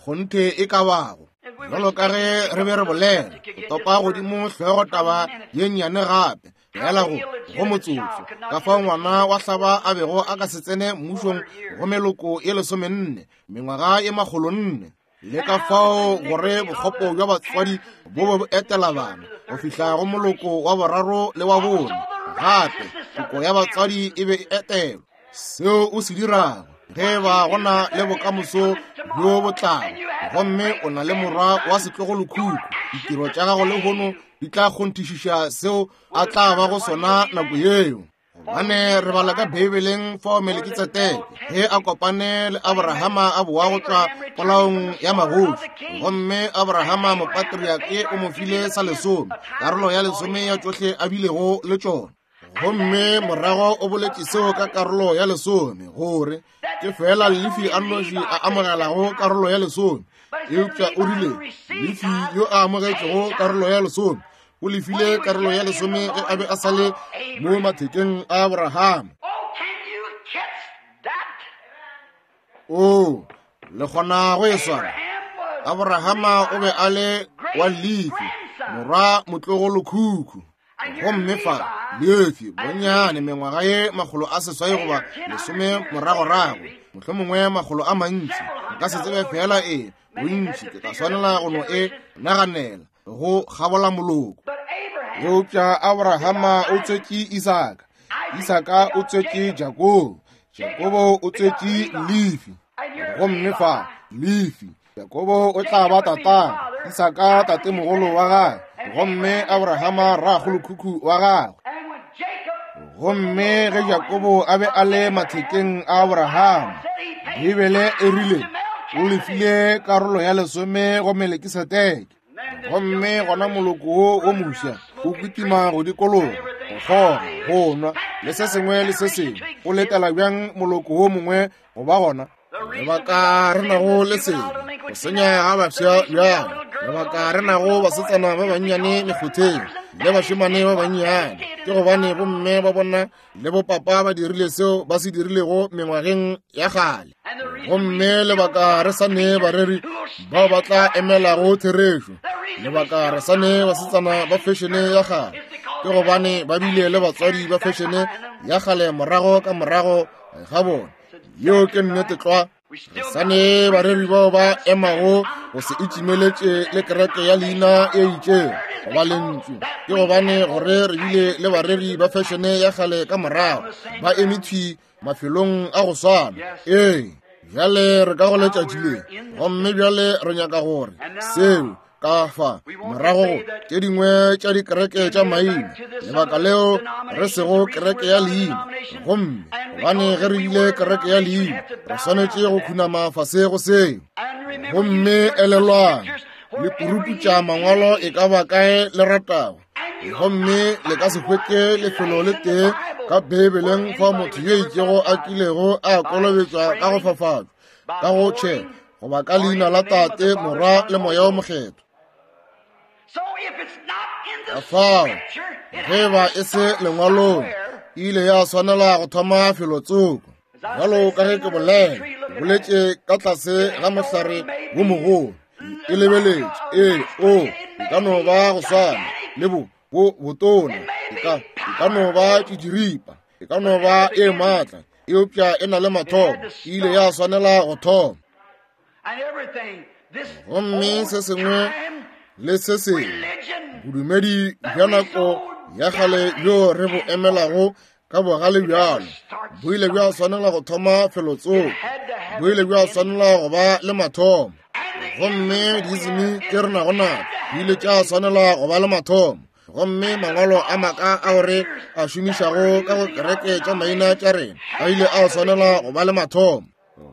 kgonthe e ka bago. Bjalo ka ge re be re bolela, go topa godimo hlogo taba ye nnyane gape, fela go go motsotso, ka fao ngwana wa hlaba a bego a ka se tsene mmušong go meloko ye lesomenne, mengwaga ye makgolonne, le ka fao gore bokgopo bja batswadi bo be bo etela bana go fihla go moloko wa boraro le wa bone. Gape toko ya batswadi e be e etelwa. Seo o se dirago ge ba go na le bokamoso bjo bo tlago, gomme o na le morwa wa setlogolokhukhu, ditiro tša gago lehono di tla kgonthišiša seo a tla bago sona nako yeo. Gobane re bala ka Beibeleng fao Melekitsedeke ge a kopane le Abrahama a boa go tšwa polaong ya magoši, gomme Abrahama mopatriake o mo file sa lesome, karolo ya lesome ya tšohle a bilego le tšona. Gomme morago o boletše seo ka karolo ya lesome, gore ke fela Lefi a nnoši a amogelago karolo ya lesome. Eupša o rile, Lefi yo a amogetšego karolo ya lesome, o lefile karolo ya lesome ge a be a sa le mo mathekeng a Abraham. O, le kgona go e swara. Abrahama o be a le wa Lefi, morwa motlogolokhukhu. Gomme fa Lefi bonnyane mengwaga ye makgolo a seswai goba lesome moragorago, mohlomongwe makgolo a mantši, nka se tsebe fela e bontši, ke tla swanela go no e naganela go kgabola moloko. Eupša Abrahama o tswetše Isaka, Isaka o tswetše Jakobo, Jakobo o tswetše Lefi. Gomme fa Lefi, Jakobo o tla ba tatago, Isaka tatemogolo wa gagwe, gomme Abrahama rragolokhukhu wa gagwe. Gomme ge Jakobo a be a le mathekeng a Abrahama, Bibele e rile o lefile karolo ya lesome go Melkisedeke. Gomme gona moloko wo o mofsa o kitima go dikologa, go kgoga, go nwa, le se sengwe le se sengwe. O letela bjang moloko wo mongwe go ba gona? Lebaka re nago le sebe, go senya ga bafsa bjalo. Lebaka re nago basetsana ba bannyane mekgotheng le bašemane ba bannyane, ke gobane bomme ba bona le bopapa ba dirile seo ba se dirilego mengwageng ya kgale. Gomme lebaka re sa ne bareri bao ba tla emelago therešo, lebaka re sa ne basetsana ba fešene ya kgale, ke gobane ba bile le batswadi ba fešene ya kgale morago ka morago ga bona. Yeo ke nnete tlwa. Re sa ne bareri bao ba emago go se itšimeletše le kereke ya leina e itšego goba lentšu, ke gobane gore re bile le bareri ba fešene ya kgale ka morago ba eme thwi mafelong a go swana. Ee, bjale re ka go letšatši le, gomme bjale re nyaka gore seo ka fa morago go tše dingwe tša dikereke tša maina, lebaka leo re sego kereke ya leina. Gomme gobane ge re bile kereke ya leina, re swanetše go khunama fase go seo. Gomme elelwang, le puruputša mangwalo e ka ba kae le ratago, gomme le ka se hwetše lefelo le tee ka Beibeleng fa motho yo itšego a kilego a kolobetšwa ka go fafatšwa, ka go tšhela, goba ka leina la Tate, Morwa le Moya o Mokgethwa. Ka fao, ge ba e se lengwalong, e ile ya swanela go thoma felotsoko. Bjalo ka ge ke bolela, ke boletše ka tlase ga mohlare wo mogolo, e lebeletše, ee, o, e ka no ba go swana le bo, bo botona, e ka, e ka no ba tšitširipa, e ka no ba e maatla, eupša e na le mathomo, e ile ya swanela go thoma. Gomme se sengwe le se sengwe, bodumedi bja nako ya kgale bjo re bo emelago ka bogale bjalo, bo ile bja swanela go thoma felotsoko, bo ile bja swanela go ba le mathomo. Gomme diismi tše re nago nago di ile tša swanela go ba le mathomo. Gomme mangwalo a maaka ao re a šomišago ka go kereke tša maina tša rena a ile a swanela go ba le mathomo.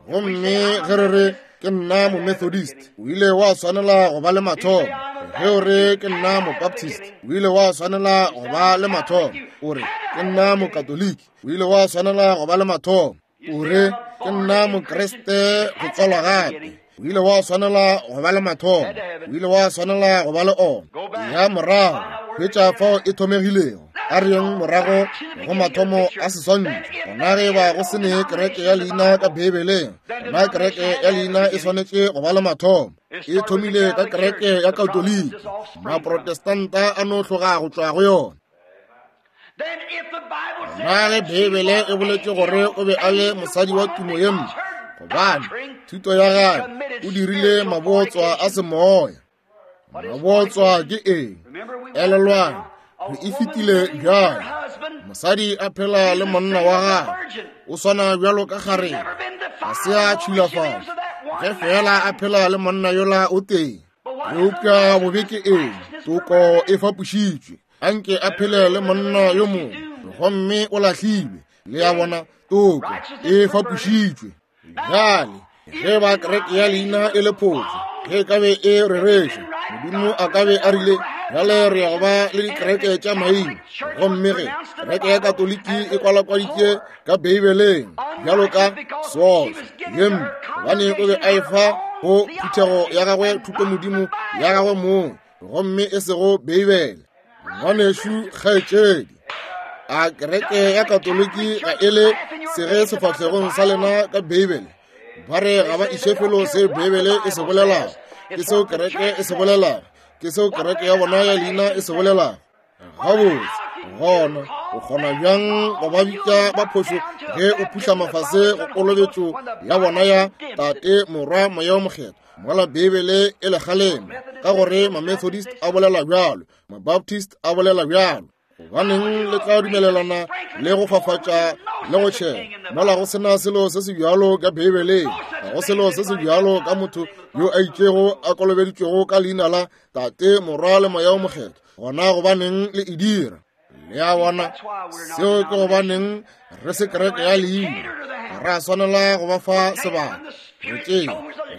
Gomme ge re re ke nna mo-Methodist, o ile wa swanela go ba le mathomo. Ge o re ke nna mo-Baptist, o ile wa swanela go ba le mathomo. O re ke nna mo-Katoliki, o ile wa swanela go ba le mathomo. O re ke nna Mokriste go tswalwa gape, o ile wa swanela go ba le mathomo. O ile wa swanela go ba le ona. Ya morago hwetša fao e thomegilego. A re yeng morago go mathomo a seswantšho. Gona ge ba go se ne kereke ya leina ka Beibeleng, gona kereke ya leina e swanetše go ba le mathomo. E thomile ka kereke ya Katoliki, Maprotestanta a no tloga go tšwa go yona. Gona ge Beibele e boletše gore o be a le mosadi wa tumo ye mpe, gobane thuto ya gagwe o dirile mabootswa a semoya. Mabootswa ke eng? Elelwang, re e fetile bjalo. Mosadi a phela le monna wa gagwe, o swana bjalo ka kgarebe, ga se a tšhulafatšwa, ge fela a phela le monna yola o tee. Eupša bobe ke eng? Toko e fapošitšwe. Anke a phele le monna yo mongwe, gomme o lahlilwe. Le a bona, toko e fapošitšwe. Bjale ge ba kereke ya leina e le phošo, ge e ka be e rereša, Modimo a ka be a rile, bjale re ya go ba le dikereke tša maina. Gomme ge kereke ya Katoliki e kwalakwaditše ka Beibeleng bjalo ka soso ye mpe, gobane o be a e fa go phuthego ya gagwe thutomodimo ya gagwe mong, gomme e sego Beibele. Ngwanešu kgaetšedi, a kereke ya Katoliki ga e le sege sefahlegong sa lena ka Beibele? Ba re ga ba iše felo se Beibele e se bolelago. Ke seo kereke e se bolelago. Ke seo kereke ya bona ya leina e se bolelago. Gabotse, gona o kgona bjang go ba bitša ba phošo ge o phuhla mafase go kolobetšo ya bona ya Tate, Morwa, Moya o Mokgethwa, mola Beibele e le kgalema, ka gore ma-Methodist a bolela bjalo, ma-Baptist a bolela bjalo. Gobaneng le tla dumelelana le go fafatša le go tšhela, mola go sena selo se se bjalo ka Beibeleng? Ga go selo se se bjalo ka motho yo a itšego a kolobeditšwego ka leina la Tate, Morwa le Moya o Mokgethwa. Gona gobaneng le e dira? Le a bona, seo ke gobaneng re se kereke ya leina. Ga ra swanela go ba fa sebaka. Re tšee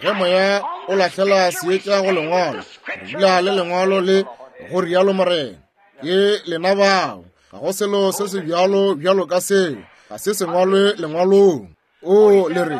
ge moya o lahlela seetša go lengwalo, re dula le lengwalo le go rialo Morena. Ke lena bao. Ga go selo se se bjalo bjalo ka seo. Ga se sengwalwe lengwalong. O le re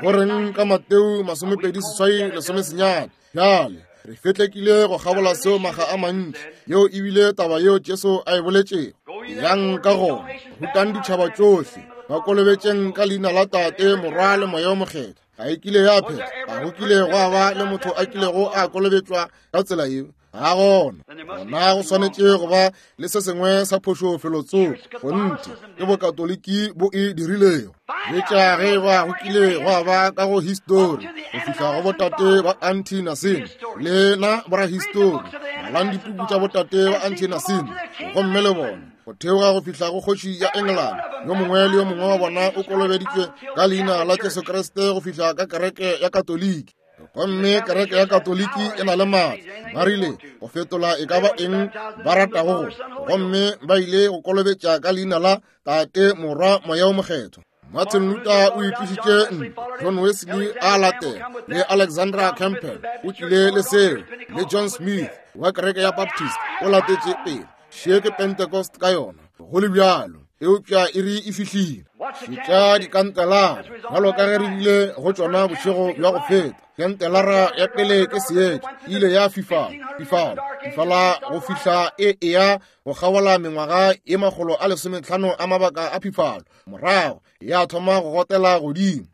goreng ka Mateo masomepedi seswai lesomesenyane? Bjale re fetlekile go kgabola seo maga a mantši. Yeo ebile taba yeo Jesu a e boletšego. Yang ka gona, rutang ditšhaba tšohle, ba kolobetšeng ka leina la Tate, Morwa le Moya o Mokgethwa. Ga e kile ya phetha, ga go kile gwa ba le motho a kilego a kolobetšwa ka tsela yeo. Ga gona. Gona go swanetše go ba le se sengwe sa phošo felotsoko. Kgonthe ke bokatoliki bo e dirilego. Etša ge ba go kile gwa ba ka go histori go fihla go botate ba Anti-Nicene. Lena borahistori, balang dipuku tša botate ba Anti-Nicene gomme le bone go theoga go fihla go kgoši ya England. Yo mongwe le yo mongwe wa bona o kolobeditšwe ka leina la Jesu Kriste go fihla ka kereke ya Katoliki. Gomme kereke ya Katoliki e na le maatla. Ba rile go fetola e ka ba eng ba ratago go, gomme ba ile go kolobetša ka leina la Tate, Morwa, Moya o Mokgethwa. Martin Luther o itlišitše ntlo, John Wesley a latela, le Alexandra Campbell o tlile le seo, le John Smith wa kereke ya Baptist o latetše pele. Še ke Pentecost ka yona, go le bjalo, eupša e re e fihlile. Šetša dikantelara bjalo ka ge re bile go tšona bošego bja go feta. Kantelara ya pele ke seetša, e ile ya fifala, fifala, fifala go fihla e eya go kgabola mengwaga e makgolo a lesometlhano a mabaka a phifalo. Morago ya thoma go gotela godimo,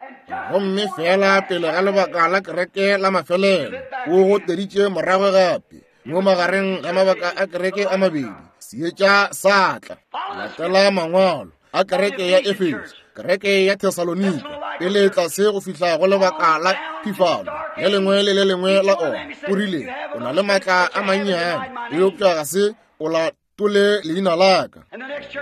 gomme fela pele ga lebaka la kereke la mafelelo o goteditše morago gape mo magareng ga mabaka a kereke a mabedi. Seetša sa tla. Latela mangwalo a kereke ya Efeso, kereke ya Thesalonika, pele tlase go fihla go lebaka la phifalo le lengwe le le lengwe la ona. O rile o na le maatla a mannyane, eupša ga se o latole leina la ka.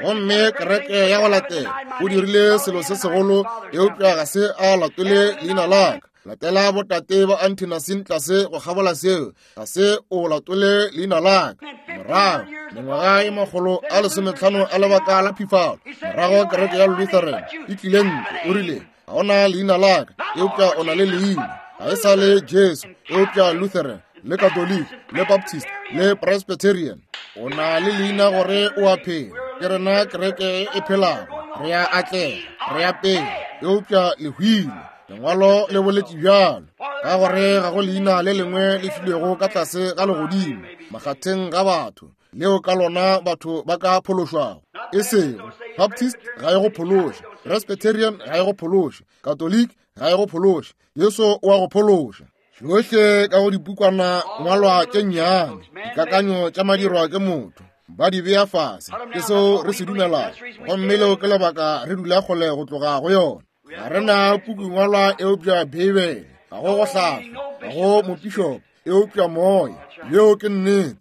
Gomme kereke ya go latela o dirile selo se segolo, eupša ga se a latole leina la ka. Latela botate ba Anti-Nicene tlase go kgabola seo, ga se o latole leina la ka. Morago mengwaga e makgolo a lesometlhano a lebaka la phifalo, morago kereke ya Lutheran e tlile ntle. O rile ga ona leina la ka, eupša o na le leina. Ga e sa le Jesu, eupša Lutheran le Katoliki le Baptist le Presbyterian. O na le leina gore o a phela. Ke rena kereke e phelago, re a atlega, re a pele, eupša le hwile. Lengwalo le boletše bjalo, ka gore ga go leina le lengwe le filwego ka tlase ga legodimo makgatheng ga batho leo ka lona batho ba ka phološwago. E sego Baptist ga e go phološe, Presbyterian ga e go phološe, Catholic ga e go phološe, Jesu o a go phološa. Tšohle ka go dipukwana ngwalwa tše nnyane, dikakanyo tša madirwa ke motho, ba di bea fase. Ke seo re se dumelago, gomme leo ke lebaka re dula kgole go tloga go yona. Ga re na pukungwalwa eupša Beibele, ga go go hlahla, ga go mopišopo eupša moya. Yeo ke nnete.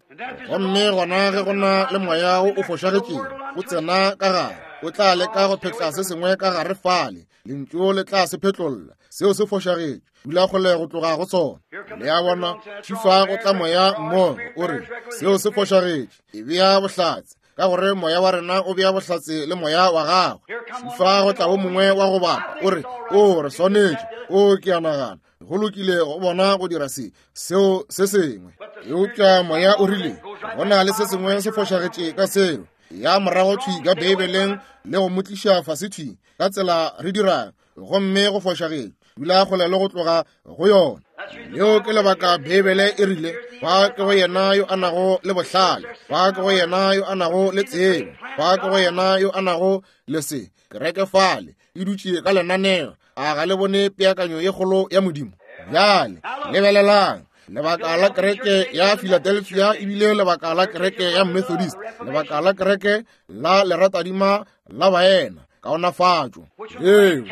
Gomme gona ge go na le moya wo o fošagetšego o tsena ka gare, o tla leka go phetla se sengwe ka gare fale, lentšu le tla se phetlolla. Seo se fošagetše, dula kgole go tloga go sona. Le a bona, tšhifa go tla moya mmogo o re seo se fošagetše, e bea bohlatse, ka gore moya wa rena o bea bohlatse le moya wa gagwe. Tšhifa go tla wo mongwe wa go bapa o re o re swanetše, o ke a nagana go lokile go bona go dira se seo se sengwe, eupša moya o rile go na le se sengwe se fošagetše ka seo. Ya morago thwi ka Beibeleng le go mo tliša fase thwi ka tsela re dirang, gomme go fošagetše, dula kgole le go tloga go yona. Leo ke lebaka Beibele e rile, ba ke go yena yo a nago le bohlale, ba ke go yena yo a nago le tsebo, ba ke go yena yo a nago le se. Kereke fale e dutše ka lenaneo. A ga le bone peakanyo ye kgolo ya Modimo? Bjale lebelelang. Lebaka la kereke ya Philadelphia ebile lebaka la kereke ya Methodist, lebaka la kereke la leratadima la baena, kaonafatšo. Eo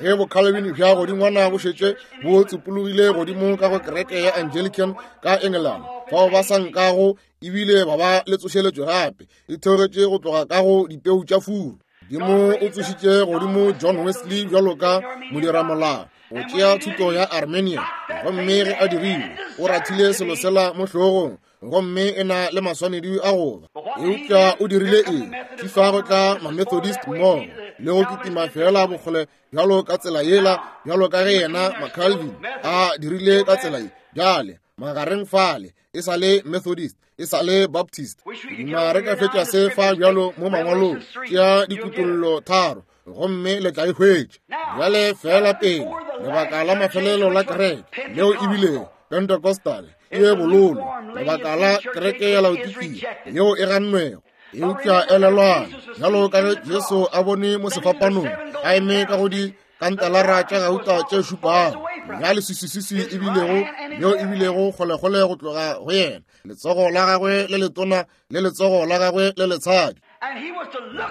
ge boCalvin bja godingwana bo šetše bo tsupologile godimo ka go kereke ya Anglican ka England, fao ba sa nkago ebile ba ba le tsošeletšo gape, e theogetše go tloga ka go dipeu tša furu. Modimo o tsošitše godimo John Wesley bjalo ka modiramolao go tšea thuto ya Armenia, gomme ge a dirile o rathile selo sela mo hlogong, gomme e na le maswanedi a goba. Eupša o dirile eng? Fifa go tla ma-Methodist mmogo le go kitima fela bokgole bjalo ka tsela yela, bjalo ka ge yena ma-Calvin a dirile ka tsela ye. Bjale magareng fale e sa le Methodist, e sa le Baptist. Duma re ka fetša se fa bjalo mo mangwalong, tšea dikutollo tharo gomme le tla e hwetša. Bjale fela pele lebaka la mafelelo la kereke leo ebile Pentecostal e bololo, lebaka la kereke ya Laodikia yeo e gannwego. Eupša elelwang, bjalo ka ge Jesu a bone mo sefapanong a eme ka go di kantalara tša gauta tše šupago, ya leswiswiswi ebilego leo ebilego kgolekgole go tloga go yena, letsogo la gagwe le letona le letsogo la gagwe le letshadi,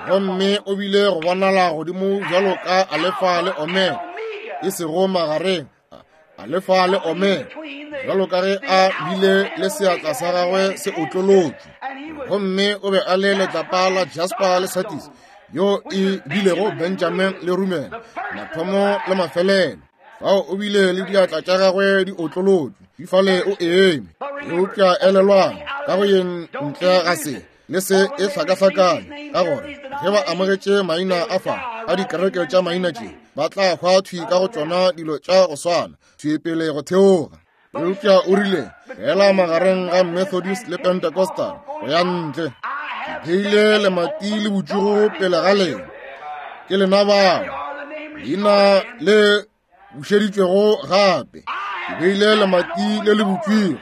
gomme o bile go bonala godimo bjalo ka Alefa le Omega, e sego magareng, Alefa le Omega, bjalo ka ge a bile le seatla sa gagwe se otlolotšwe, gomme o be a le letlapa la jasper le sardius, yo e bilego Benjamin le Rumen, mathomo le mafelelo. Fao o bile le diatla tša gagwe di otlolotšwe, di fale o eme. Eupša elelwang, ka go yeng ntle ga se le se e hlakahlakane, ka gore ge ba amogetše maina a fa a dikereke tša maina tše, ba tla hwa thwi ka go tšona dilo tša go swana, thwi pele go theoga. Eupša o rile fela magareng ga Methodist le Pentecostal go ya ntle, ke beile lemati le botšugo pele ga lena, ke lena bao leina le bušeditšwego gape. Ke beile lemati le le butšwego,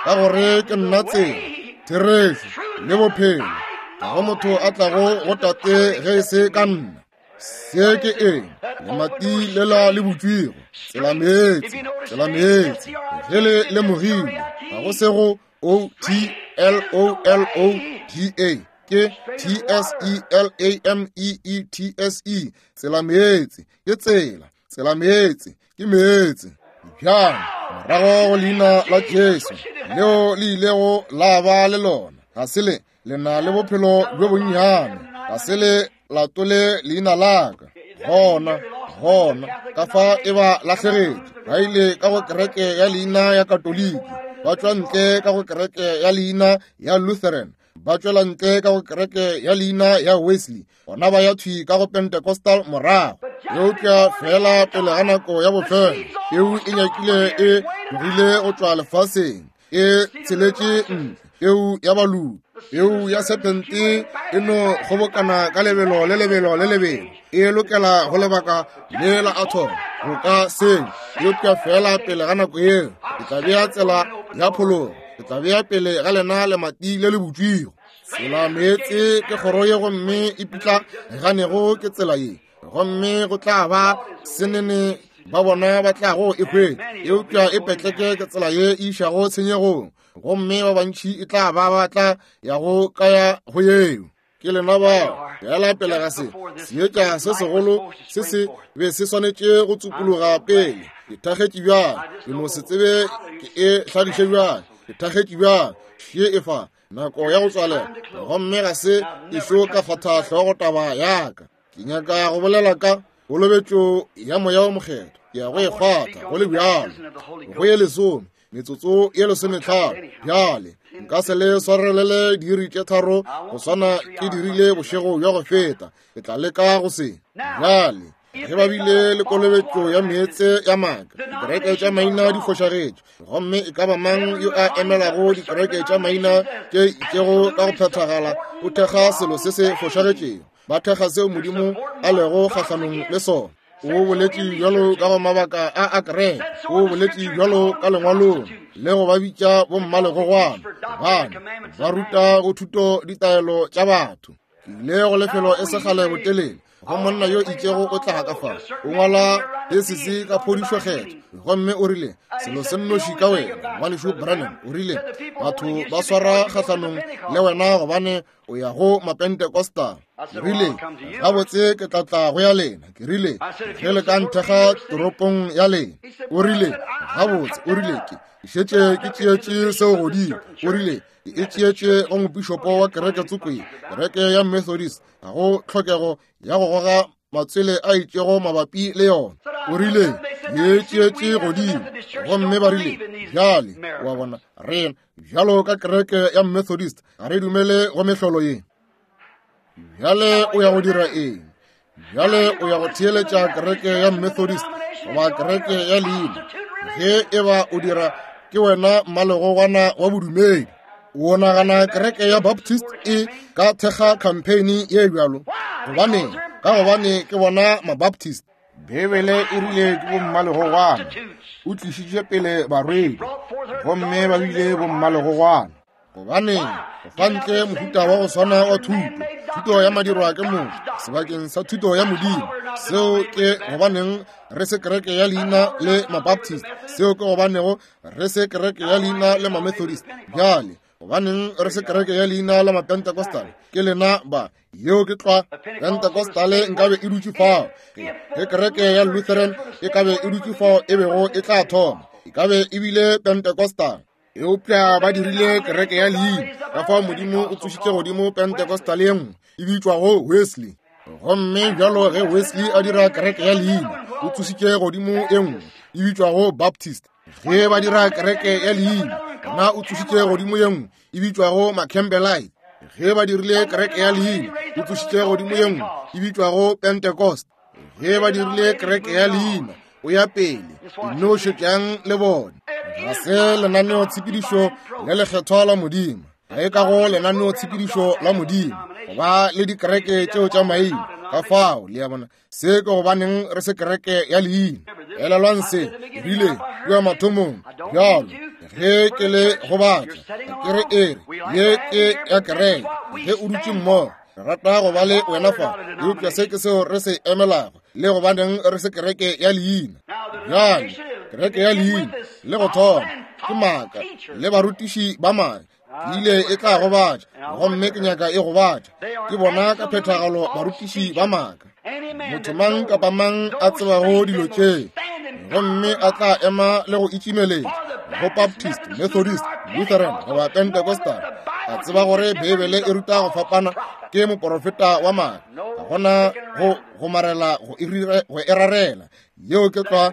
ka gore ke nna tsela, therešo le bophelo. Ga go motho a tlago go Tate ge e se ka nna. Se ke eng? Lemati lela le butšwego, tsela meetse, tsela meetse. Ge le lemogile, ga go se go O T L O L O D A, ke T S E L A M E E T S E, tsela meetse, ke tsela, tsela meetse, ke meetse. Bjang morago go leina la Jesu leo le ilego la ba le lona, ga se le le na le bophelo bjo bonnyane, ga se le latole leina la ka. Gona, gona ka fa e ba lahlegetše, ba ile ka go kereke ya leina ya Katoliki, ba tšwa ntle ka go kereke ya leina ya Lutheran, ba tšwela ntle ka go kereke ya leina ya Wesley, bona ba ya thwi ka go Pentecostal morago. Eupša fela pele ga nako ya bofelo, peu e nyakile e tlogile go tšwa lefaseng, e tsheletše ntle, peu ya baloki, peu ya serpente e no kgobokana ka lebelo le lebelo le lebelo, e lokela go lebaka le la atom go ka seng. Eupša fela pele ga nako yeo, ke tla bea tsela ya phologo, ke tla bea pele ga lena lemati le le butšwego. Tsela meetse ke kgoro ye, gomme e pitla ganego ke tsela ye, gomme go tla ba senene ba bona ba tlago e hwetša. Eupša e petleke ke tsela ye e išago tshenyegong, gomme ba bantši e tla ba ba tla ya go ka ya go yeo. Ke lena bao fela pele ga se seetša se segolo se se be se swanetše go tsupologa pele. Ke thakgetše bjang, ke no se tsebe ke e hladiše bjang, ke thakgetše bjang, še e fa nako ya go tswalela, gomme ga se ešo ka kgwatha hlogo taba ya ka. Ke nyaka go bolela ka kolobetšo ya Moya o Mokgethwa, ke ya go e kgwatha go le bjalo, go ye lesome, metsotso ye lesometlhano. Bjale nka se le swarelele diiri tše tharo go swana ke dirile bošego bja go feta, ke tla leka go se. Bjale ge ba bile le kolobetšo ya meetse ya maaka, dikereke tša maina di fošagetše, gomme e ka ba mang yo a emelago dikereke tša maina tše itšego ka go phethagala o thekga selo se se fošagetšego, ba thekga seo Modimo a lego kgahlanong le sona. O boletše bjalo ka go mabaka a a kereke, o boletše bjalo ka lengwalong, le go ba bitša bommalegogwana, gobane ba ruta go thuto ditaelo tša batho. Ke ile go lefelo e segale botelele, go monna yo itšego o tlaga ka fa, o ngwala thesisi ka phodišo kgetho, gomme o rile, selo se nnoši ka wena, ngwanešu Branham, o rile, batho ba swara kgahlanong le wena gobane o ya go Mapentecostal. Ke rile, gabotse ke tla tla go ya lena. Ke rile, ge le ka nthekga toropong ya lena. O rile, gabotse, o rile, ke šetše ke tšeetše seo godimo. O rile, ke e tšeetše go mopišopo wa kereke tsoko ye, kereke ya Methodist, ga go tlhokego ya go goga matswele a itšego mabapi le yona. O rile, ke e tšeetše godimo. Gomme ba rile, bjale, wa bona, rena bjalo ka kereke ya Methodist ga re dumele go mehlolo ye. Bjale o ya go dira eng? Bjale o ya go theeletša kereke ya Methodist goba kereke ya leina? Ge e ba o dira, ke wena mmalegogwana wa bodumedi. O nagana kereke ya Baptist e ka thekga campaign ye bjalo? Gobaneng? Ka gobane ke bona Mabaptist. Bibele e rile ke bommalegogwana. O tlišitše pele barwedi, gomme ba bile bommalegogwana. Gobane go fa ntle mohuta wa go swana wa thuto, thuto ya madirwa ke motho sebakeng sa thuto ya Modimo. Seo ke gobaneng re se kereke ya leina le Mabaptist. Seo ke gobanego re se kereke ya leina le Mamethodist. Bjale gobaneng re se kereke ya leina la Mapentecostal? Ke lena ba. Yeo ke tlwa. Pentecostale nkabe e dutše fao. Ge kereke ya Lutheran e kabe e dutše fao e bego e tla thoma, e kabe e bile Pentecostal. Eupša ba dirile kereke ya leina. Ka fao Modimo o tsošitše godimo Pentecostal ye nngwe e bitšwago Wesley. Gomme bjalo ge Wesley a dira kereke ya leina, o tsošitše godimo e nngwe e bitšwago Baptist. Ge ba dira kereke ya leina, gona o tsošitše godimo ye nngwe e bitšwago Macampbellite. Ge ba dirile kereke ya leina, o tsošitše godimo ye nngwe e bitšwago Pentecost. Ge ba dirile kereke ya leina, o ya pele, nno šetšang le bone. Ga se lenaneo tshepedišo le lekgethwa la Modimo. Ga e ka go lenaneo tshepedišo la Modimo go ba le dikereke tšeo tša maina. Ka fao, le a bona, se ke gobaneng re se kereke ya leina. Elelwang se, rile kua mathomong, bjalo ge ke le gobatša, ke re ere ye ke ya kereke. Ge o dutše mmogo, re rata go ba le wena fa, eupša se ke seo re se emelago, le gobaneng re se kereke ya leina. Bjale kereke ya leina le go thoma ke maaka le barutiši ba maaka. Ke ile e tla gobatša, gomme ke nyaka e gobatša. Ke bona ka phethagalo barutiši ba maaka. Motho mang kapa mang a tsebago dilo tše, gomme a tla ema le go itšimeletša go Baptist, Methodist, Lutheran goba Pentecostal, a tseba gore Bibele e ruta go fapana, ke moporofeta wa maaka. Ga gona go gomarela go e rarela. Yeo ke tlwa.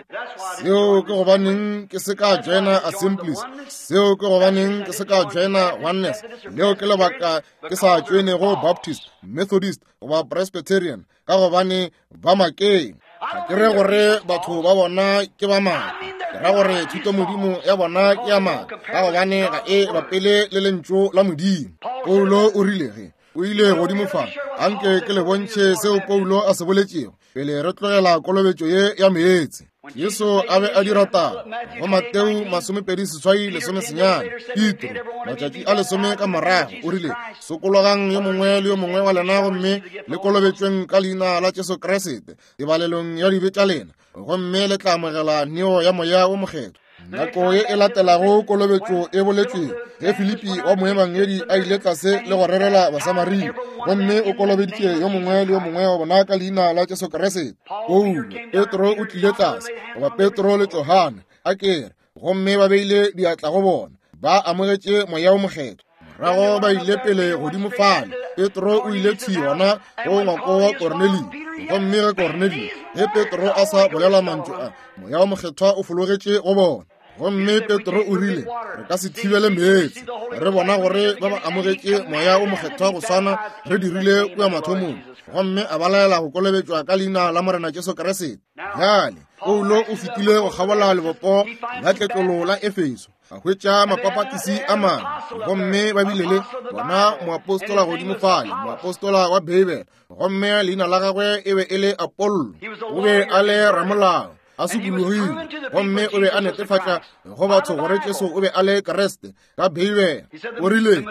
Seo ke gobaneng ke se ka joina Assemblies. Seo ke gobaneng ke se ka joina Oneness. Leo ke lebaka ke sa joinego Baptist, Methodist goba Presbyterian, ka gobane ba makeng. Ga ke re gore batho ba bona ke ba maaka, ke ra gore thuto Modimo ya bona ke ya maaka, ka gobane ga e bapele le lentšu la Modimo. Paulo o rile ge o ile godimo fa, anke ke le bontšhe seo Paulo a se boletšego pele re tlogela kolobetšo ye ya meetse. Jesu a be a dira taba go Mateo masomepedi seswai lesome senyane. Petro matšatši a lesome ka morago o rile, sokologang yo mongwe le yo mongwe wa lena gomme le kolobetšweng ka leina la Jesu Kriste tebalelong ya dibe tša lena, gomme le tla amogela neo ya Moya wo Mokgethwa. Nako ye e latelago kolobetšo e boletšwego, ge Filipi wa moebangedi a ile tlase le go rerela Basamaria, gomme o kolobeditše yo mongwe le yo mongwe wa bona ka leina la Jesu Kriste. Paulo, Petro o tlile tlase, goba Petro le Johane, a kere, gomme ba beile diatla go bona, ba amogetše Moya wo Mokgethwa. Morago ba ile pele godimo fale. Petro o ile thwi gona go ngwako wa Kornelio, gomme ge Kornelio, ge Petro a sa bolela mantšu a, Moya wo Mokgethwa o fologetše go bona. Gomme Petro o rile, re ka se thibele meetse, re bona gore ba ba amogetše Moya wo Mokgethwa go swana re dirile kua mathomong. Gomme a ba laela go kolobetšwa ka leina la Morena Jesu Kriste. Bjale Paulo o fetile go kgabola lebopo la tletlolo la Efeso. A hwetša mapapatisi a mangwe, gomme ba bile le bona moapostola godimo fale, moapostola wa Beibele, gomme leina la gagwe e be e le Apollo. O be a le ramolao, a sokologile, gomme o be a netefatša go batho gore Jesu o be a le Kriste ka Beibele. O rile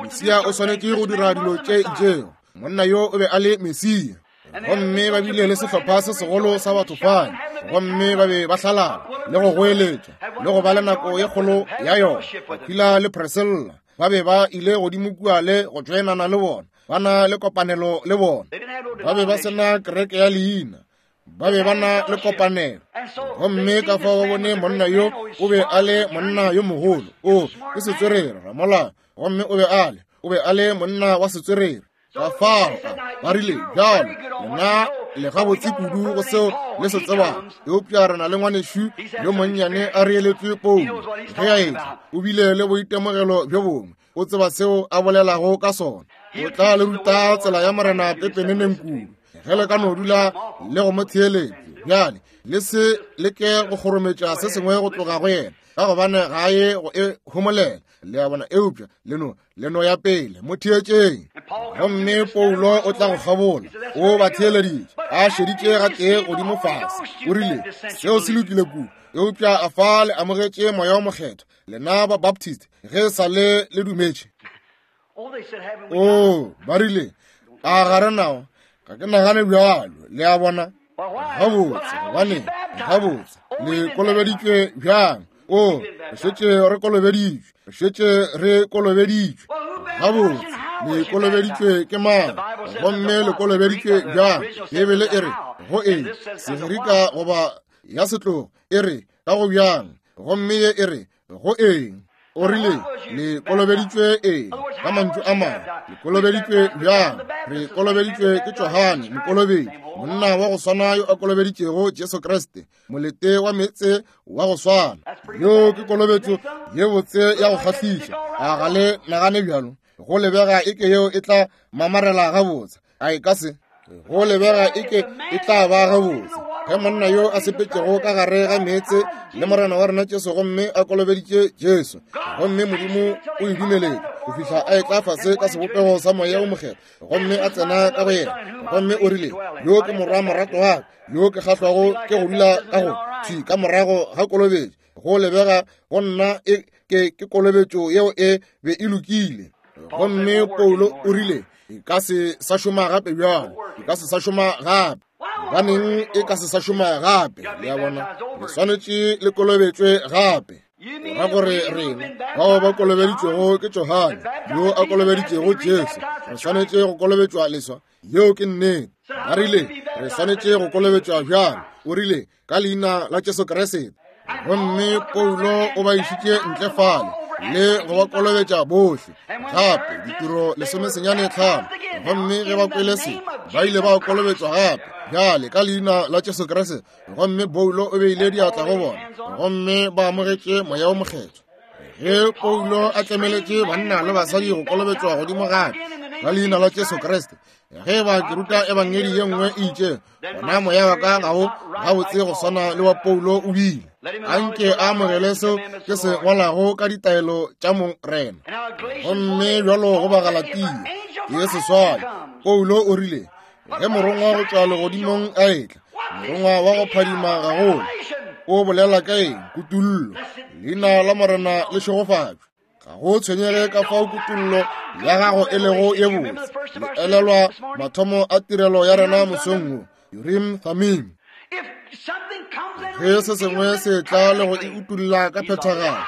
Mesia o swanetše go dira dilo tše itšego. Monna yo o be a le Mesia. Gomme ba bile le sehlopha se segolo sa batho fale, gomme ba be ba hlalala le go goeletša le go ba le nako ye kgolo ya yona. Aquila le Priscilla ba be ba ile godimo kua le go tšoenana le bona, ba na le kopanelo le bona. Ba be ba sena kereke ya leina, ba be ba na le kopanelo. Gomme ka fao ba bone monna yo o be a le monna yo mogolo, o ke setswerere ramolao, gomme o be a le o be a le monna wa setswerere. Ka fao ba rile, bjalo lena le gabotse kudu go seo le se tsebago, eupša re na le ngwanešu yo monnyane a reeletšwe Paulo. Ge a etla o bile le boitemogelo bjo bongwe, o tseba seo a bolelago ka sona. O tla le ruta tsela ya Morena pepeneneng kudu ge le ka no dula le go mo theeletše. Bjale le se leke go kgorometša se sengwe go tloga go yena, ka gobane ga ye go e homolela. Le a bona? Eupša le no le no ya pele, mo theetšeng. Gomme Paulo o tla go kgabola, o ba theeleditše, a šeditše gatee godimo fase. O rile, seo se lokile kudu, eupša a fa le amogetše Moya o Mokgethwa, lena ba Baptist, ge sa le le dumetše? O ba rile, a ga re nao? Ga ke nagane bjalo. Le a bona? Gabotse, gobane gabotse le kolobeditšwe bjang? O re šetše re kolobeditšwe, re šetše re kolobeditšwe. Gabotse, le kolobeditšwe ke mang? Gomme le kolobeditšwe bjang? Beibele e re go eng? Segerika goba ya setlogo e re ka go bjang, gomme ye e re go eng? O rile le kolobeditšwe eng? Ka mantšu a mangwe, le kolobeditšwe bjang? Re kolobeditšwe ke Johane mokolobedi, monna wa go swana yo a kolobeditšego Jesu Kriste, molete wa meetse wa go swana. Yo ke kolobetšo ye botse ya go kgahliša. A ga le nagane bjalo? Go lebega eke yeo e tla mamarela gabotse, a e ka se? Go lebega eke e tla ba gabotse ge monna yo a sepetšego ka gare ga meetse le Morena wa rena Jesu, gomme a kolobeditše Jesu, gomme Modimo o e dumeletše go fihla a etla fase ka sebopego sa Moya o Mokgethwa, gomme a tsena ka go yena, gomme o rile, yo ke morwa morato wa ka, yo ke kgahlwago ke go dula ka go thwi ka morago ga kolobetšo. Go lebega go nna e ke ke kolobetšo yeo e be e lokile. Gomme Paulo o rile, e ka se sa šoma gape bjalo, e ka se sa šoma gape. Gobaneng e ka se sa šoma gape? Le a bona? Le swanetše le kolobetšwe gape. Ra gore rena bao ba kolobeditšwego ke Johane yo a kolobeditšego Jesu, re swanetše go kolobetšwa leswa. Yeo ke nnete. Ba rile re swanetše go kolobetšwa bjang? O rile ka leina la Jesu Kriste. Gomme Paulo o ba išitše ntle fale le go ba kolobetša bohle gape, ditiro lesomesenyane tlhano. Gomme ge ba kwele se, ba ile ba kolobetšwa gape bjale ka leina la Jesu Kriste. Gomme Paulo o beile diatla go bona, gomme ba amogetše Moya o Mokgethwa. Ge Paulo a tlemeletše banna le basadi go kolobetšwa godimo gape ka leina la Jesu Kriste, ge ba ke ruta ebangedi ye nngwe e itše, gona moya wa ka ga o gabotse go swana le wa Paulo o bile. Anke a amogele seo ke se ngwalago ka ditaelo tša Morena. Gomme bjalo go Bagalatia ke seswai, Paulo o rile, ge morongwa go tšwa legodimong a etla, morongwa wa go phadima gagolo, o bolela ka eng? Kutullo. Leina la Morena le šegofatšwe. Ga go tshwenyege ka fao kutullo ya gago e lego ye botse. Le elelwa mathomo a tirelo ya rena mosong wo, Urim Thummim. Ge se sengwe se tla le go e utulla ka phethagalo,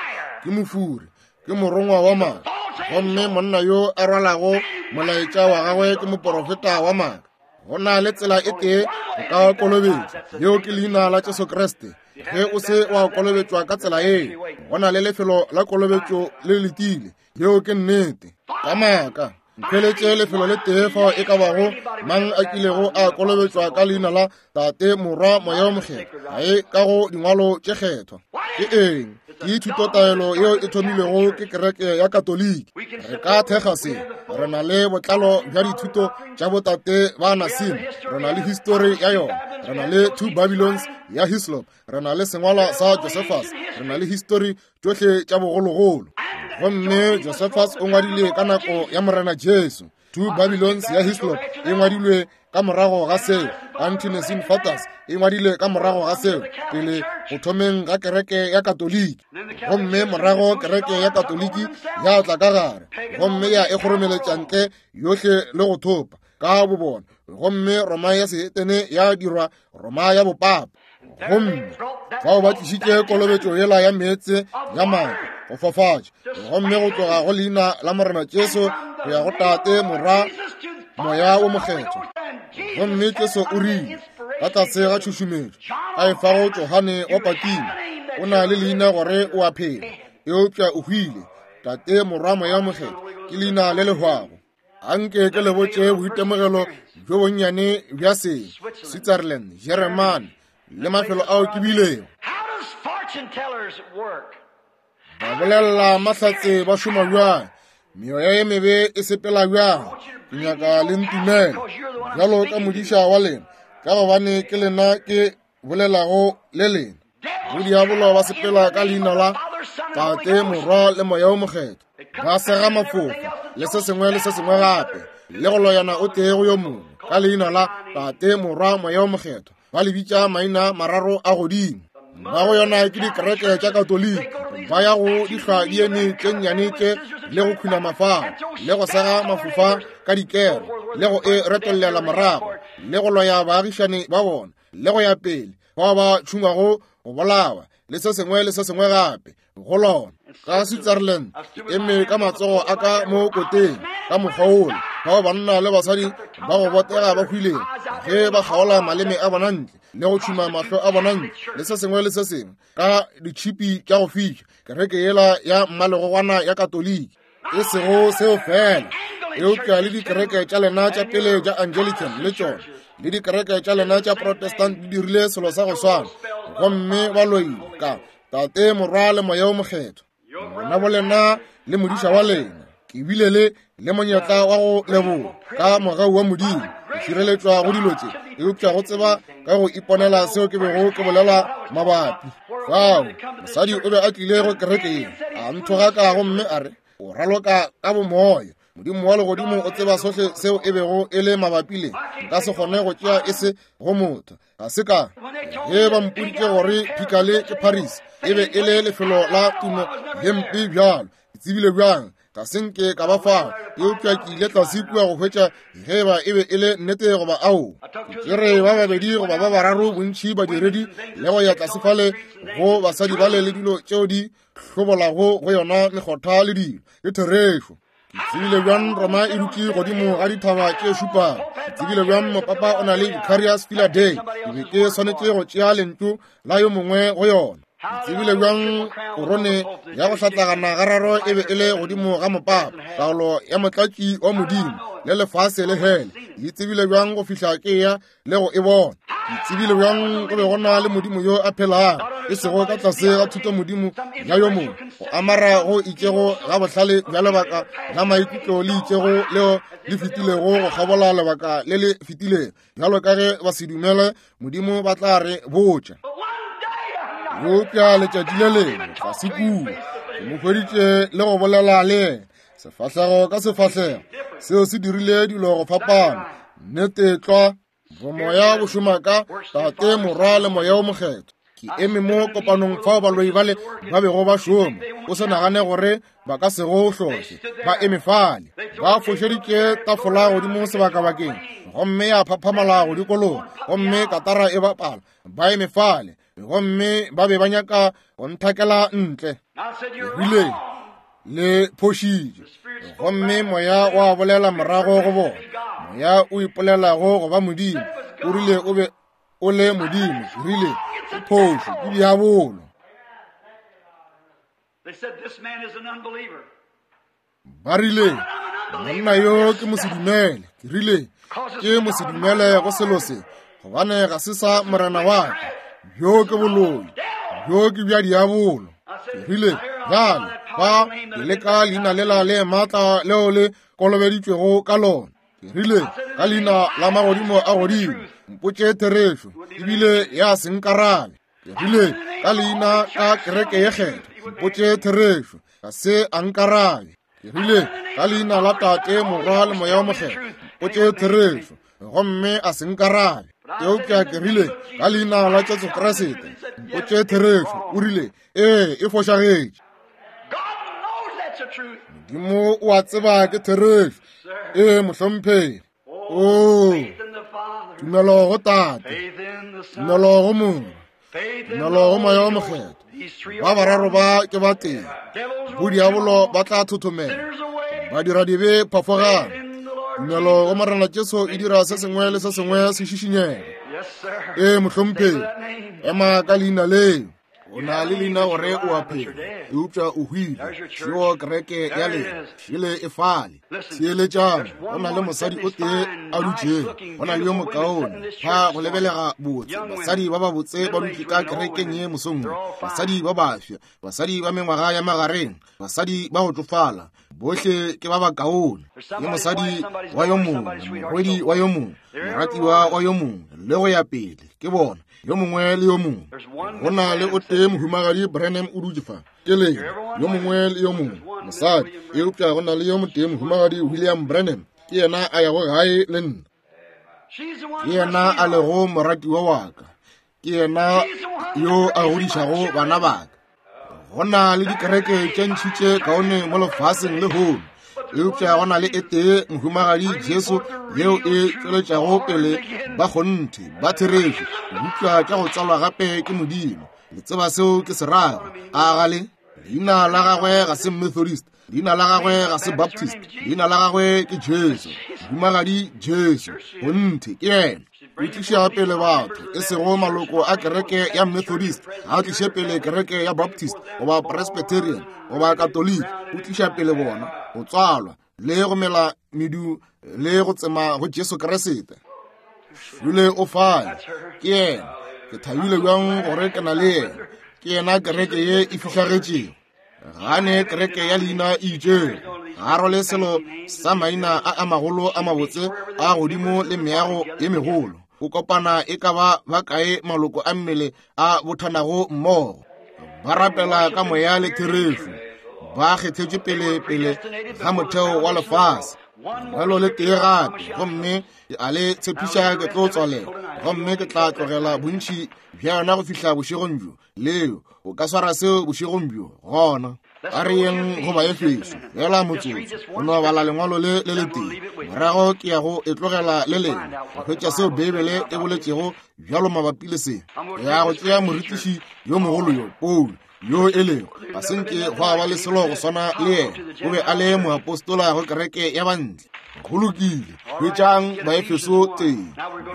ke mofuri, ke morongwa wa maaka. Gomme monna yo a rwalago molaetša wa gagwe ke moporofeta wa maaka. Go na le tsela e tee go ka kolobetšwa, yeo ke leina la Jesu Kriste. Ge o se wa kolobetšwa ka tsela ye, go na le lefelo la kolobetšo le letile. Yeo ke nnete. Ka maaka nkhweletše lefelo le tee fao e ka bago mang a kilego a kolobetšwa ka leina la Tate, Morwa, Moya o Mokgethwa. Ga e ka go dingwalo tše kgethwa. Ke eng? Ke thutotaelo yeo e thomilwego ke kereke ya Katoliki. Re ka thekga se. Re na le botlalo bja dithuto tša botate ba Nassim. Re na le histori ya yona. Re na le Two Babylons ya Hislop. Re na le sengwalwa sa Josephus. Re na le histori tšohle tša bogologolo. Gomme Josephus o ngwadile ka nako ya Morena Jesu. Two Babylons ya Hislop e ngwadilwe ka morago ga seo. Ante-Nicene Fathers e ngwadile ka morago ga seo, pele go thomeng ga kereke ya Katoliki. Gomme morago kereke ya Katoliki ya tla ka gare, gomme ya e kgoromeletša ntle yohle le go thopa ka bobona. Gomme Roma ya sehetene ya dirwa Roma ya bopapa. Gomme fao ba tlišitše kolobetšo yela ya meetse ya maaka go fafatša, gomme go tloga go leina la Morena Jesu go ya go Tate, Morwa, Moya wo Mokgethwa. Gomme Jesu o rile ka tlase ga tšhušumetšo a e fago Johane wa Patimo, o na le leina gore o a phela, eupša o hwile. Tate, Morwa, Moya Mokgethwa ke leina le le hwago. Anke ke le botše boitemogelo bjo bonnyane bja se Switzerland, Jeremane le mafelo ao ke bilego. Ba bolela mahlatse ba šoma bjang, meoya ye mebe e sepela bjang. Ke nyaka le ntumele bjalo ka modiša wa lena, ka gobane ke lena ke bolelago le lena. Bodiabolo ba sepela ka leina la Tate, Morwa le Moya o Mokgethwa, ba sega mafofa le se sengwe le se sengwe gape, le go loyana o tee go yo mongwe ka leina la Tate, Morwa, Moya o Mokgethwa. Ba le bitša maina mararo a godimo. Ba go yona ke dikereke tša Katoliki, ba ya go dihlwa di eme tše nnyane tše le go khuna mafao le go sega mafofa ka dikero le go e retollela morago le go loya baagišane ba bona le go ya pele, bao ba tšhungwago go bolawa le se sengwe le se sengwe gape go lona. Ka Switzerland eme ka matsogo a ka mo koteng ka mokgwa wola, bao banna le basadi ba go botega ba hwilego ge ba kgaola maleme a bona ntle le go tšhuma mahlo a bona ntle le se sengwe le se sengwe ka ditšhipi tša go fiša. Kereke yela ya mmalegogwana ya Katoliki e sego seo fela, eupša le dikereke tša lena tša pele tša Anglican le tšona le dikereke tša lena tša Protestant di dirile selo sa go swana, gomme ba loile ka Tate, Morwa le Moya o Mokgethwa. Ngwana bo lena le modiša wa lena, ke bile le le monyetla wa go leboga ka mogau wa Modimo ke šireletšwa go dilo tše, eupša go tseba ka go iponela seo ke bego ke bolela mabapi. Fao mosadi o be a tlile go kereke ye, a nthogaka gomme a re o raloka ka bomoya. Modimo wa legodimo o tseba sohle seo e bego e le mabapi le. Nka se kgone go tšea e se go motho. Ga se ka ge ba mpoditše gore Phikale ke Paris e be e le lefelo la tumo ye mpe bjalo. Ke tsebile bjang? Ga se nke ka ba fao, eupša ke ile tlase kua go hwetša ge ba e be e le nnete goba ao. Ke tšere ba babedi goba ba bararo bontši badiredi le go ya tlase fale go basadi bale le dilo tšeo di hlobolago go yona mekgotha le dilo. Ke therešo. Ke tsebile bjang Roma e dutše godimo ga dithaba tše šupago. Ke tsebile bjang mopapa o na le Vicarius Filii. Ke be ke swanetše go tšea lentšu la yo mongwe go yona. Ke tsebile bjang korone ya go hlatlagana gararo e be e le godimo ga mopapa, taolo ya motlatši wa Modimo le lefase le hele. Ke tsebile bjang go fihla ke ya le go e bona. Ke tsebile bjang go be go na le Modimo yo a phelago, e sego ka tlase ga thuto Modimo ya yo mongwe, go amara go itšego ga bohlale bja lebaka la maikutlo le itšego leo le fetilego go kgabola lebaka le le fetilego. Bjalo ka ge ba se dumele Modimo ba tla re botša. Eupša letšatši le lengwe tlase kua ke mo hweditše le go bolela le yena sefahlego ka sefahlego. Seo se dirile dilo go fapana. Nnete tlwa. Bomoya bo šoma ka Tate, Morwa le Moya o Mokgethwa. Ke eme mo kopanong fao baloi bale ba bego ba šoma. O se nagane gore ba ka se go hlohle. Ba eme fale, ba fošeditše tafola godimo sebakabakeng, gomme ya phaphamala go dikologa, gomme katara e bapala. Ba eme fale, gomme ba be ba nyaka go nthakela ntle. Rile le phošitše, gomme moya wa bolela morago go bona. Moya o ipolelago go ba Modimo, o rile o be o le Modimo. Rile phošo ke diabolo. Ba rile monna yo ke mosedumele. Ke rile ke mosedumele go selo se, gobane ga se sa Morena wa ka. Bjo ke boloi, bjo ke bja diabolo. Ke rile, bjale ba ke leka leina lela le maatla leo le kolobeditšwego ka lona. Ke rile, ka leina la magodimo a godimo, mpotše therešo, ebile ya se nkarabe. Ke rile, ka leina ka kereke ye kgethwa, mpotše therešo, ga se a nkarabe. Ke rile, ka leina la Tate, Morwa le Moya o Mokgethwa, mpotše therešo, gomme a se nkarabe. Eupša ke rile, ka leina la Jesu Kriste, mpotše therešo. O rile, ee, e fošagetše. Modimo o a tseba ke therešo. Ee, mohlomphegi. Oo, tumelo go Tate, tumelo go Morwa, tumelo go Moya o Mokgethwa. Ba bararo ba ke ba tee. Bodiabolo ba tla thothomela, badiradibe phafogang. Tumelo go Morena Jesu e dira se sengwe le se sengwe se šišinyege. Ee, mohlomphegi, ema ka leina leo. O na le leina gore o a phela, eupša o hwile. Šeo kereke ya lena šele e fale. Theeletšang, go na le mosadi o tee a dutšego, go na le yo mokaone fa go lebelega botse. Basadi ba babotse ba dutše ka kerekeng ye mosong wo, basadi ba bafsa, basadi ba mengwaga ya magareng, basadi ba go tšofala, bohle ke ba bakaone. Ke mosadi wa yo mongwe, morwedi wa yo mongwe, moratiwa wa yo mongwe, le go ya pele. Ke bona yo mongwe le yo mongwe. Go na le o tee mohumagadi Branham o dutše fa, ke lena yo mongwe le yo mongwe mosadi, eupša go na le yo motee mohumagadi William Branham, ke yena a yago gae le nna. Ke yena a lego moratiwa wa ka, ke yena yo a godišago bana ba ka. Go na le dikereke tše ntši tše kaone mo lefaseng lehono, eupša go na le e tee mohumagadi Jesu yeo e tšweletšago pele ba kgonthe ba therešo, eupša tša go tsalwa gape ke Modimo. Le tseba seo ke se rago, a ga le? Leina la gagwe ga se Methodist, leina la gagwe ga se Baptist, leina la gagwe ke Jesu, mohumagadi Jesu. Kgonthe ke yena. O tliša pele batho, e sego maloko a kereke ya Methodist, ga a tliše pele kereke ya Baptist goba Presbyterian goba Katoliki. O tliša pele bona go tswalwa le go mela medu le go tsema go Jesu Kriste. Jule o fale, ke yena. Ke thabile bjang gore ke na le yena. Ke yena kereke ye e fihlagetšego. Gane kereke ya leina e itšego, ga rwale selo sa maina a a magolo a mabotse a godimo le meago ye megolo. O kopana e ka ba ba kae maloko a mmele a bothanago mmogo, ba rapela ka moya le therešo, ba kgethetše pele pele ga motheo wa lefase. Bjalo le tee gape, gomme ke a le tshepiša ke tlo tswalela, gomme ke tla tlogela bontši bja yona go fihla bošegong bjo. Leo o ka swara seo bošegong bjo. Gona a re yeng go Baefeso fela motsotso, go no bala lengwalo le le letee, morago ke ya go e tlogela le lengwe go hwetša seo Beibele e boletšego bjalo mabapi le se. Ke ya go tšea morutiši yo mogolo yo Paulo, yo e lego ga se nke gwa ba le selo go swana le yena. O be a le moapostola go kereke ya bantle. Go lokile, hwetšang Baefeso tee.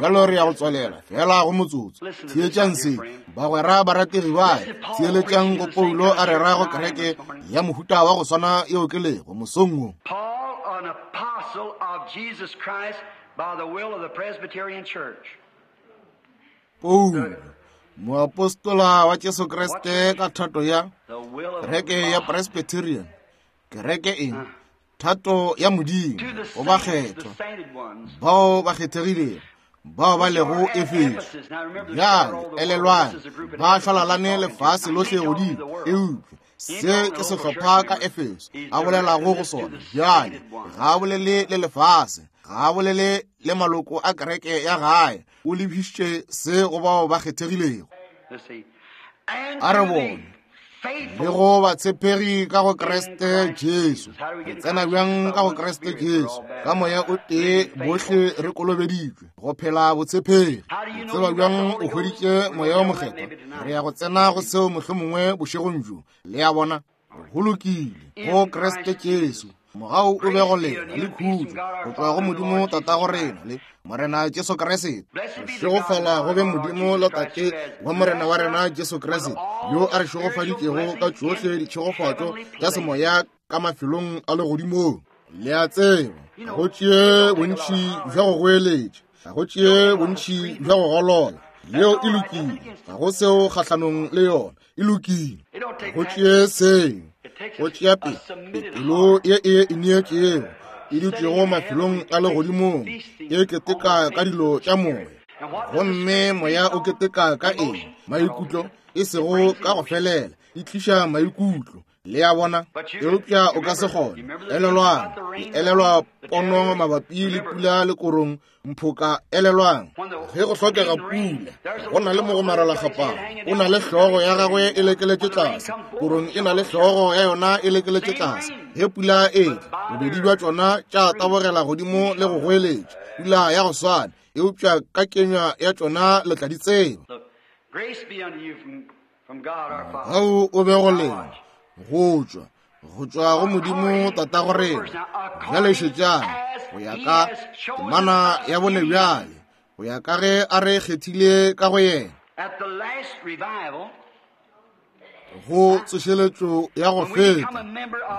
Bjalo re ya go tswalela fela go motsotso. Theetšang se, bagwera barategi ba, theeletšang go Paulo a rera go kereke ya mohuta wa go swana yeo ke lego mosong wo. Paul, an apostle of Jesus Christ by the will of the Presbyterian Church. Paulo, moapostola wa Jesu Kriste ka thato ya kereke ya Presbyterian, kereke eng? Thato ya Modimo go bakgethwa bao ba kgethegilego, bao ba lego Efeso. Bjale elelwang, ba šwalalane lefase lohle godimo, eupša se ke sehlopha ka Efeso a bolelago go sona. Bjale ga a bolele le lefase, ga a bolele le maloko a kereke ya gae, o lebišitše se go bao ba kgethegilego. A re bone le go batshepegi ka go Kriste Jesu. Re tsena bjang ka go Kriste Jesu? Ka moya o tee bohle re kolobeditšwe go phela botshepegi. O tseba bjang o hweditše Moya o Mokgethwa? Re ya go tsena go seo mohlomongwe bošegong bjo. Le a bona? Go lokile, go Kriste Jesu. Mogau o be go lena le khutšo go tšwa go Modimo Tatago rena le Morena Jesu Kriste. Šegofala go be Modimo le Tate wa Morena wa rena Jesu Kriste, yo a re šegofaditšego ka tšohle ditšhegofatšo tša semoya ka mafelong a legodimong. Le a tseba, ga go tšee bontši bja go goeletša, ga go tšee bontši bja go golola, Yeo e lokile, ga go seo kgahlanong le yona, e lokile. Go tšee seo, go tšea pele pelo ye e ineetšego, e dutšego mafelong a legodimong, e keteka ka dilo tša moya. Gomme moya o keteka ka eng? Maikutlo, e sego ka go felela, e tliša maikutlo. Le a bona? Eupša o ka se kgone. Elelwang, elelwa pono mabapi le pula le korong, mphoka, elelwang. Ge go hlokega pula, go na le mogomarelakgapana, o na le hlogo ya gagwe e lekeletše tlase, korong e na le hlogo ya yona e lekeletše tlase. Ge pula e tla, bobedi bja tšona tša tabogela godimo le go goeletša, pula ya go swana, eupša ka kenywa ya tšona le tla di tseba. Gao o be go lena, go tšwa, go tšwa go Modimo Tatago rena. Bjale šetšang, go ya ka temana ya bone bjale, go ya ka ge a re kgethile ka go yena, go tsošeletšo ya go feta.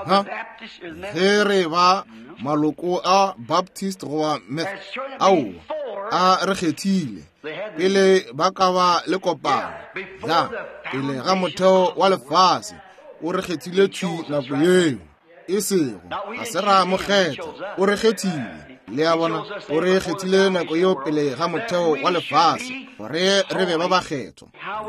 Ha, ge re ba maloko a Baptist goba Meth, ao a re kgethile pele ba ka ba le kopano, ya pele ga motheo wa lefase, o re kgethile thwi nako yeo. E sego ga se ra mo kgetha, o re kgethile. Le a bona, o re kgethile nako yeo pele ga motheo wa lefase, gore re be ba bakgethwa.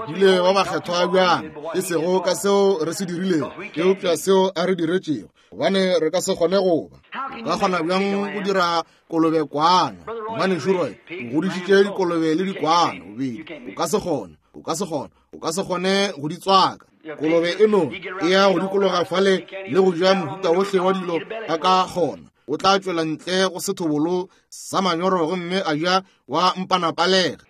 Bile ba bakgethwa bjang? E sego ka seo re se dirilego, eupša seo a re diretšego, gobane re ka se kgone go ba. O ka kgona bjang go dira kolobe kwana? Ngwanešu Roy, o godišitše dikolobe le dikwana bobedi. O ka se kgone, o ka se kgone, o ka se kgone go di tswaka. Kolobe eno e ya go dikologa fale le go ja mohuta wohle wa dilo a ka kgona. O tla tšwela ntle go sethobolo sa manyoro gomme a ja wa mpanapalega.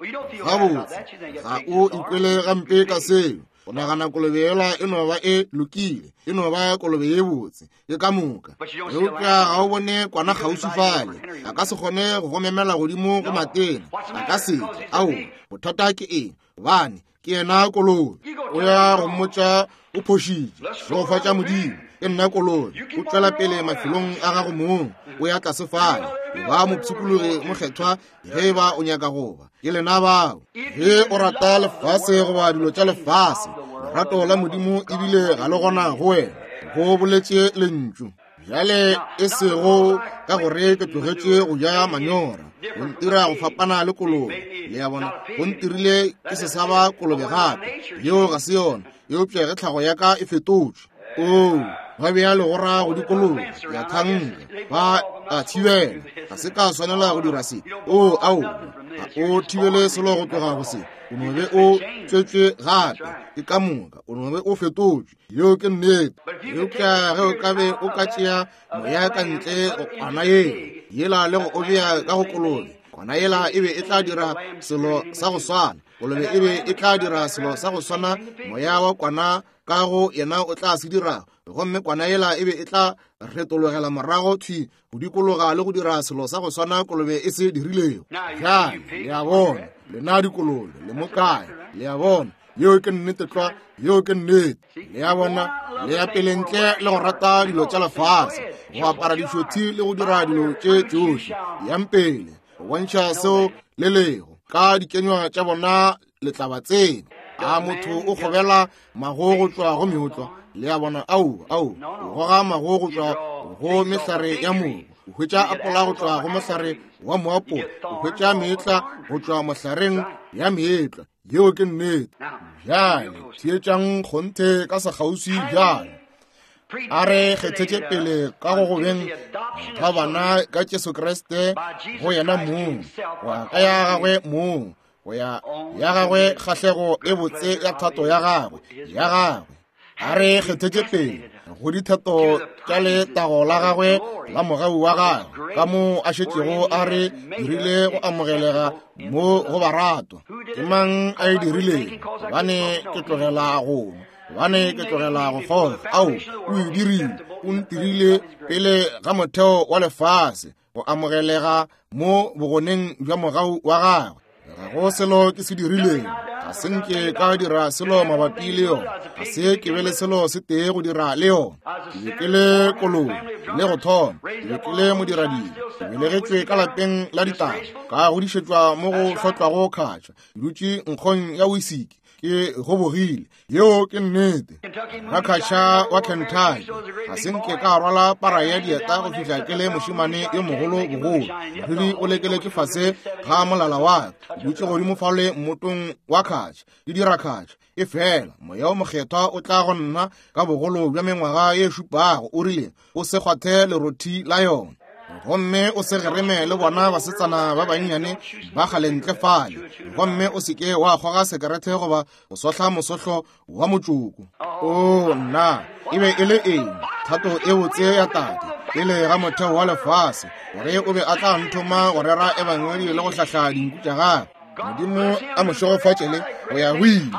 Gabotse, ga o ikwele gampe ka seo. O nagana kolobe yela e no ba e lokile, e no ba kolobe ye botse, ke ka moka. Eupša ga o bone kwana kgauswi fale, a ka se kgone go go memela godimo go matena, a ka se tle. Ao, bothata ke eng? Gobane ke yena kolobe. O ya go mmotša o phošitše. Šegofatša Modimo, ke nna kolobe. O tšwela pele mafelong a gago mong, o ya tlase fale. O ba mopshikologi mokgethwa ge ba o nyaka go ba. Ke lena bao. Ge o rata lefase goba dilo tša lefase, lerato la Modimo ebile ga le gona go wena, go boletše lentšu. Bjale e sego ka gore ke tlogetše go ja manyora, go ntira go fapana le kolobe. Le a bona, go ntirile ke se sa ba kolobe gape. Yeo ga se yona, eupša ge tlhago ya ka e fetotšwe. Oo, ba bea legora go dikolobe, ya thanka, ba a thibela. Ga se ka swanela go dira se. Oo, ao, ga o thibele selo go tloga go se. O no be o tswetšwe gape, ke ka moka, o no be o fetotšwe. Yeo ke nnete. Eupša ge o ka be o ka tšea moya ka ntle go kwana yela, yela le go o bea ka go kolobe, kwana yela e be e tla dira selo sa go swana. Kolobe e be e tla dira selo sa go swana, moya wa kwana ka go yena o tla se dira. Gomme kwana yela e be e tla retologela morago thwi go dikologa le go dira selo sa go swana kolobe e se dirilego. Bjale le a bona, lena dikolobe le mo kae? Le a bona, yeo ke nnete tlwa, yeo ke nnete. Le a bona, le ya pele ntle le go rata dilo tša lefase, go apara dišothi le go dira dilo tše tšohle. Yang pele go bontšha seo le lego ka dikenywa tša bona, le tla ba tseba. A motho o kgobela mago go tšwa go meotlwa? Le a bona, ao, ao, o goga mago go tšwa go mehlare ya mogo, o hwetša apola go tšwa go mohlare wa moapola, o hwetša meetla go tšwa mohlareng ya meetla. Yeo ke nnete. Bjale theetšang kgonthe ka sekgauswi bjale. A re kgethetše pele ka go gobeng ga bana ka Jesu Kriste go yena mong, go ya ka ya gagwe mong, go ya ya gagwe kgahlego e botse ya thato ya gagwe, ya gagwe. A re kgethetše pele go dithato tša letago la gagwe la mogau wa gagwe, ka mo a šetšego a re dirile go amogelega mo go baratwa. Ke mang a e dirilego? Gobane ke tlogela go gobane ke tlogela go kgoga. Ao, o e dirile, o ntirile pele ga motheo wa lefase go amogelega mo bogoneng bja mogau wa gagwe. Ga go selo ke se dirilego, Ga se nke ka dira selo mabapi le yona. Ga se ke be le selo se tee go dira le yona. Ke be ke le kolobe le go thoma. Ke be ke le modiradiri. Ke belegetšwe ka lapeng la ditaba, ka godišetšwa mo go hlotlwago kgatša. Ke dutše nkgong ya wisiki, ke gobogile. Yeo ke nnete. Rakgatša wa Kentucky. Ga se nke ka rwala para ya dieta go fihla ke le mošemane yo mogolo bogolo. Moriri o lekeletše fase ga molala wa ka. Ke dutše godimo fale mmotong wa kgatša, ke dira kgatša. Efela Moya o Mokgethwa o tla go nna ka bogolo bja mengwaga ye šupago, o rile, o se kgwathe lerothi la yona. Gomme o se gereme le bona basetsana ba bannyane ba kgale ntle fale. Gomme o se ke wa kgoga sekerete goba go sohla mosohlo wa motšoko. O nna, e be e le eng? Thato e botse ya Tate pele ga motheo wa lefase, gore o be a tla nthoma go rera ebangedi le go hlahla dinku tša gagwe. Modimo a mo šegofatše le go ya go ile.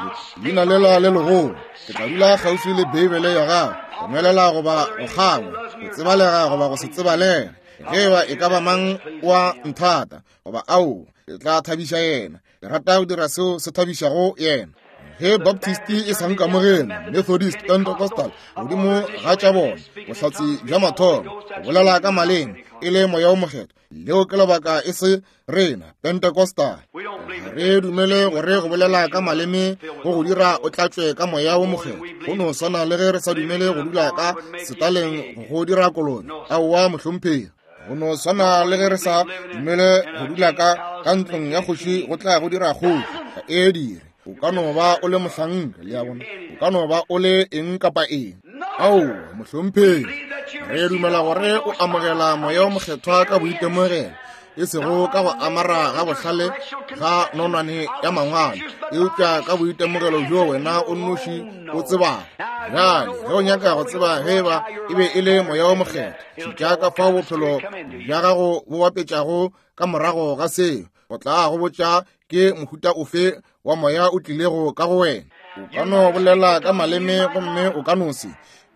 Leina lela le legolo. Ke tla dula kgauswi le Beibele ya gagwe, go nwelela goba go kgangwa, go tsebalega goba go se tsebalege. Ge eba e ka ba mang wa nthata goba ao, ke tla thabiša yena. Ke rata go dira seo se thabišago yena. Ge Baptist e sa nkamogele, Methodist, Pentecostal, godimo ga tša bona, bohlatse bja mathomo, go bolela ka maleme, e le Moya o Mokgethwa. Leo ke lebaka e se rena Pentecostal. Ga re dumele gore go bolela ka maleme go go dira o tlatšwe ka Moya o Mokgethwa. Go no swana le ge re sa dumele go dula ka setaleng go dira kolobe. Aowa, mohlomphegi. Go no swana le ge re sa dumele go dula ka ka ntlong ya kgoši go tla go dira kgoši. Ga e dire. O ka no ba o le mohlanka, le a bona. O ka no ba o le eng kapa eng. Aowa, mohlomphegi. Re dumela gore o amogela Moya o Mokgethwa ka boitemogelo, e sego ka go amara ga bohlale ga nonwane ya mangwalo, eupša ka boitemogelo bjo wena o nnoši o tsebago. Bjale, ge o nyaka go tseba ge eba e be e le Moya o Mokgethwa, šetša ka fao bophelo bja gago bo bapetšago ka morago ga seo. Go tla go botša ke mohuta ofe wa moya o tlilego ka go wena. O ka no bolela ka maleme gomme o ka no se.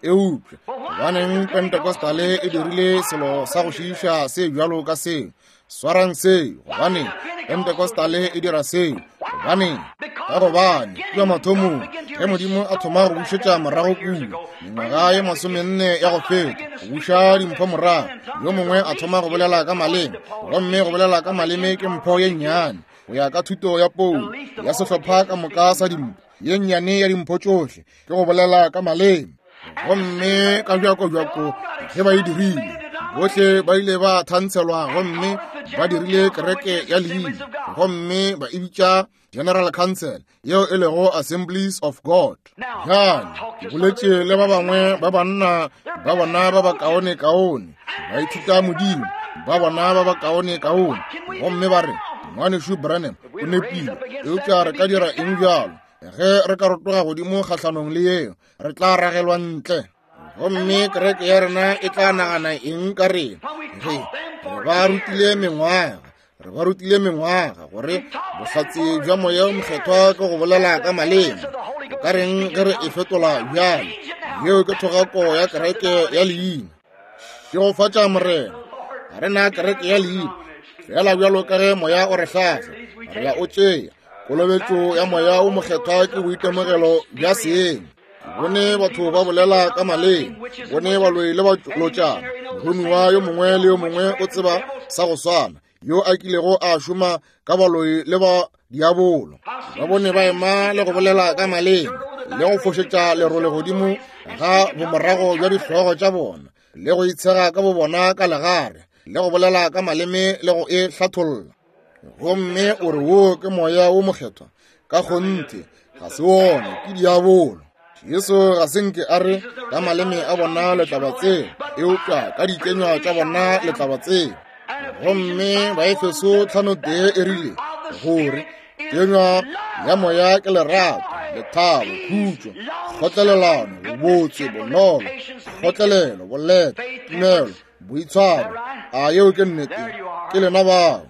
Eupša gobaneng Pentecostale e dirile selo sa go šiiša se bjalo ka seo? Swarang seo. Gobaneng Pentecostale e dira seo? Gobaneng? Ka gobane kua mathomong ge Modimo a thoma go bušetša morago kua mengwaga ye masomenne ya go feta, go buša dimpho morago, yo mongwe a thoma go bolela ka maleme, gomme go bolela ka maleme ke mpho ye nnyane go ya ka thuto ya Paulo ya sehlopha ka moka sa dimpho. Ye nnyane ya dimpho tšohle ke go bolela ka maleme. Gomme ka bjako-bjako ge ba e dirile, bohle ba ile ba thantshelwa gomme ba dirile kereke ya leina, gomme ba e bitša General Council, yeo e lego Assemblies of God. Bjale ke boletše le ba bangwe ba banna ba bona ba bakaone-kaone, ba ithuta Modimo, ba bona ba bakaone-kaone, gomme ba re, Ngwanešu Branham o nepile, eupša re ka dira eng bjalo? Ge re ka rotoga godimo kgahlanong le yeo, re tla ragelwa ntle. Gomme kereke ya rena e tla nagana eng ka rena? Ge re ba rutile mengwaga, re ba rutile mengwaga gore bohlatse bja Moya o Mokgethwa ke go bolela ka maleme. O ka reng ge re e fetola bjale? Yeo ke thogako ya kereke ya leina. Šegofatša Morena. Ga re na kereke ya leina. Fela bjalo ka ge Moya o re hlahla, re a o tšea. Kolobetšo ya Moya o Mokgethwa ke boitemogelo bja seeng. Bone batho ba bolela ka maleme, bone baloi le balotšana. Moromiwa yo mongwe le yo mongwe o tseba sa go swana, yo a kilego a šoma ka baloi le ba diabolo. Ba bone ba ema le go bolela ka maleme, le go fošetša lerole godimo ga bomorago bja dihlogo tša bona, le go itshega ka bobona ka legare, le go bolela ka maleme le go e hlatholla. Gomme o re wo ke Moya o Mokgethwa? Ka kgonthe ga se wona, ke diabolo. Jesu ga se nke a re ka maleme a bona le tla ba tseba, eupša ka dikenywa tša bona le tla ba tseba. Gomme Baefeso tlhano tee e rile gore kenywa ya moya ke lerato, lethabo, khutšo, kgotlelelano, bobotse, bonolo, kgotlelelo, boleta, tumelo, boitshwaro. A yeo ke nnete? Ke lena bao.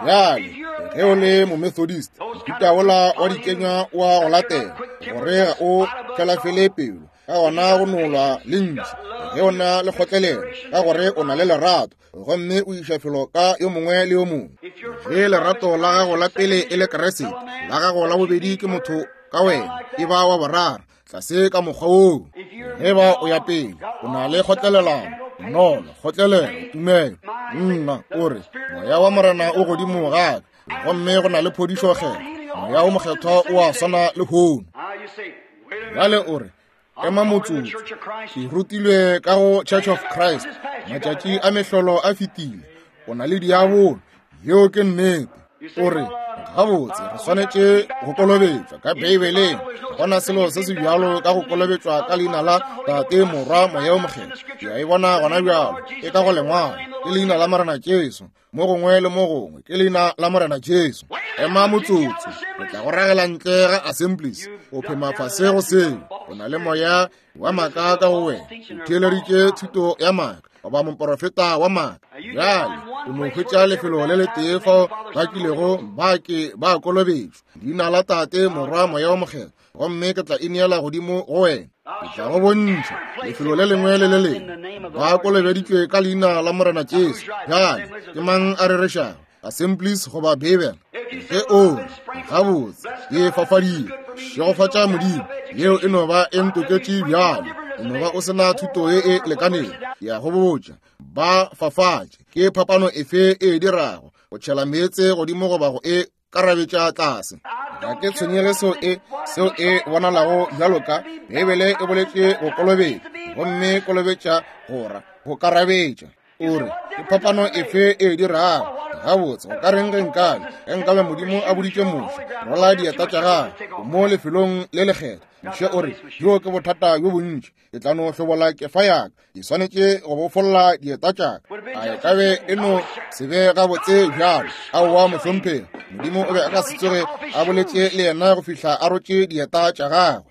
Bjale ge o le Momethodist, mohuta wola wa dikenywa wa go latela, gore ga o felafele pelo, ka gona go nolwa le ntši. Ge o na le kgotlelelo, ka gore o na le lerato, gomme o iša felo ka yo mongwe le yo mongwe. Ge lerato la gago la pele e le Kriste, la gago la bobedi ke motho ka wena, e ba wa boraro, tlase ka mokgwa woo. Ge ba o ya pele, o na le kgotlelelano, bonolo, kgotlelelo, tumelo. Nna o re, moya wa Morena o godimo ga ka, gomme go na le phodišo kgetho. Moya o mokgethwa o a swana le hono. Bjale o re, ema motsotso, ke rutilwe ka go Church of Christ, matšatši a mehlolo a fetile, o na le diabolo, yeo ke nnete. O re, gabotse re swanetše go kolobetšwa ka Beibeleng, gona selo se se bjalo ka go kolobetšwa ka leina la Tate, Morwa, Moya o Mokgethwa. Ke a e bona gona bjalo, e ka go lengwalo, ke leina la Morena Jesu, mo gongwe le mo gongwe ke leina la Morena Jesu. Ema motsotso, o tla go ragela ntle ga Assemblies, o phema fase go seo. O na le moya wa maaka ka go wena, o theeleditše thuto ya maaka, goba moporofeta wa maaka. Bjale o no hwetša lefelo le letee fao ba kilego ba ke ba kolobetšwa, leina la Tate, Morwa, Moya o Mokgethwa, gomme ke tla ineela godimo go wena. Ke tla go bontšha lefelo le lengwe le le lengwe ba kolobeditšwe ka leina la Morena Jesu. Bjale ke mang a rerešago, Assemblies goba Beibele? Ge o re, gabotse ke fafadile, šegofatša Modimo, yeo e no ba e ntoketše bjalo, o no ba o sena thuto ye e lekanego. Ke a go botša, ba fafatše. Ke phapano efe e dirago, go tšhela meetse godimo goba go e karabetša tlase? Ga ke tshwenyege seo e seo e bonalago bjalo ka Beibele e boletše go kolobetša, gomme kolobetša gora go karabetša. O re, ke phapano efe e dirago? Gabotse, go ka reng ge nkabe ge nkabe Modimo a boditše Moshe, rola dieta tša gagwe mo lefelong le lekgethwa. Moshe o re, bjo ke bothata bjo bontši, ke tla no hlobola kefa ya ka, ke swanetše go bofolla dieta tša ka. A e ka be e no se be gabotse bjalo? Aowa, mohlomphegi, Modimo o be a ka se tsoge a boletše le yena go fihla a rotše dieta tša gagwe.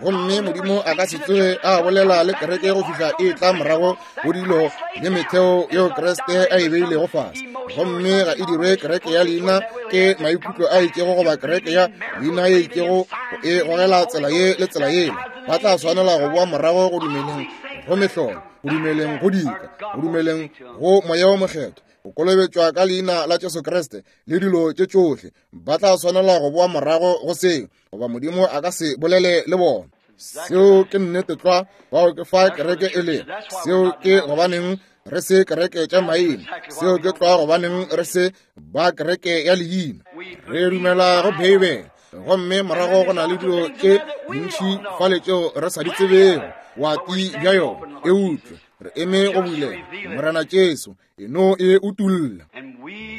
Gomme Modimo a ka se tsoge a bolela le kereke go fihla e tla morago go dilo le metheo yeo Kriste a e beilego fase. Gomme ga e dirwe kereke ya leina ke maikutlo a itšego goba kereke ya leina ye itšego go e gogela tsela ye le tsela yela. Ba tla swanela go boa morago go dumeleng go mehlolo, go dumeleng go dika, go dumeleng go Moya o Mokgethwa, go kolobetšwa ka leina la Jesu Kriste le dilo tše tšohle. Ba tla swanela go boa morago go seo, goba Modimo a ka se bolele le bona. Seo ke nnete tlwa, bao ke fa kereke e le. Seo ke gobaneng re se kereke tša maina. Seo ke tlwa gobaneng re se ba kereke ya leina. Re dumela go Beibele, gomme morago go na le dilo tše dintši fale tšeo re sa di tsebego boati bja yona. Eupša re eme go bulela Morena Jesu, e no e utulla,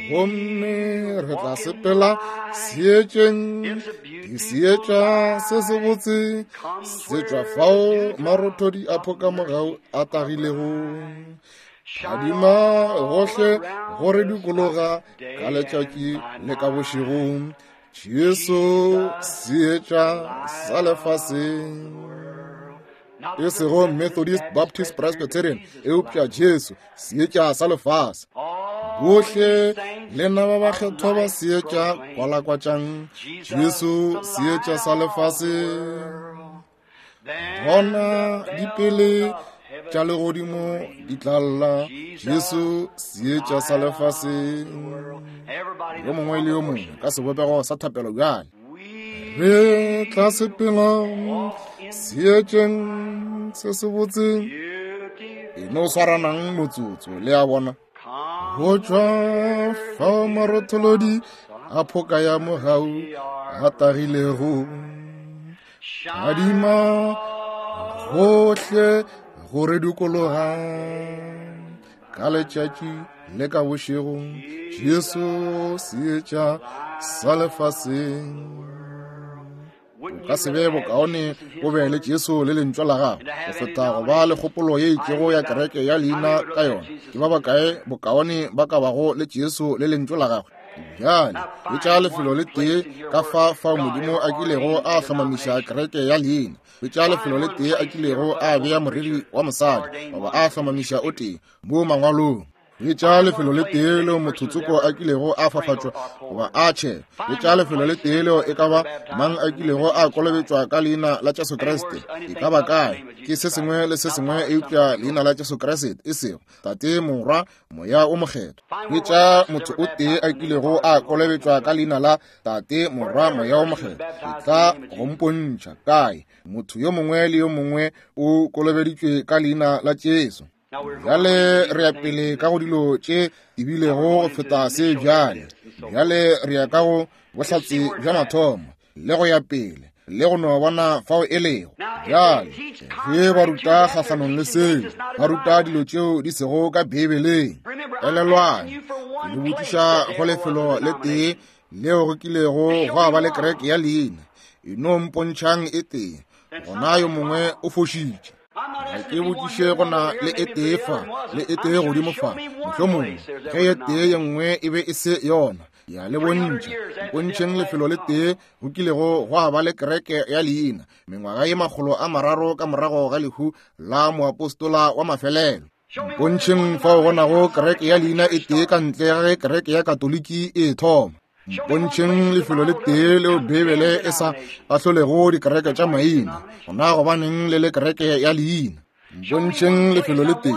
gomme re tla sepela seetšeng. Ke seetša se sebotse se tšwa fao marothodi a phoka mogau a tagilego, phadima gohle go re dikologa ka letšatši le ka bošego. Jesu seetša sa lefaseng, e sego Methodist, Baptist, Presbyterian, eupša Jesu seetša sa lefase. Bohle lena ba bakgethwa ba seetša, kwalakwatšang Jesu seetša sa lefase. Gona dipele tša legodimo di tla lla, Jesu seetša sa lefase. Yo mongwe le yo mongwe ka sebopego sa thapelo bjale. Re tla sepela seetšeng se sebotse. E no swaranang motsotso, le a bona. Go tšwa fao marotholodi a phoka ya mogau a tagilego, phadima gohle go re dikologa ka letšatši le ka bošego. Jesu seetša sa lefaseng. O ka se be bokaone o be le Jesu le lentšwa la gagwe go feta go ba le kgopolo ye itšego ya kereke ya leina ka yona. Ke ba bakae bokaone ba ka bago le Jesu le lentšwa la gagwe? Bjale hwetša lefelo le tee ka fa fao Modimo a kilego a hlomamiša kereke ya leina. Hwetša lefelo le tee a kilego a bea moriri wa mosadi goba a hlomamiša o tee mo mangwalong. Hwetša lefelo le tee leo motho tsoko a kilego a fafatšwa goba a tšhelwa. Hwetša lefelo le tee leo e ka ba mang a kilego a kolobetšwa ka leina la Jesu Kriste. E ka ba kae? Ke se sengwe le se sengwe eupša leina la Jesu Kriste, e sego Tate, Morwa, Moya o Mokgethwa. Hwetša motho o tee a kilego a kolobetšwa ka leina la Tate, Morwa, Moya o Mokgethwa. E tla go mpontšha kae? Motho yo mongwe le yo mongwe o kolobeditšwe ka leina la Jesu. Bjale re ya pele ka go dilo tše ebilego go feta se bjale. Bjale re ya ka go bohlatse bja mathomo le go ya pele le go no bona fao e lego. Bjale ge ba ruta kgahlanong le seo, ba ruta dilo tšeo di sego ka Beibeleng. Elelwang, ke le botšiša go lefelo le tee leo go kilego gwa ba le kereke ya leina. E no mpontšhang e tee, gona yo mongwe o fošitše. Ga ke botšiše go na le e tee fa le e tee godimo fa, mohlomongwe ge e tee ye nngwe e be e se yona. Ya le bontšha, mpontšheng lefelo le tee go kilego gwa ba le kereke ya leina mengwaga ye makgolo a mararo ka morago ga lehu la moapostola wa mafelelo. Mpontšheng fao go nago kereke ya leina e tee ka ntle ga ge kereke ya Katoliki e thoma. Mpontšheng lefelo le tee leo Beibele e sa ahlolego dikereke tša maina, gona gobaneng le le kereke ya leina. Mpontšheng lefelo le tee,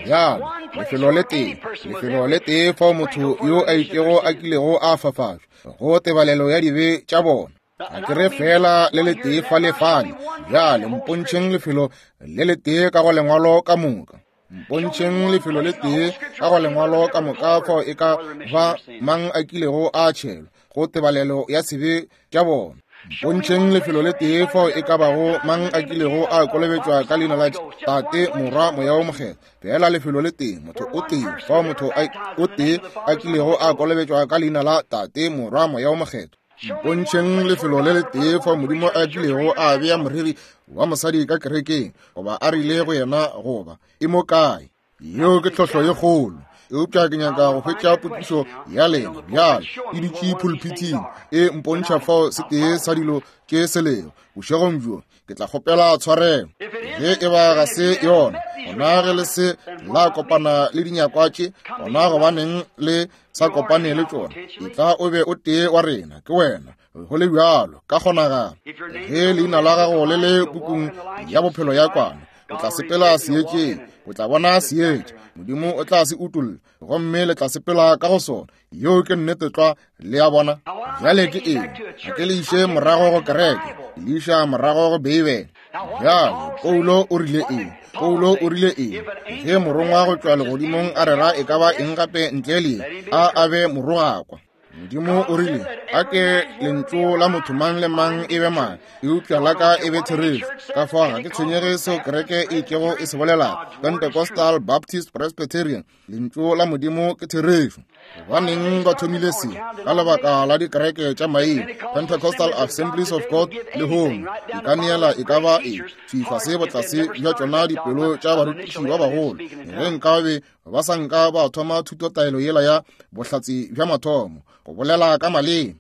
bjalo lefelo le tee, lefelo le tee fao motho yo a itšego a kilego a fafatšwa go tebalelo ya dibe tša bona. Ga ke re fela le le tee fa le fale. Bjale mpontšheng lefelo le le tee ka go lengwalo ka moka. Mpontšheng lefelo le tee ka go lengwalo ka moka fao e ka ba mang a kilego a tšhelwa go tebalelo ya sebe tša bona. Mpontšheng lefelo le tee fao e ka bago mang a kilego a kolobetšwa ka leina la Tate, Morwa, Moya o Mokgethwa. Fela lefelo le tee, motho o tee, fao motho o tee a kilego a kolobetšwa ka leina la Tate, Morwa, Moya o Mokgethwa. Mpontšheng lefelo le le tee fao Modimo a kilego a bea moreri wa mosadi ka kerekeng, goba a rile go yena goba e mo kae. Yeo ke tlhohlo ye kgolo. Eupša ke nyaka go hwetša potšišo ya lena bjale e dutše pulpiting e mpontšha fao se tee sa dilo tše se lego. Bošegong bjo ke tla kgopela tshwarelo. Ge e ba ga se yona, gona ge le se la kopana le dinyakwa tše, gona gobaneng le sa kopane le tšona? E tla o be o tee wa rena, ke wena. Go le bjalo ka kgonagalo. Ge leina la gago le le pukung ya bophelo ya kwana, o tla sepela seetšeng, o tla bona seetša. Modimo o tla se utolla, gomme le tla sepela ka go sona. Yeo ke nnete tlwa, le a bona. Bjale ke eng? Ga ke le iše morago go kereke, ke le iša morago go Beibele. Bjale Paulo o rile eng? Paulo o rile eng? Ge morongwa go tšwa legodimong a rera e ka ba eng gape ntle le a a be morogakwa. Modimo o rile, a ke lentšu la motho mang le mang e be maaka, eupša la ka e be therešo. Ka fao ga ke tshwenyege seo kereke e itšego e se bolelago, Pentecostal, Baptist, Presbyterian, lentšu la Modimo ke therešo. Gobaneng ba thomile se? Ka lebaka la dikereke tša maina, Pentecostal Assemblies of God lehono e ka neela e ka ba e thwi fase botlase bja tšona dipelo tša barutiši ba bagolo. Ge nkabe ba sa nka ba thoma thutotaelo yela ya bohlatse bja mathomo, go bolela ka maleme,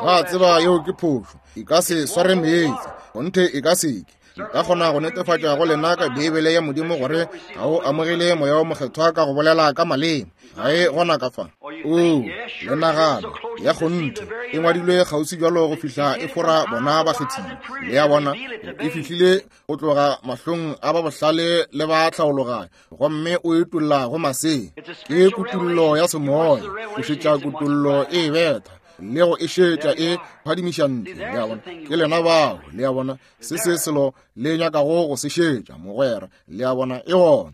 ba tseba yeo ke phošo, e ka se sware meetse, kgonthe e ka seke. Nka kgona go netefatša go lena ka Beibele ya Modimo gore ga o amogele Moya o Mokgethwa ka go bolela ka maleme. Ga e gona ka fa. O le nagano ya kgonthe e ngwadilwe kgauswi bjalo go fihla e fora bona bakgethiwa. Le a bona, e fihlile go tloga mahlong a ba bohlale le ba tlhaologanyo, gomme o etolla go masea. Ke kutullo ya semoya, o šetša kutullo e betha le go e šetša e phadimiša ntle. Le a bona, ke lena bao. Le a bona, se se selo le nyakago go se šetša, mogwera. Le a bona, e gona.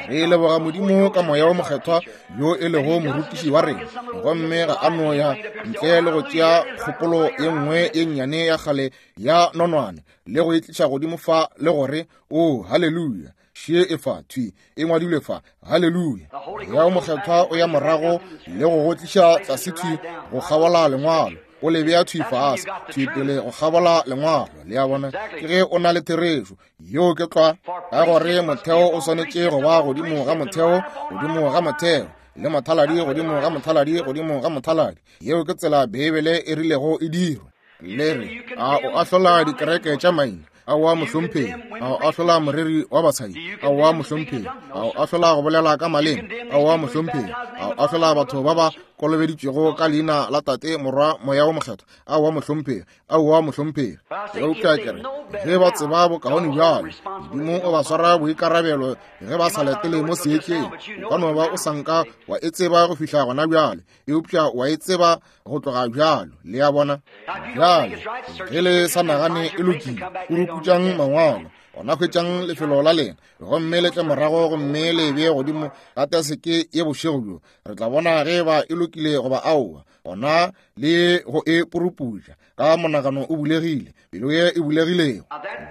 Re leboga Modimo ka Moya o Mokgethwa yo e lego morutiši wa rena, gomme ga a no ya ntle le go tšea kgopolo ye nngwe ye nnyane ya kgale ya nonwane le go e tliša godimo fa le gore o haleluya, šie e fa thwi e ngwadilwe fa, haleluya. Moya o Mokgethwa o ya morago le go go tliša tlase thwi go kgabola lengwalo, o le bea thwi fase thwi pele go kgabola lengwalo. Le a bona, ke ge o na le therešo. Yeo ke tlwa, ka gore motheo o swanetše go ba godimo ga motheo, godimo ga motheo, le mothaladi godimo ga mothaladi, godimo ga mothaladi. Yeo ke tsela Beibele e rilego e dirwe. Le re, a o ahlola dikereke tša maina? Aowa mohlomphegi. A o ahlola moreri wa basadi? Aowa mohlomphegi. A o ahlola go bolela ka maleme? Aowa mohlomphegi. A o ahlola batho ba ba kolobeditšwego ka leina la Tate, Morwa, Moya wo Mokgethwa? Aowa mohlomphegi. Aowa mohlomphegi. Eupša ke re, ge ba tseba bokaone bjalo, Modimo o ba swara boikarabelo ge ba sa latele mo seetšeng. O ka no ba o sa nka wa e tseba go fihla gona bjale, eupša wa e tseba go tloga bjalo. Le a bona? Bjale, ge le sa nagane e lokile, puruputšang mangwalo, gona hwetšang lefelo la lena, gomme le tle morago gomme le bee godimo ga taseke ye bošego bjo. Re tla bona ge ba e lokile goba aowa. Gona le go e puruputša ka monagano o bulegile, pelo ye e bulegilego.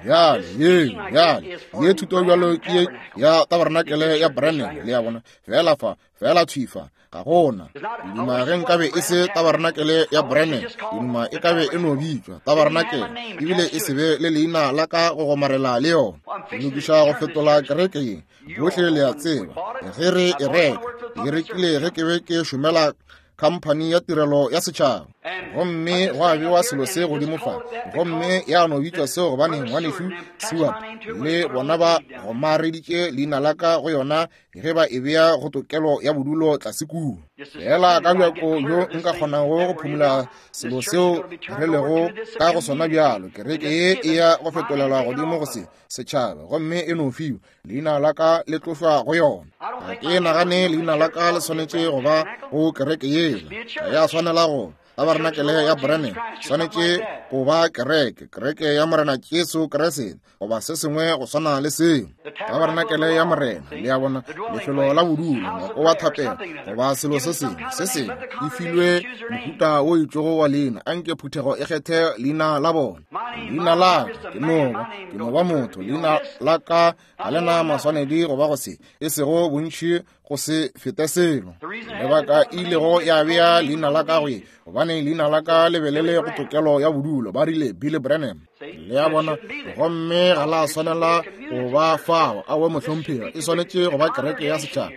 Bjale ye, bjale ye thuto bjalo ke ye ya tabarenakele ya Branham. Le a bona? Fela fa, fela thwi fa, ga gona. Ke duma ge nkabe e se tabarenakele ya Branham, ke duma e kabe e no bitšwa tabarenakele, ebile e se be le leina la ka go gomarela le yona. Ke lokiša go fetola kereke ye. Bohle le a tseba ge re e reka, ke rekile ge ke be ke šomela khamphani ya tirelo ya setšhaba, gomme gwa bewa selo se godimo fa, gomme ya no bitšwa seo gobane ngwanešu Seward le bona ba gomareditše leina la ka go yona ge ba e bea go tokelo ya bodulo tlase kua. Fela ka bjako bjo nka kgonago go phumula selo seo re lego ka go sona bjalo, kereke ye e ya go fetolelwa godimo go se setšhaba, gomme e no fiwa leina la ka le tlošwa go yona. Ga ke nagane leina la ka le swanetše go ba go kereke yela, ga ya swanela go tabarenakele ya Branham, swanetše go ba kereke, kereke ya Morena Jesu Kriste, goba se sengwe go swana le seo. Tabarenakele ya Morena, le a bona, lefelo la bodulo, ngwako wa thapelo, goba selo se sengwe se sengwe, e filwe mohuta o itšego wa leina. Anke phuthego e kgethe leina la bona. Leina la ka ke no ba, ke no ba motho. Leina la ka ga le na maswanedi goba go se, e sego bontši go se fete selo. Lebaka e ilego ya bea leina la ka go ye, gobane leina la ka le be le le go tokelo ya bodulo, ba rile Billy Branham. Le a bona? Gomme ga la swanela go ba fao. Aowa mohlomphegi, e swanetše go ba kereke ya setšhaba.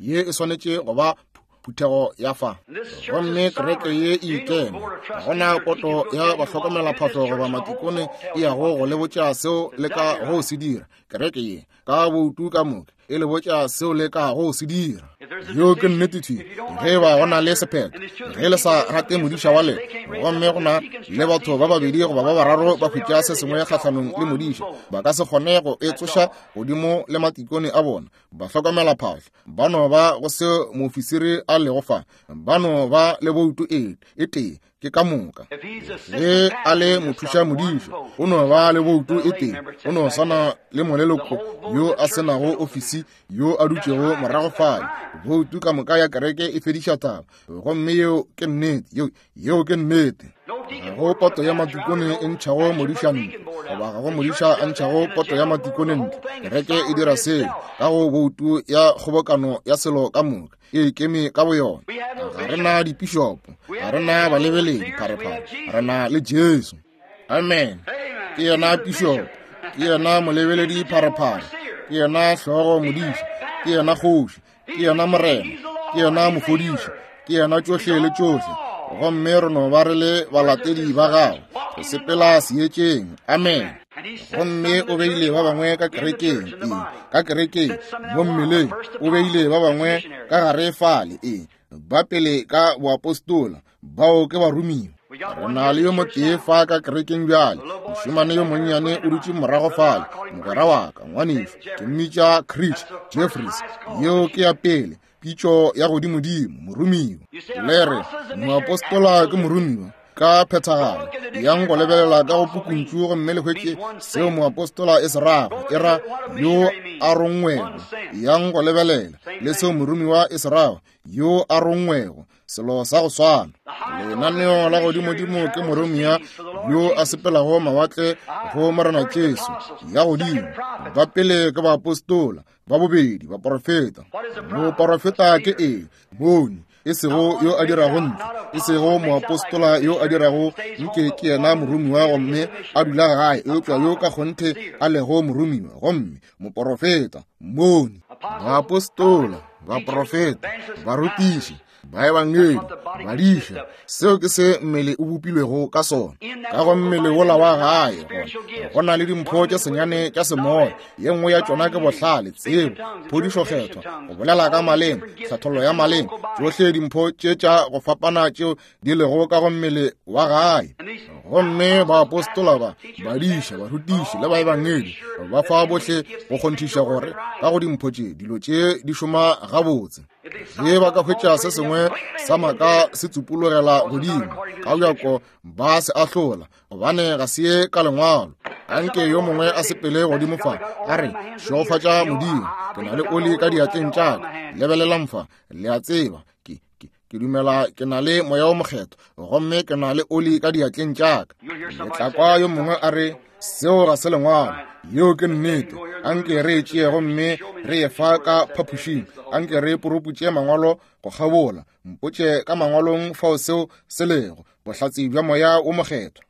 Ye e swanetše go ba phuthego ya fa. Gomme kereke ye e ikeme. Ga gona poto ya bahlokomelaphahlo goba matikone e yago go le botša seo le ka go se dira. Kereke ye ka boutu ka moka e le botša seo le ka go se dira. Yeo ke nnete thwi. Ge ba go na le sephetho, ge le sa rate modiša wa lena, gomme go na le batho ba babedi goba ba bararo ba hwetša se sengwe kgahlanong le modiša, ba ka se kgone go e tsoša godimo le matikone a bona. Bahlokomelaphahlo ba no ba go se moofisiri a lego fa, ba no ba le boutu e e tee, ke ka moka. Ge a le mothuša modiša, o no ba le boutu e tee, o no swana le moleloko yo a se nago ofisi yo a dutšego morago fale. Boutu ka moka ya kereke e fediša taba, gomme yeo ke nnete. Yeo, yeo ke nnete. Ga go poto ya matikone e ntšhago modiša ntle, goba ga go modiša a ntšhago poto ya matikone ntle. Kereke e dira seo ka go boutu ya kgobokano ya selo ka moka, e ikeme ka boyona. Ga re na dipišopo, ga re na balebeledi pharephare, re na le Jesu. Amen. Ke yena pišopo, ke yena molebeledi pharephare, ke yena hlogo modiša, ke yena kgoši, ke yena morena, ke yena mofodiši, ke yena tšohle le tšohle. Gomme re no ba re le balatedi ba gagwe, re sepela seetšeng. Amen. Gomme o beile ba bangwe ka kerekeng, ee, ka kerekeng mo mmeleng, o beile ba bangwe ka gare fale, ee, ba pele ka boapostola, bao ke baromiwa. Re na le yo motee fa ka kerekeng bjale, mošemane yo monnyane o dutše morago fale, mogwera wa ka, ngwanešu, ke mmitša Chris Jeffries. Yeo ke ya pele, pitšo ya godimodimo, moromiwa. Le re moapostola ke moromiwa ka phethagalo. Yang go lebelela ka go pukuntšu gomme le hwetše seo moapostola e se rago, e ra yo a rongwego. Yang go lebelela le seo moromiwa e se rago, yo a rongwego, selo sa go swana. Lenaneo la godimodimo ke moromiwa yo a sepelago mawatle go Morena Jesu. Ya godimo, ba pele ke baapostola, ba bobedi baporofeta. Moporofeta ke eng? Bone, e sego yo a dirago ntle, e sego moapostola yo a dirago nke ke yena moromiwa gomme a dula gae, eupša yo ka kgonthe a lego moromiwa gomme moporofeta, mmoni. Baapostola, baporofeta, barutiši, Baebangedi, badiša, seo ke se mmele o bopilwego ka sona. Ka go mmele wola wa gae gona go na le dimpho tše senyane tša semoya. Ye nngwe ya tšona ke bohlale, tsebo, phodišo kgethwa, go bolela ka maleme, tlhathollo ya maleme, tšohle dimpho tše tša go fapana tšeo di lego ka go mmele wa gae. Gomme baapostola ba, badiša, barutiši le baebangedi ba fa bohle go kgonthiša gore ka go dimpho tše dilo tše di šoma gabotse. Ge ba ka hwetša se sengwe sa maaka se tsupologela godimo ka bjako ba se ahlola, gobane ga se ye ka lengwalo. Anke yo mongwe a sepele godimo fa a re, šegofatša Modimo, ke na le oli ka diatleng tša ka. Lebelelang fa, le a tseba ke ke ke dumela ke na le moya o mokgethwa, gomme ke na le oli ka diatleng tša ka. Le tla kwa yo mongwe a re, seo ga se lengwalo. Yeo ke nnete. Anke re e tšee gomme re ye fa ka phapošing. Anke re poroputše mangwalo go kgabola. Mpotše ka mangwalong fao seo se lego, bohlatse bja moya wo mokgethwa.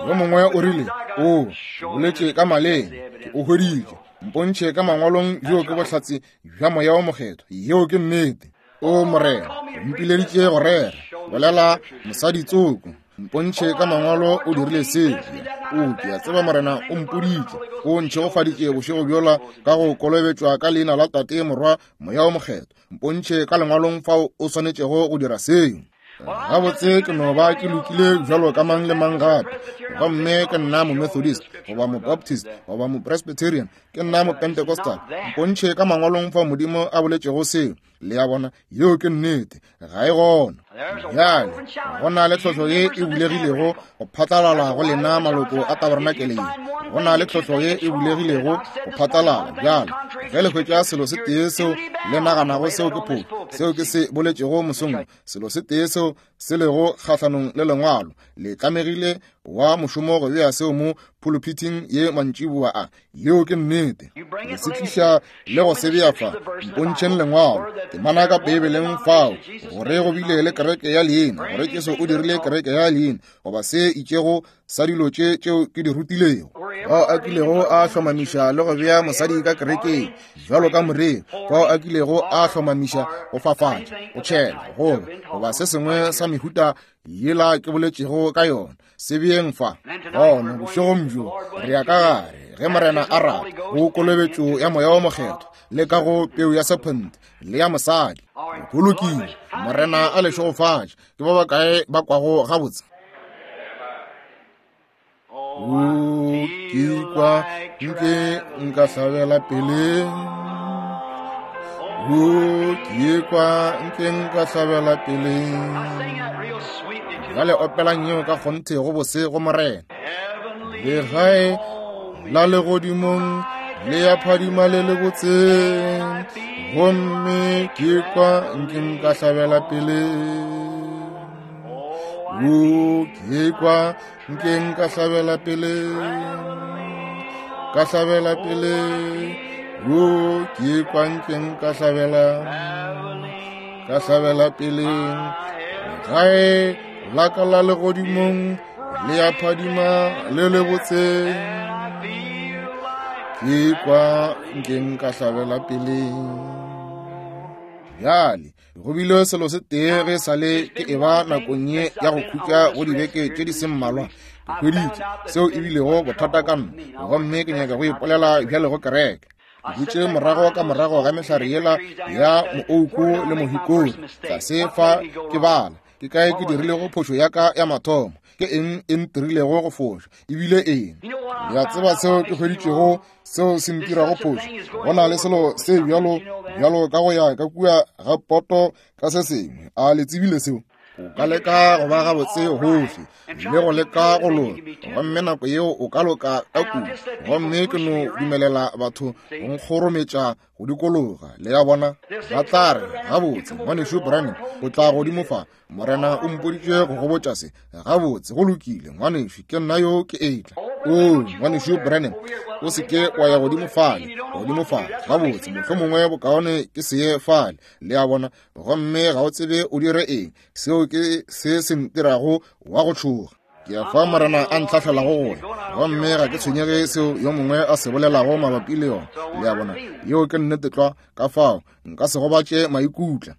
Yo mongwe o rile, o boletše ka maleme, ke o hweditše. Mpontšhe ka mangwalong bjo ke bohlatse bja moya wo mokgethwa. Yeo ke nnete. O Morena, o mpileditše go rera, bolela mosadi tsoko. Mpontšhe ka mangwalo o dirile seo. O ke a tseba Morena o mpoditše, o ntšhegofaditše bošego bjola ka go kolobetšwa ka leina la Tate, Morwa, Moya wo Mokgethwa. Mpontšhe ka lengwalong fao o swanetšego go dira seo. Gabotse ke no ba ke lokile bjalo ka mang le mang gape. Gomme ke nna Momethodist goba Mobaptist goba Mopresbyterian, ke nna Mopentecostal. Mpontšhe ka mangwalong fao Modimo a boletšego seo. Le a bona, yeo ke nnete, ga e gona. Bjale go na le tlhohlo ye e bulegilego go phatlalala go lena maloko a tabernakeleng. Go na le tlhohlo ye e bulegilego go phatlalala. Bjale ge le hwetša selo se tee seo le naganago seo ke phošo, seo ke se boletšego mosong, selo se tee seo se lego kgahlanong le lengwalo, le tlamegile wa mošomo go bea seo mo pulpiting ye mantšiboa a. Yeo ke nnete. Le se tliša le go se bea fa. Mpontšheng lengwalo, temana ka Beibeleng fao gore go bile le kereke ya leina, gore Jesu o dirile kereke ya leina, goba se itšego sa dilo tše tšeo ke di rutilego. Bao a kilego a hlomamiša le go bea mosadi ka kerekeng bjalo ka moreri, bao a kilego a hlomamiša go fafatša, go tšhela, goba goba se sengwe sa mehuta yela ke boletšego ka yona, se beeng fa. Gona bošegong bjo re ya ka gare, ge Morena a rata, go kolobetšo ya moya wo mokgethwa, le ka go peu ya sephente le ya mosadi. Go lokile. Morena a le šegofatše. Ke ba bakae ba kwago gabotse? O ke kwa nke nka hlabela pele. O ke kwa nke nka hlabela pele. Bjale opelang yeo ka kgonthe go bose go Morena. Legae la legodimong le ya phadima le le botse, gomme ke kwa nke nka hlabela pele. O ke kwa nke nka hlabela pele, ka hlabela pele. O ke kwa nke nka hlabela, ka hlabela pele. Gae la ka la legodimong le ya phadima le le botse, ke kwa nke nka hlabela pele. Bjale go bile selo se tee ge sa le ke eba nakong ye ya go khutša go dibeke tše di se mmalwa, ke hweditše seo e bilego bothata ka nna, gomme ke nyaka go ipolela bjale go kereke. Ke dutše morago ka morago ga mehlare yela ya moouku le mohikori tlase fa ke bala, ke kae ke dirilego phošo ya ka ya mathomo, ke eng e ntirilego go foša, ebile eng. Le a tseba seo ke hweditšego seo se ntirago phošo? Go na le selo se bjalo bjalo ka go ya ka kua ga poto ka se sengwe. A le tsebile seo? O ka leka go ba gabotse gohle le go leka go loka, gomme nako yeo o ka loka ka kudu, gomme ke no dumelela batho go nkgorometša go dikologa. Le a bona, ba tla re, gabotse ngwanešu Branham o tla godimo fa, Morena o mpoditše go go botša se. Gabotse, go lokile ngwanešu, ke nna yo ke etla. O ngwanešu Branham, o se ke wa ya godimo fale, godimo fale. Gabotse, mohlomongwe bokaone ke se ye fale. Le a bona, gomme ga o tsebe o dire eng. Seo ke se se ntirago wa go tšhoga. Ke a fa Morena a ntlhahlelago gore, gomme ga ke tshwenyege seo yo mongwe a se bolelago mabapi le yona. Le a bona, yeo ke nnete tlwa. Ka fao Nka se gobatše maikutla.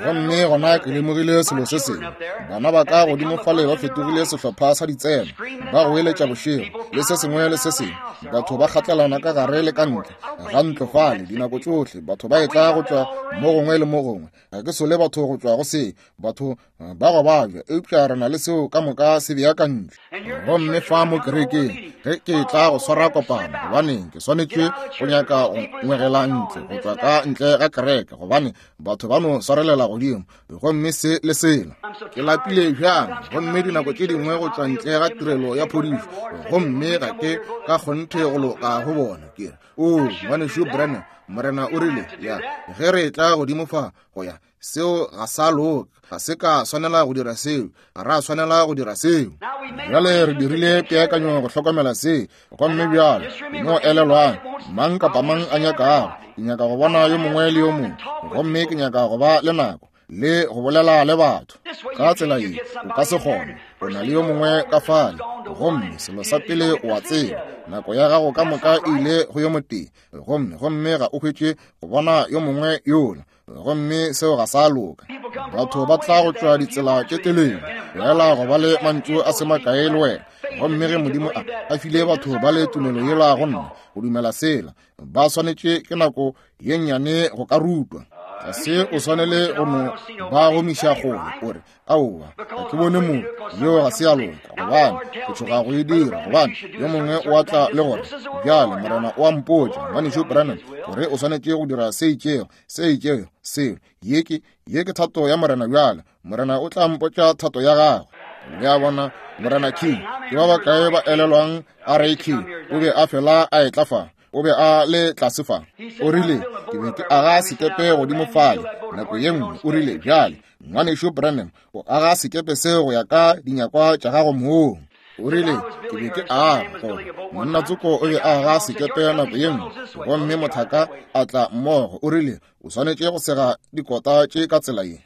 Gomme gona ke lemogile selo se sengwe. Bana ba ka godimo fale ba fetogile sehlopha sa ditsena, ba goeletša bošego le se sengwe le se sengwe. Batho ba kgatlelana ka gare le ka ntle ga ntlo fale dinako tšohle. Batho ba etla go tšwa mo gongwe le mo gongwe. Ga ke sole batho go tšwa go se, batho ba go babja, eupša re na le seo ka moka se beakantšwe. Gomme fa mo kerekeng ge ke tla go swara kopano, gobaneng ke swanetše go nyaka go ngwegela ntle go tšwa ka ntle ga kereke, gobane batho ba no swarelela godimo gomme se le sela. Ke lapile bjang, gomme dinako tše dingwe go tšwa ntle ga tirelo ya phodišo, gomme ga ke ka kgonthe go loka go bona. Ke re, o ngwanešu Branham, Morena o rile, ya ge re tla godimo fa go ya, seo ga sa loka, ga se ka swanela go dira seo, ga ra swanela go dira seo. Bjale re dirile peakanyo go hlokomela se, gomme bjale no elelwang, mang kapa mang a nyakago, ke nyaka go bona yo mongwe le yo mongwe, gomme ke nyaka go ba le nako le go bolela le batho. Ka tsela ye o ka se kgone, o na le yo mongwe ka fale, gomme selo sa pele o a tseba, nako ya gago ka moka e ile go yo motee, gomme gomme ga o hwetše go bona yo mongwe yola, gomme seo ga sa loka. Batho ba tla go tšwa ditsela tše telele fela go ba le mantšu a se makae le wena, gomme ge Modimo a a file batho ba le tumelo yela go nna go dumela sela, ba swanetše ke nako ye nnyane go ka rutwa. Ga se o swanele go no ba gomiša kgole o re, aowa, ga ke bone mo, yeo ga se ya loka, gobane ke tšhoga go e dira, gobane yo mongwe o a tla le gore, bjale Morena o a mpotša, ngwanešu Branham, gore o swanetše go dira se itšego, se itšego, seo. Ye ke, ye ke thato ya Morena bjale. Morena o tla mpotša thato ya gagwe. Le a bona, Morena King, ke ba bakae ba elelwang R A King, o be a fela a etla fa, o be a le tlase fa. O rile, ke be ke aga sekepe godimo fale nako ye nngwe. O rile, bjale ngwanešu Branham, o aga sekepe seo go ya ka dinyakwa tša gago mong. O rile, ke be ke aga gore monna tsoko o be a aga sekepe nako ye nngwe, gomme mothaka a tla mmogo. O rile, o swanetše go sega dikota tše ka tsela ye.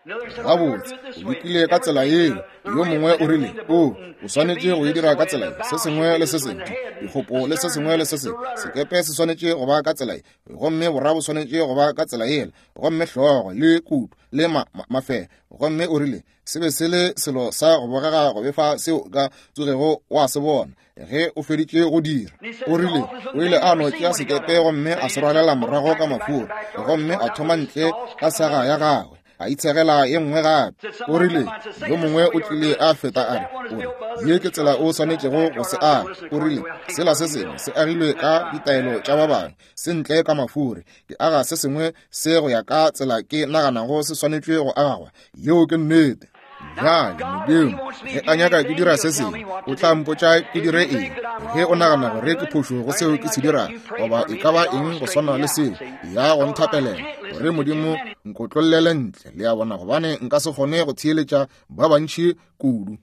Gabotse, o lekile ka tsela yeo. Yo mongwe o rile, o o swanetše go e dira ka tsela ye, se sengwe le se sengwe, dikgopo le se sengwe le se sengwe, sekepe se swanetše go ba ka tsela ye, gomme borra bo swanetše go ba ka tsela yela, gomme hlogo le kutu le ma, ma, mafela. Gomme o rile, se be se le selo sa go bogega go befa seo ka tsogego wa se bona ge o feditše go dira. O rile, o ile a no tšea sekepe gomme a se rwalela morago ka mafura, gomme a thoma ntle ka saga ya gagwe, a itshegela ye nngwe gape. O rile, yo mongwe o tlile a feta a re, o re, ye ke tsela o swanetšego go se aga. O rile, sela se sengwe se agilwe ka ditaelo tša ba bangwe, se ntle ka mafure. Ke aga se sengwe se go ya ka tsela ke naganago se swanetšwe go agwa. Yeo ke nnete. Bjale Modimo ge a nyaka ke dira se sengwe, o tla mpotša ke dire eng. Ge o nagana gore ke phošo go seo ke se dirago, goba e ka ba eng go swana le seo, ya go nthapelela gore Modimo nkotlollele ntle, le a bona, gobane nka se kgone go theeletša ba bantši kudu.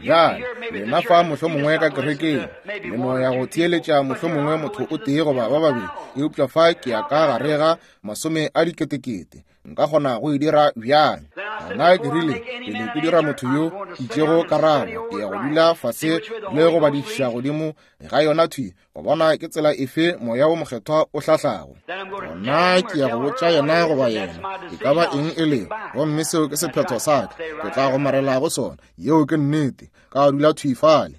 Bjale lena fa mohlomongwe ka kerekeng le no ya go theeletša mohlomongwe motho o tee goba ba babedi, eupša fa ke ya ka gare ga masome a diketekete. Nka kgona go e dira bjang? Gona ke rile, pele ke dira motho yo itšego karabo, ke ya go dula fase le go badišiša godimo ga yona thwi, go bona ke tsela efe Moya wo Mokgethwa o hlahlago. Gona ke ya go botša yena goba yena e ka ba eng e lego, gomme seo ke sephetho sa ka, ke tla gomarela go sona. Yeo ke nnete. Ka dula thwi fale.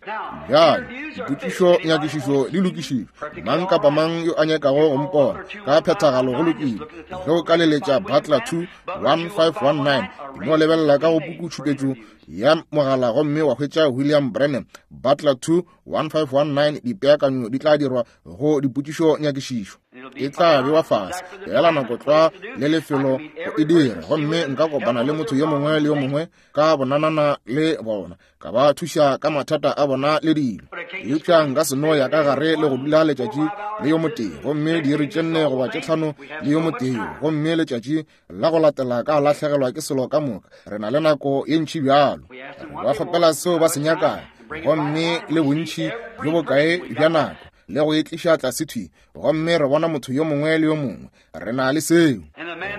Bjale dipotšišo nyakišišo di lokišitšwe. Mang kapa mang yo a nyakago go mpona ka phethagalo go lokile. Ge o ka leletša Butler two one five one nine, no lebelela ka go pukutšhupetšo ya mogala gomme wa hwetša William Branham Butler two one five one nine. Dipeakanyo di tla dirwa go dipotšišo nyakišišo, e tla bewa fase fela nako tlwa le lefelo go e dira, gomme nka kopana le motho yo mongwe le yo mongwe ka bonanana le bona, ka ba thuša ka mathata a bona le dilo. Eupša nka se no ya ka gare le go dula letšatši le yo motee, gomme diiri tše nne goba tše tlhano le yo motee, gomme letšatši la go latela ka lahlegelwa ke selo ka moka. Re na le nako ye ntši bjalo. Re ba kgopela seo ba se nyakago, gomme le bontši bjo bokae bja nako le go e tliša tlase thwi, gomme re bona motho yo mongwe le yo mongwe. Re na le seo.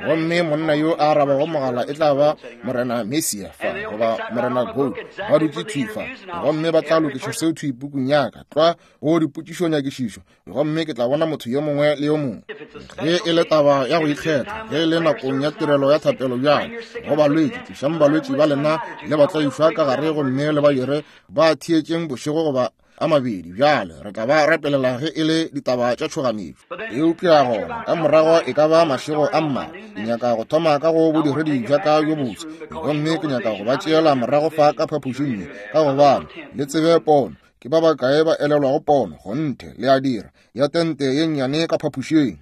Gomme monna yo a arabago mogala e tla ba Morena Mesia fa, goba Morena Gold ba dutše thwi fa, gomme ba tla lokiša seo thwi pukung ya ka tlwa go dipotšišonyakišišo, gomme ke tla bona motho yo mongwe le yo mongwe. Ge e le taba ya go ikgetha, ge e le nakong ya tirelo ya thapelo bjale go balwetši, tlišang balwetši ba lena le ba tlaišwa ka gare, gomme le ba dire ba theetšeng bošego goba a mabedi. Bjale re tla ba rapelela ge e le ditaba tša tšhoganetšo. Eupša gona ka morago e ka ba mašego a mmalwa, ke nyaka go thoma ka go bodiredi bja ka bjo boswa, gomme ke nyaka go ba tšeela morago fa ka phapošing ye, ka gobane le tsebe pono. Ke ba bakae ba elelwago pono? Kgonthe le a dira, ya tente ye nnyane ka phapošing.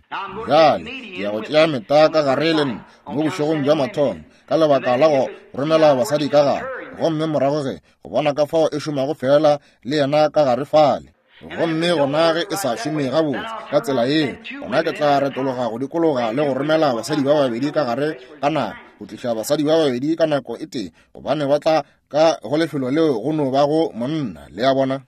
Bjale ke ya go tšea meta ka gare le nna mo bošegong bja mathomo, ka lebaka la go romela basadi ka gare, gomme morago ge go bona ka fao e šomago fela le yena ka gare fale. Gomme gona ge e sa šome gabotse ka tsela yeo, gona ke tla retologa go dikologa le go romela basadi ba babedi ka gare ka nako, go tliša basadi ba babedi ka nako e tee, gobane ba tla ka go lefelo leo go no ba go monna, le a bona.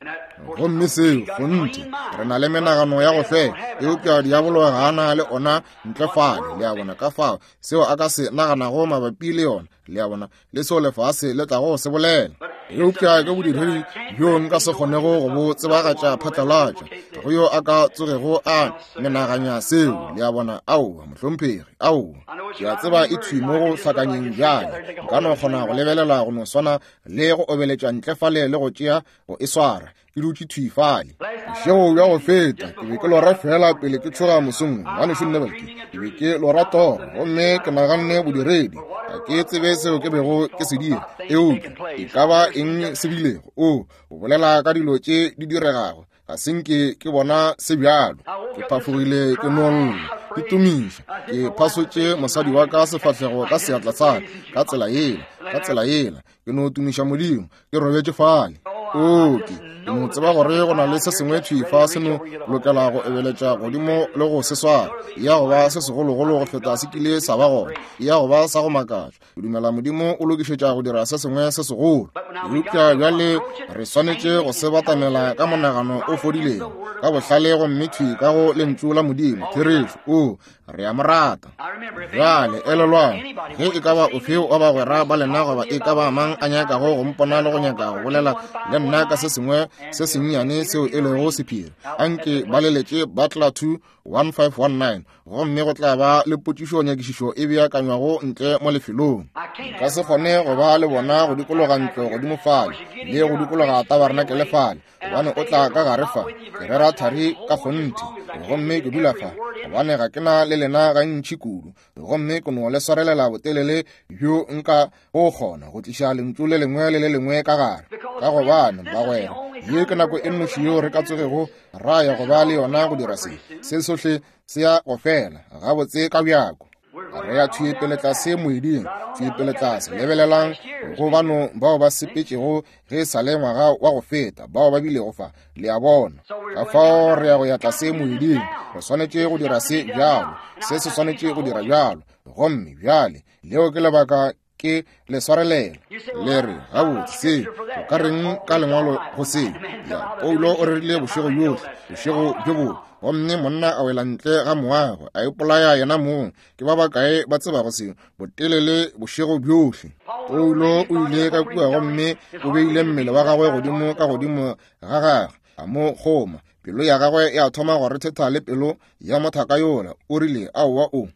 Gomme seo kgonthe re na le menagano ya go fela, eupša diabolo ga a na le ona ntle fale, le a bona, ka fao seo a ka se naganago mabapi le yona, le a bona, le seo lefase le tlago go se bolela. Eupša ke bodiredi bjo nka se kgonego go bo tsebagatša phatlalatša, ga go yo a ka tsogego a menaganya seo, le a bona. Aowa mohlomphegi, aowa. Ke a tseba e thwi mo go hlakanyeng bjale, nka no kgona go lebelela go no swana le go obeletša ntle fale le go tšea go e swara, ke dutše thwi fale. Bošego bja go feta ke be ke lora fela pele ke tšhoga mosong, ngwanešu Neville, ke be ke lora toro, gomme ke naganne bodiredi, ga ke tsebe seo ke bego ke se dira, eupša e ka ba eng se bilego. O o bolela ka dilo tše di diregago, ga se nke ke bona se bjalo. Ke phafogile ke no lla, ke tumiša, ke phasotše mosadi wa ka sefahlego ka seatla sa ka, ka tsela yela, ka tsela yela, ke no tumiša Modimo, ke robetše fale. O ke ke no tseba gore go na le se sengwe thwi fa se no lokela go ebeletša godimo le go se swara, ya go ba se segologolo go feta se kile sa ba gona, ya go ba sa go makatša. Ke dumela Modimo o lokišetša go dira se sengwe se segolo, eupša bjale re swanetše go se batamela ka monagano o fodilego, ka bohlale, gomme thwi ka go lentšu la Modimo, therešo. O re a mo rata. Bjale elelwang, ge e ka ba ofe wa bagwera ba lena goba e ka ba mang a nyakago go mpona le go nyaka go bolela le nna ka se sengwe se sennyane seo e lego sephiri, anke ba leletše Butler two one five one nine, gomme go tla ba le potšišonyakišišo e beakanywago ntle mo lefelong. Nka se kgone go ba le bona go dikologa ntlo godimo fale le go dikologa tabarenakele fale, gobane o tla ka gare fa, ke rera thari ka kgonthe, gomme ke dula fa, gobane ga ke na le lena gantši kudu, gomme ke no le swarelela botelele bjo nka go kgona go tliša lentšu le lengwe le le lengwe ka gare, ka gobane bagwera, ye ke nako e nnoši yeo re ka tsogego ra ya go ba le yona go dira se. Se sohle se ya go fela gabotse ka bjako. Re ya thwi pele tlase moeding, thwi pele tlase. Lebelelang go bano bao ba sepetšego ge e sa le ngwaga wa go feta, bao ba bilego fa, le a bona. Ka fao re ya go ya tlase moeding, re swanetše go dira se bjalo, se se swanetše go dira bjalo. Gomme bjale leo ke lebaka ke le swarelela. Le re, gabotse, se o ka reng ka lengwalo go se? Ya, Paulo o rerile bošego bjohle, bošego bjo bongwe, gomme monna a wela ntle ga moago, a ipolaya yena mong. Ke ba bakae ba tsebago seo? Botelele bošego bjohle. Paulo o ile ka kua gomme o beile mmele wa gagwe godimo ka godimo ga gagwe, a mo kgoma. Pelo ya gagwe ya thoma go rethetha le pelo ya mothaka yola. O rile, aowa o.